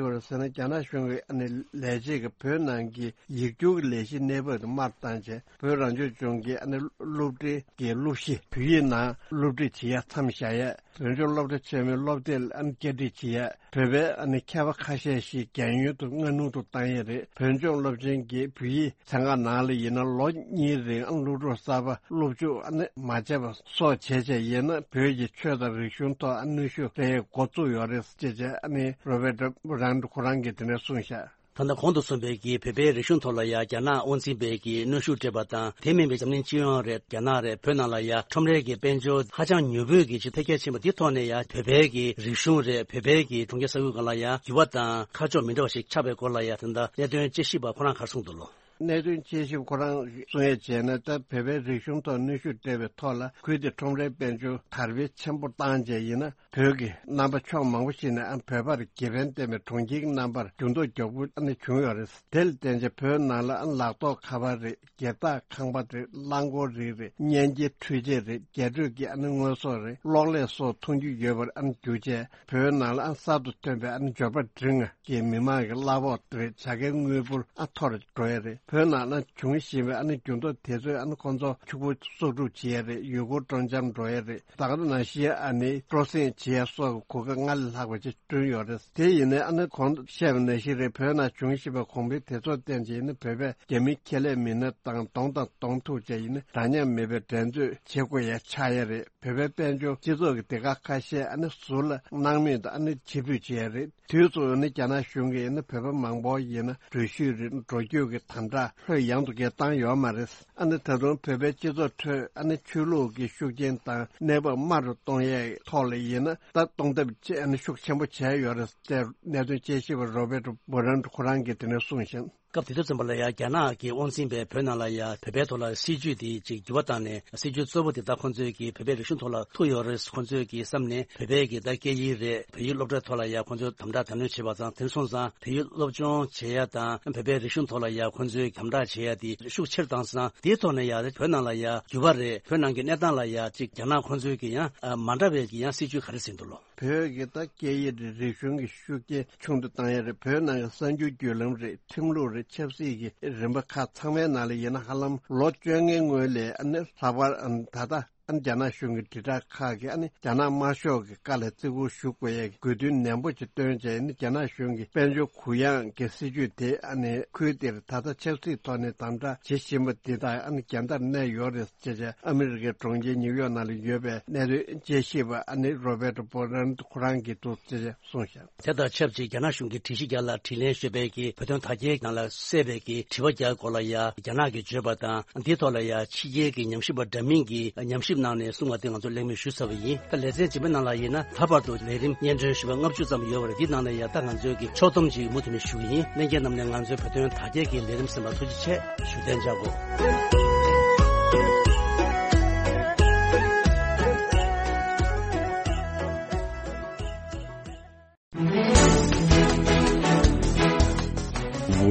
ཡོད་རེད་ཟེར་ན། རྒྱ་ནག་གཞུང་གིས་ཨ་ནི་ལས་བྱེད་ཀྱི་བོད་ནང་གི་ཡིག་སྒྱུར་གྱི་ལས་གཞི་གནས་བབ་དེ་མར་བཏང་བྱས། བོད་རང་སྐྱོང་ལྗོངས་ཀྱི་ཨ་ནི་སློབ་གྲྭའི་གི་སློབ་གཞི་བོད་ཡིག་ནང་སློབ་ཁྲིད་བྱེད་ཡ་མཚམས་བཞག་ཡ། བོད་ལྗོངས་སློབ་གྲྭ་ཆེན་མོའི་སློབ་དེབ་ལ་ཨ་ནི་བསྐྱར་སྒྲིག་བྱེད་ཡ། བོད་པའི་ཨ་ནི་མཁས་པ་ཁ་ཤས་ཤིག་རྒྱལ་ཡོངས་དུ་སྔ་སྣུར་དུ་བཏང་ཡ་རེད། བོད་ལྗོངས་སློབ་ཆེན་གྱི་བོད་ཡིག་ཚན་ཁག་ནང་ལ་ཡིན་ན་ལོ་གཉིས་རིང་ཨ་ནི་སློབ་ཕྲུག་གསར་པ་སློབ་འཇུག་ཨ་ནི་མ་བྱས་པ་སོགས་བྱས་བྱས་ཡིན་ན། བོད་ཀྱི་ཆོས་དང་རིག་གཞུང་ཐོག་ཨ་ནི་གནོན་ཤུགས་སྤྲད་ཡ་འགོ་བཙུགས་ཡོད་རེད་ཅེས་བྱས་ཨ་ནི་རོ་བེར་ཏ་བྷོ་རན་ཁོ་རང་གིས་དེ་ནས་གསུངས་ཤག། ད་ལྟ་གོང་དུ་གསུངས་པའི་གི་བོད་པའི་རིག་གཞུང་ཐོག་ལ་ཡ་རྒྱ་ནག་དབང་འཛིན་པའི་གི་གནོན་ཤུགས་སྤྲད་པ་དང་། དེ་མིན་པའི་འཛམ་གླིང་སྤྱི་ཡོངས་རེད། རྒྱ་ནག་རེད། བོད་ནང་ལ་ཡ་ཁྲོམ་རའི་གི་དཔལ་འབྱོར་ཧ་ཅང་མྱུར་པོའི་གི་ཅིག་འཕེལ་རྒྱས་ཕྱིན་པ་འདི་ཐོག་ནས་ཡ། བོད་པའི་གི་རིག་གཞུང་རེད། བོད་པའི་གི་གྲོང་ཁྱེར་ས་ཁུལ་སྒང་ལ་ཡ་འགྱུར་བ་དང་ཁ་ཕྱོགས་མི་འདྲ་བ་ཞིག་ཆགས་པའི་སྐོར་ལ་ཡ། དེ་འདྲ་གནད་དོན་དཔྱད་ཞིབ་པ་ཁོ་རང་ག་རེ་གསུངས་འདུག་ལོ། གནད་དོན་དཔྱད་ཞིབ་ཁོ་རང་གསུང་ཡས་བྱས་ན། ད་བོད་པའི་རིག་གཞུང་ཐོག་གནོན་ཤུགས་སྤྲད་པའི་ཐོག་ལ། ཁུལ་དེ་ཁྲོམ་རའི་དཔལ་འབྱོར་དར་སྤེལ་ཆེན་པོ་བཏང་བྱས་ཡིན་ན། བོད་ཀྱི་རྣམ་པ་ཕྱོགས་མང་པོ་ཞིག་ནས་ཨ་བོད་པར་དགེ་ཕན་བསྟན་པའི་གྲོང་ཁྱེར་གྱི་རྣམ་པར་འགྱུར་ལྡོག་མགྱོགས་པོ་ཨ་ནི་བྱུང་ཡོད་རེད། དེ་ལ་བརྟེན་བྱས་བོད་ནང་ལ་ཨ་ལག་ཐོགས་ཁ་པར་རེད། སྒེར་བདག་ཁང་པ་རེད། རླངས་འཁོར་རིགས་རེད། གཉེན་སྐྱིད་འཕྲུལ་ཆས་རེད། རྒྱ་སྤྲོད་ཀྱི་ཨ་ནི་དངོས་ཟོག་རེད། གློག་ཀླད་སོགས་མཐོང་རྒྱུ་ཡོད་པར་ཨ་ནི་གྱུར་བྱས། བོད་ནང་ལ་ཨ་གསར་དུ་ཐོན་པའི་ཨ་ནི་འབྱོར་པ་འབྲིང་ང་གི་མི་མང་གི་གླ་ཕོགས་རེད། བྱ་དགའི་དངུལ་འབོར་ཨ་མཐོ་རུ་འགྲོ་ཡ་རེད། བོད་ནང་ལ་འབྱུང་བཞིན་པའི་ཨ་ནི་འགྱུར་ལྡོག་དེ་ཚོས་ཨ་ནི་ཁོང་ཚོ་ཕྱུག་པོ་གསོག་སྒྲུབ་བྱེད་ཡ་རེད། ཡུལ་སྐོར་སྤྲོ་འཆམ་འགྲོ་ཡ་རེད། ད་ག་ནང་བཞིན་ཨ་ནི་སྤྲོ་གསེང་བྱེད་ཡ་སོགས་ཀྱི་གོ་སྐབས་སྔར་ལས་ལྷག་པ་ཅིག་བསྐྲུན་ཡོད་རེད། དེ་ཡིན་ནའི་ཨ་ནི་གོང་དུ་བཤད་པ་ནང་བཞིན་རེད། བོད་ནང་འབྱུང་བཞིན་པའི་གོང་འཕེལ་དེ་ཚོར་བརྟེན་བྱས་ཡིན་ན། བོད་པའི་རྒྱ་མི་ཁེ་ལས་མི་སྣ་དང་གདོང་དང་གདོང་ཐུག་བྱས་ཡིན་ན། འདྲ་མཉམ་མེད་པའི་འགྲན་རྩོད་བྱེད་དགོས་ཡ་ཆགས་ཡ་རེད། བོད་པའི་དཔལ་འབྱོར་སྤྱི་ཚོགས་ཀྱི་སྡེ་ཁག་ཁ་ཤས་ཨ་ནི་ཟུར་ལ་སྣང་མེད་དུ་ཨ་ནི་ཕྱིར་འབུད་བྱེད་ཡ་རེད། དུས་སུ་ཨ་ནི་རྒྱ་ནག་གཞུང་གིས་ཨ་ནི་བོད་པ་མང་པོ་ཡིན་ན་འགྲུལ་བཞུད་རེད། འགྲོ་སྐྱོད་ཀྱི་དམ་དྲག་ལྷོད་ཡངས་དུ་གས་བཏང་ཡོད་མ་རེད། ཨ་ནི་ད་དུང་བོད་པའི་སྤྱི་ཚོགས་ཁྲོད་ཨ་ནི་ཆོས་ལུགས་ཀྱི་ཤུགས་རྐྱེན་དང་གནས་བབ་དམའ་རུ་གཏོང་ཡས་ཐོག་ལ་ཡིན་ན། ད་གཏོང་ཐབས་ཅིག་ཨ་ནི་ཤུགས་ཆེན་པོ་བྱས་ཡོད་རེད་ཅེས་གནད་དོན་དཔྱད་ཞིབ་པ་རོ་བེར་ཏ་བྷོ་རན་ཁོ་རང་གིས་དེ་ནས་གསུངས་ཤིང་། སྐབས་དེ་དུས་ཙམ་པ་ལ་ཡ་རྒྱ་ནག་གི་དབང་འཛིན་པས་བོད་ནང་ལ་ཡ་བོད་པའི་ཐོག་ལ་སྲིད་ཇུས་དེ་ཅིག་འགྱུར་བ་བཏང་ནས། སྲིད་ཇུས་གཙོ་བོ་དེ་ད་ཁོང་ཚོས་ཀྱི་བོད་པའི་རིག་གཞུང་ཐོག་ལ་ཐུག་ཡོད་རེད། ཁོང་ཚོས་ཀྱི་བསམ་ནས་བོད་པའི་གི་ད་སྐད་ཡིག་རེད། བོད་ཡིག་སློབ་གྲྭ་ཐོག་ལ་ཡ་ཁོང་ཚོས་དམ་དྲག་དྲག་གནོན་བྱས་པ་དང་། དེ་སོང་ཙང་བོད་ཡིག་སློབ་སྦྱོང་བྱེད་ཡ་དང་བོད་པའི་རིག་གཞུང་ཐོག་ལ་ཡ་ཁོང་ཚོས་དམ་དྲག་བྱེད་ཡ་དེ་ཤུགས་ཆེར་བཏང་ཙང་། དེའི་ཐོག་ནས་ཡ་བོད་ནང་ལ་ཡ་འགྱུར་བ་རེད། བོད་ནང་གི་གནས་སྟངས་ལ་ཡ་ཅིག་རྒྱ་ནག་ཁོང་ཚོས་ཀྱི་ཡང་མ་འདྲ་བའི་གི་ཡང་སྲིད་ཇུས་ག་རེ་ཟིན་འདུག་ལོ། བོད་ཀྱི་ད་སྐད་ཡིག་རེད། རིག་གཞུང་གི་ཤུགས་རྐྱེན་ཆུང་དུ་བཏང་ཡ་རེད། བོད་ནང་གི་གསར་འགྱུར་བརྒྱུད་ལམ་རེད། ཁྲིམས་ལུགས་རེད། ཆབ་སྲིད་ཀྱི་རིམ་པ་ཁག་ཚང་མའི་ནང་ལ་ཡིན་ན། ཧ་ལམ་ལོ་བཅོ་ལྔའི་སྔོན་ལ་ཨ་ནི་ལྷག་པར་ཨ་ནི་ད་ལྟ་ཨ་ནི་རྒྱ་ནག་གཞུང་གི་དྲིལ་བསྒྲགས་ཁག་གིས་ཨ་ནི་རྒྱ་ནག་དམར་ཤོག་གི་བཀའ་ལ་བརྩི་བཀུར་ཞུ་དགོས་ཡ་གི་དགོས་འདུན་ནན་པོ་ཅིག་བཏོན་བྱས། ཨ་ནི་རྒྱ་ནག་གཞུང་གི་དཔལ་འབྱོར་གུ་ཡངས་ཀྱི་སྲིད་ཇུས་དེ་ཨ་ནི་ཁུལ་དེར་ད་ལྟ་ཆབ་སྲིད་ཐོག་ནས་དམ་དྲག་བྱེད་བཞིན་པ་འདི་དང་ཨ་ནི་འགལ་ཟླར་གནས་ཡོད་རེད། ཅེས་བྱས་ཨ་མི་རི་ཀའི་གྲོང་ཁྱེར་ཉིའུ་ཡོག་ནང་ལ་ཡོད་པའི་གནད་དོན་དཔྱད་ཞིབ་པ་ཨ་ནི་རོ་བེར་ཏ་བྷོ་རན་ཁོ་རང་གིས་འདུག་ཅེས་བྱས་གསུངས་ཤག། དེ་དང་ཆབས་ཅིག་རྒྱ་ནག་གཞུང་གིས་དྲི་གཞི་བརྒྱ་ལ་དྲིས་ལན་ཞུས་པའི་གི་བོད་དོན་དར་རྒྱས་ནང་ལ་གསལ་བའི་གི་དྲི་བ་བརྒྱ་སྐོར་ལ་ཡ་རྒྱ་ནག་གིས་བརྗོད་པ་དང་། འདིའི་ཐོག་ལ་ཡ་ཕྱི་རྒྱལ་གྱི་ཉམས་ཞིབ་པ་འདྲ་མིན་གྱིས་ཉམས་ཞིབ་གནང་ནས་གསུངས་པ་དེ་ང་ཚོ་གླེང་མོལ་ཞུས་ཚར་བ་ཡིན། ད་ལེ་ཚན་རྗེས་མའི་ནང་ལ་ཡིན་ན། ལྷག་པར་དུ་ལས་རིམ་སྙན་སྒྲོན་ཞུ་བ་ལྔ་བཅུ་ཙམ་ཡོད་པ་རེད། འདི་ནང་ནས་ཡ་ད་ང་ཚོས་ཀྱི་ཕྱོགས་བསྡོམས་ཅིག་མུ་མཐུད་ནས་ཞུ་གི་ཡིན། ལྷན་རྒྱས་རྣམས་ནས་ང་ཚོའི་བོད་དོན་དར་རྒྱས་ཀྱི་ལས་རིམ་གསན་པར་ཐུགས་རྗེ་ཆེ་ཞུ། གཏན་འཇགས་སྒོ།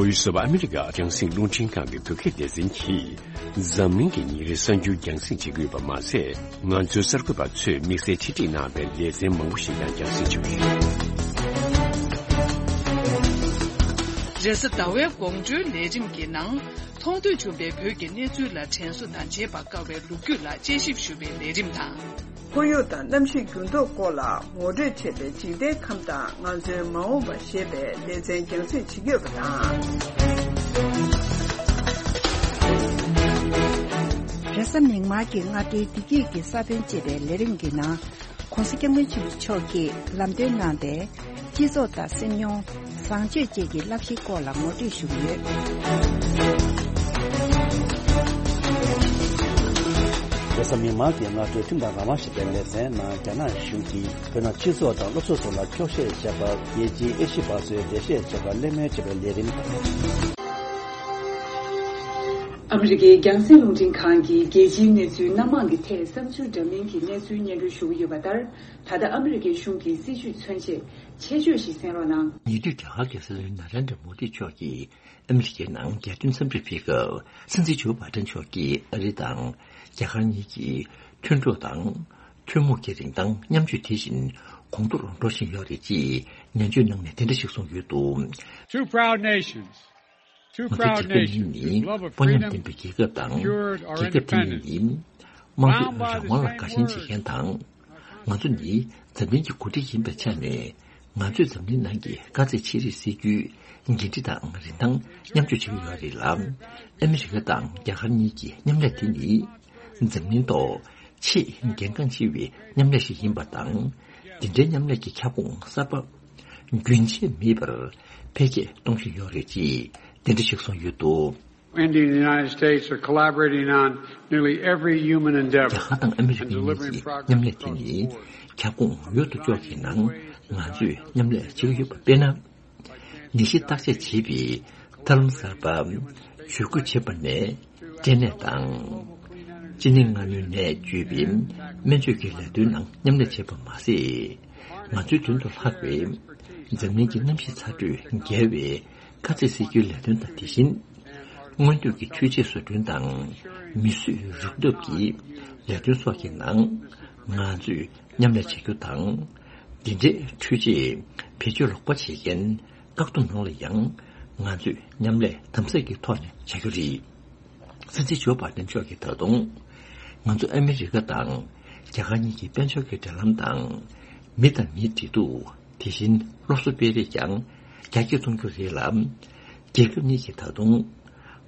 Voice of America རྒྱང་སྲིང་རླུང་འཕྲིན་ཁང་གི་བོད་སྐད་སྡེ་ཚན་གྱིས་འཛམ་གླིང་གི་ཉིན་རེའི་གསར་འགྱུར་རྒྱང་སྲིང་བྱེད་ཀྱི་ཡོད་པ་མ་ཟད། ང་ཚོའི་གསར་འགོད་པ་ཚོས་དམིགས་བསལ་ཆེད་སྒྲིག་གནང་བའི་ལེ་ཚན་མང་པོ་ཞིག་ཀྱང་རྒྱང་སྲིང་བྱེད་ཀྱི་ཡོད། རེས་གཟའ་ཟླ་བའི་དགོང་དྲོའི་ལས་རིམ་གྱི་ནང་། མཐོང་ཐོས་བྱུང་བའི་བོད་ཀྱི་གནས་ཚུལ་ལ་དྲན་གསོ་དང་བརྗེད་པར་དཀའ་བའི་ལོ་རྒྱུས་ལ་དཔྱད་ཞིབ་ཞུ་བའི་ལས་རིམ་དང་། ཁོར་ཡུག་དང་གནམ་གཤིས་འགྱུར་ལྡོག་སྐོར་ལ་ངོ་སྤྲོད་བྱས་པའི་འཇིག་རྟེན་ཁམས་དང་ང་ཚོའི་མ་འོངས་པ་ཞེས་པའི་ལེ་ཚན་རྒྱང་སྲིང་བྱེད་ཀྱི་ཡོད་པ་དང་། རེས་གཟའ་མིག་དམར་གྱི་སྔ་དྲོའི་བདེ་སྐྱིད་ཀྱི་ས་བོན་ཅེས་པའི་ལས་རིམ་གྱི་ནང་། ༸གོང་ས་༸སྐྱབས་མགོན་ཆེན་པོ་མཆོག་གིས་ལམ་སྟོན་གནང་སྟེ། སྤྱི་ཚོགས་དང་སེམས་མྱོང་། བཟང་སྤྱོད་བཅས་ཀྱི་བསླབ་གཞིའི་སྐོར་ལ་ངོ་སྤྲོད་ཞུས་ཡོད། རེས་གཟའ་མིག་དམར་གྱི་སྔ་དྲོའི་ཁྲིམས་དང་རང་དབང་ཞེས་པའི་ལེ་ཚན་ནང་། རྒྱ་ནག་གཞུང་གིས་བོད་ནང་སྤྱི་ཚོགས་དང་སློབ་གསོ་སོགས་ལ་འཁྱོག་བཤད་བྱས་པར། རྒྱལ་སྤྱིའི་ཨེ་ཤི་ཡ་པ་སོའི་འགྲེལ་བཤད་བྱས་པར་གླེང་མོལ་བྱས་པའི་ལས་རིམ་དང་། ཨ་མི་རི་ཀའི་རྒྱང་སྲིང་རླུང་འཕྲིན་ཁང་གིས་རྒྱལ་སྤྱིའི་གནས་ཚུལ་སྣ་མང་གི་ཐད་བསམ་ཚུལ་འདྲ་མིན་གྱི་གནས་ཚུལ་སྙན་སྒྲོན་ཞུ་གི་ཡོད་པ་ལྟར། ད་ལྟ་ཨ་མི་རི་ཀའི་གཞུང་གི་སྲིད་བྱུས་མཚོན་ཆེད་ཆེད་བརྗོད་ཞིག་གསན་རོགས་གནང་། ཉེ་དུས་རྒྱ་གར་གྱི་སྲིད་བློན་ན་རེན་དྲ་མོ་དི་མཆོག་གིས་ཨ་མི་རི་ཀའི་ནང་རྒྱལ་དོན་འཚམས་འདྲི་ཕེབས་སྐབས། སྲིད་འཛིན་ཇོ་བྷའི་ཌེན་མཆོག་གིས་ཨ་རི་དང་རྒྱ་གར་གཉིས་ཀྱི་མཐུན་གྲོགས་དང་། ཐུན་མོང་གི་རིན་ཐང་མཉམ་སྤྱོད་དེ་བཞིན་གོང་མཐོར་འགྲོ་བཞིན་ཡོད་རེད་ཅེས་ནན་བརྗོད་གནང་ནས་དེ་འདྲ་ཞིག་གསུངས་ཡོད་འདུག། Two proud nations. Two ང་ཚོ་རྒྱལ་ཁབ་གཉིས་ནི་དཔའ་ཉམས་ལྡན་པའི་རྒྱལ་ཁབ་དང་། རྒྱལ་ཁབ་དེ་གཉིས་ནི་དམངས་གཙོའི་རང་དབང་ལ་དགའ་ཞེན་བྱེད་མཁན་དང་། ང་ཚོ་ནི་འཛམ་གླིང་གི་འགོ་ཁྲིད་ཡིན་པའི་ཆ་ནས། ང་ཚོས་འཛམ་གླིང་ནང་གི་དཀའ་ཚེགས་ཆེ་རིགས་སེལ་རྒྱུའི་འགན་འཁྲི་དང་རིན་ཐང་མཉམ་སྤྱོད་བྱེད་ཀྱི་ཡོད་རེད་ལ། ཨ་མི་རི་ཀ་དང་རྒྱ་གར་གཉིས་ཀྱི་མཉམ་ལས་དེ་ནི། འཛམ་གླིང་ཐོག་ཆེས་གལ་འགངས་ཆེ་བའི་མཉམ་ལས་ཤིག་ཡིན་པ་དང་། འདི་འདྲའི་མཉམ་ལས་ཀྱི་ཁྱབ་ཁོངས་གསར་པ་རྒྱུན་ཆད་མེད་པར་འཕེལ་རྒྱས་གཏོང་བཞིན་ཡོད་རེད་ཅེས་དེ་འདྲ་ཞིག་གསུངས་ཡོད་འདུག། India and the United States are collaborating on nearly every human endeavor རྒྱ་གར་དང་ཨ་མི་རི་ཀ་གཉིས་ཀྱི་མཉམ་ལས་དེ་ནི་ཁྱབ་ཁོངས་ཡོད་དོ་ཅོག་གི་ནང་ང་ཚོས་མཉམ་ལས་བྱེད་ཀྱི་ཡོད་པ། དཔེར་ན། ནད་གཞི་བརྟག་དཔྱད་བྱེད་པའི་ཐབས་ལམ་གསར་པ། ཇུས་འགོད་བྱེད་པ་ནས་སྐྲན་ནད་དང་། གཅིན་སྙི་ལྔ་སྣོད་ནད་བཅོས་པའི་སྨན་བཅོས་ཀྱི་ལས་དོན་ནང་མཉམ་ལས་བྱེད་པ་མ་ཟད། ང་ཚོའི་དོན་དུ་ལྷག་པའི་འཛམ་གླིང་གི་གནམ་གཤིས་ཚ་དྲོད་བརྒལ་བའི་དཀའ་ཚེགས་སེལ་རྒྱུའི་ལས་དོན་དང་། དེ་བཞིན་སྔོན་གཏོད་ཀྱི་འཕྲུལ་ཆས་བཟོ་སྐྲུན་དང་། མིས་བཟོས་རུག་གཏུབ་ཀྱི་ལས་དོན་སོགས་ཀྱི་ནང་ང་ཚོས་མཉམ་ལས་བྱ་རྒྱུ་དང་། འདི་འདྲའི་འཕྲུལ་ཆས་བེད་སྤྱོད་ལོག་པ་བྱེད་མཁན་བཀག་སྡོམ་ནང་ལ་ཡང་ང་ཚོས་མཉམ་ལས་དམ་ཟབ་ཀྱི་ཐོག་ནས་བྱ་རྒྱུ་རེད། སྲིད་འཛིན་ཇོ་བྷའི་ཌེན་མཆོག་གིས་ད་དུང་། ང་ཚོ་ཨ་མི་རི་ཀ་དང་རྒྱ་གར་གཉིས་ཀྱི་དཔལ་འབྱོར་གྱི་འབྲེལ་ལམ་དང་། མི་དང་མིའི་འབྲེལ་གཏུག་དེ་བཞིན་སློབ་གསོ་སྤེལ་རེས་ཀྱང་རྒྱ་སྐྱེད་གཏོང་རྒྱུ་རེད་ལ། རྒྱལ་ཁབ་གཉིས་ཀྱིས་ད་དུང་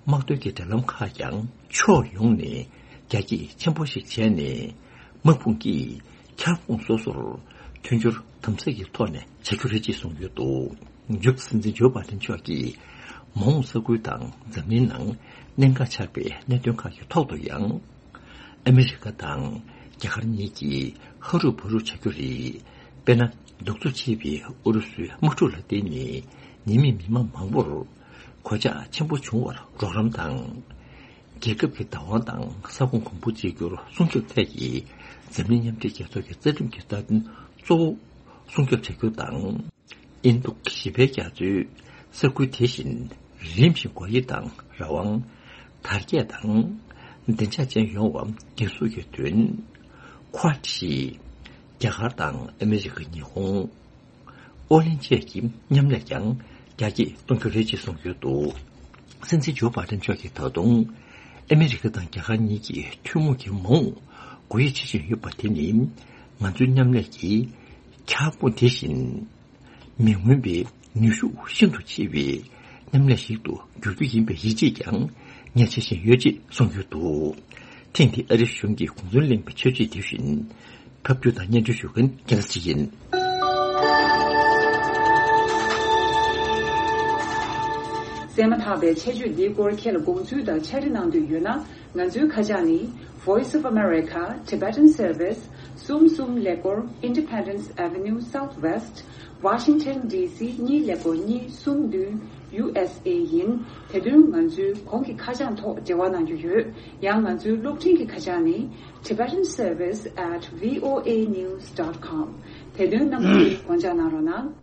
དམག་དོན་གྱི་འབྲེལ་ལམ་ཁག་ཀྱང་ཕྱོགས་ཡོངས་ནས་རྒྱ་སྐྱེད་ཆེན་པོ་ཞིག་བྱས་ནས། དམག་དཔུང་གིས་ཁྱབ་ཁོངས་སོ་སོར་མཐུན་སྦྱོར་དམ་ཟབ་ཀྱི་ཐོག་ནས་བྱ་རྒྱུ་རེད་ཅེས་གསུངས་ཡོད་འདུག། མཇུག་སྲིད་འཛིན་ཇོ་བྷའི་ཌེན་མཆོག་གིས་མ་འོངས་ས་ཁུལ་དང་འཛམ་གླིང་ནང་གནད་འགག་ཆགས་པའི་གནད་དོན་ཁག་གི་ཐོག་ཏུ་ཡང་། ཨ་མི་རི་ཀ་དང་རྒྱ་གར་གཉིས་ཀྱིས་ཧ་རུབ་བ་རུབ་བྱ་རྒྱུ་རེད། དཔེར་ན། གདུག་རྩུབ་ཆེ་བའི་ཨུ་རུ་སུའི་དམག་འཁྲུག་ལ་བརྟེན་ནས་ཉེས་མེད་མི་མང་མང་པོར་གོད་ཆག་ཆེན་པོ་བྱུང་བར་རོགས་རམ་དང་། རྒྱལ་ཁབ་ཀྱི་བདག་དབང་དང་ས་ཁོངས་གོང་བུ་གཅིག་གྱུར་སྲུང་སྐྱོབ་ཐད་ཀྱི་འཛམ་གླིང་མཉམ་འབྲེལ་རྒྱལ་ཚོགས་ཀྱི་རྩ་ཁྲིམས་ཀྱི་རྩ་དོན་གཙོ་བོ་སྲུང་སྐྱོབ་བྱ་རྒྱུ་དང་། ཨིན་རྡུ་ཞི་བའི་རྒྱ་མཚོའི་ས་ཁུལ་དེ་བཞིན་རིམ་བཞིན་སྒོ་དབྱེ་དང་རང་དབང་དར་རྒྱས་དང་བདེ་འཇགས་ཅན་ཡོང་བ་འགན་སྲུང་གི་དོན། ཁོ་ཝ་ཌ་ཞེས་རྒྱ་གར་དང་ཨ་མི་རི་ཀ། ཉི་ཧོང་། ཨོ་གླིང་བཅས་ཀྱི་མཉམ་ལས་ཀྱང་རྒྱ་སྐྱེད་གཏོང་རྒྱུ་རེད་ཅེས་གསུངས་ཡོད་འདུག། སྲིད་འཛིན་ཇོ་བྷའི་ཌེན་མཆོག་གིས་ད་དུང་ཨ་མི་རི་ཀ་དང་རྒྱ་གར་གཉིས་ཀྱི་ཐུན་མོང་གི་མ་འོངས་སྒོ་དབྱེ་བྱེད་བཞིན་ཡོད་པ་དེ་ནི། ང་ཚོའི་མཉམ་ལས་ཀྱི་ཁྱབ་ཁོངས་དེ་བཞིན་མི་མངོན་པའི་ནུས་ཤུགས་ཤིན་ཏུ་ཆེ་བའི་མཉམ་ལས་ཤིག་ཏུ་འགྱུར་རྒྱུ་ཡིན་པའི་ཡིད་ཆེས་ཀྱང་ངས་བྱེད་བཞིན་ཡོད་ཅེས་གསུངས་ཡོད་འདུག། ཐེངས་འདིའི་ཨ་རིའི་གཞུང་གི་གུང་སེང་གླེང་བའི་ཆོས་ཚིག་དེ་བཞིན་ཕབ་སྒྱུར་དང་སྙན་སྒྲོན་ཞུ་མཁན་རྒྱལ་མཚན་ཡིན། གསན་མ་ཐག་པའི་ཆེད་བརྗོད་འདིའི་སྐོར་ཁྱེད་ལ་དགོངས་ཚུལ་དང་ཕྱག་བྲིས་གནང་འདོད་ཡོད་ན། ང་ཚོའི་ཁ་བྱང་ནི། Voice of America Tibetan Service གསུམ་གསུམ་ཀླད་ཀོར་Independence Avenue Southwest Washington D C གཉིས་ཀླད་ཀོར་གཉིས་གསུམ་བདུན་U S A ཡིན། དེ་དོན་ང་ཚོའི་གོང་གི་ཁ་བྱང་ཐོག་འབྲེལ་བ་གནང་རྒྱུ་ཡོད། ཡང་ང་ཚོའི་གློག་འཕྲིན་གྱི་ཁ་བྱང་ནི། Tibetan Service at V O A news dot com དེ་དོན་རྣམ་པ་ཚོས་དགོངས་འཇགས་གནང་རོགས་གནང་།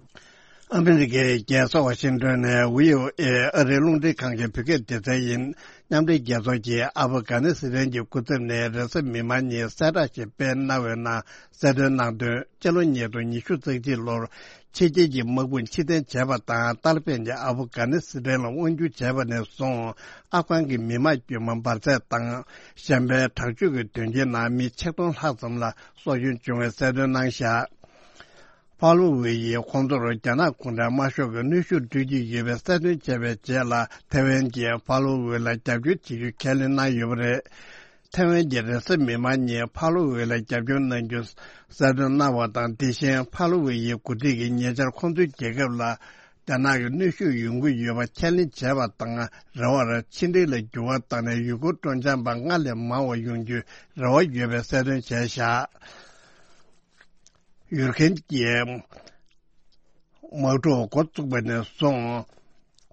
ཨ་མི་རི་ཀའི་རྒྱལ་ས་ཝ་ཤིང་ཏོན་ནས་V O A ཨ་རིའི་རླུང་འཕྲིན་ཁང་གི་བོད་སྐད་སྡེ་ཚན་ཡིན། མཉམ་འབྲེལ་རྒྱལ་ཚོགས་ཀྱིས་ཨབ་གྷ་ནི་སི་ཐན་གྱི་སྐུ་ཚབ་ནས་རེས་གཟའ་མིག་དམར་ཉིན་གསལ་བསྒྲགས་ཤིག་སྤེལ་གནང་བའི་ནང་གསལ་སྟོན་གནང་དོན། སྤྱི་ལོ་ཉིས་སྟོང་ཉི་ཤུ་རྩ་གཅིག་ལོར་ཕྱི་རྒྱལ་གྱི་དམག་དཔུང་ཕྱིར་འཐེན་བྱས་པ་དང་། ཏཱ་ལི་བན་གྱིས་ཨབ་གྷ་ནི་སི་ཐན་ལ་དབང་བསྒྱུར་བྱས་པ་ནས་བཟུང་ཨབ་གྷན་གྱི་མི་དམངས་དཀྱུས་མ་འབར་རྫས་དང་གཞན་པའི་དྲག་སྤྱོད་ཀྱི་དོན་རྐྱེན་ནང་མི་ཆིག་སྟོང་ལྷག་ཙམ་ལ་སྲོག་སྐྱོན་བྱུང་བའི་གསལ་སྟོན་གནང་བཞག། ཕ་ལོ་ཝེ་ཡིས་ཁོང་ཚོར་རྒྱ་ནག་གུང་ཁྲན་དམར་ཤོག་གི་གནོན་ཤུགས་སྤྲོད་ཀྱི་ཡོད་པའི་གསལ་སྟོན་བྱས་པའི་རྗེས་ལ། ཐེ་ཝན་གྱིས་ཕ་ལོ་ཝེ་ལ་རྒྱབ་སྐྱོར་བྱེད་རྒྱུ་ཁས་ལེན་གནང་ཡོད་པ་རེད། ཐའེ་ཝན་གྱི་རེས་གཟའ་མིག་དམར་ཉིན་ཕ་ལོ་ཝེ་ལ་རྒྱབ་སྐྱོར་གནང་རྒྱུ་གསལ་སྟོན་གནང་བ་དང་། དེ་བཞིན་ཕ་ལོ་ཝེ་ཡི་འགོ་ཁྲིད་ཀྱིས་ཉེ་ཆར་ཁོང་ཚོའི་རྒྱལ་ཁབ་ལ་རྒྱ་ནག་གི་གནོན་ཤུགས་ཡོང་གི་ཡོད་པ་ཁས་ལེན་བྱས་པ་དང་། རེ་བར་ཕྱི་འབྲེལ་ལ་འགྱུར་བ་བཏང་ནས་ཡུལ་སྐོར་སྤྲོ་འཆམ་པ་སྔར་ལས་མང་བ་ཡོང་རྒྱུའི་རེ་བ་ཡོད་པའི་གསལ་སྟོན་བྱས་བཞག་ཡུར་གན་གྱི་དམག་འཁྲུག་འགོ་བཙུགས་པ་ནས་བཟུང་།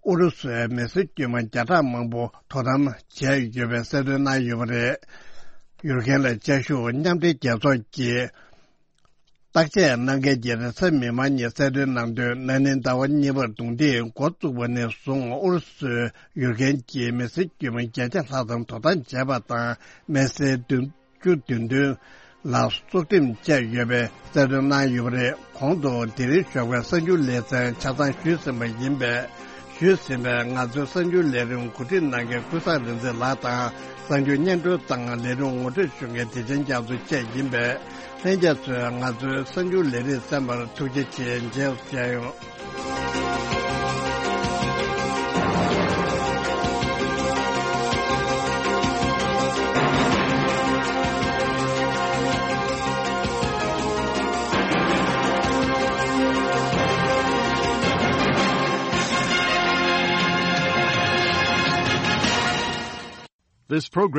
ཨུ་རུ་སུའི་མི་སེར་དཀྱུས་མ་བརྒྱ་ཕྲག་མང་པོ་དོ་དམ་བྱས་ཡོད་པའི་གསལ་སྟོན་གནང་ཡོད་པ་རེད། ཡུར་གན་ལ་བཅའ་བཞུགས་མཉམ་འབྲེལ་རྒྱལ་ཚོགས་ཀྱི་བརྟག་དཔྱད་གནང་མཁན་གྱིས་རེས་གཟའ་མིག་དམར་ཉིན་གསལ་སྟོན་གནང་དོན། ན་ནིང་ཟླ་བ་གཉིས་པར་རྡུང་རྡེག་འགོ་བཙུགས་པ་ནས་བཟུང་ཨུ་རུ་སུས་ཡུར་གན་གྱི་མི་སེར་དཀྱུས་མ་བརྒྱད་བརྒྱ་ལྷག་ཙམ་དོ་དམ་བྱས་པ་དང་། དམེ་སེར་བདུན་བཅུ་བདུན་བདུན་ལ་སྲོག་ཁྲིམས་བཅད་ཡོད་པའི་གསལ་སྟོན་གནང་ཡོད་པ་རེད། གོང་དུ་དེ་རིང་ཞོགས་པའི་གསར་འགྱུར་ལེ་ཚན་ཆ་ཚང་ཞུས་ཟིན་པ་ཡིན་པས། ཞུས་ཟིན་པའི་ང་ཚོའི་གསར་འགྱུར་ལས་རིམ་གོ་སྒྲིག་གནང་མཁན་ཀུན་བཟང་རིག་འཛིན་ལགས་དང་། གསར་འགྱུར་སྙན་སྒྲོན་དང་ལས་རིམ་ངོ་སྤྲོད་ཞུ་མཁན་བདེ་ཆེན་རྒྱ་མཚོ་བཅས་ཡིན་པས། ལྷན་རྒྱས་ཚོས་ང་ཚོའི་གསར་འགྱུར་ལས་རིམ་གསན་པར་ཐུགས་རྗེ་ཆེ། མཇལ་མཇལ་ཡོང་། This program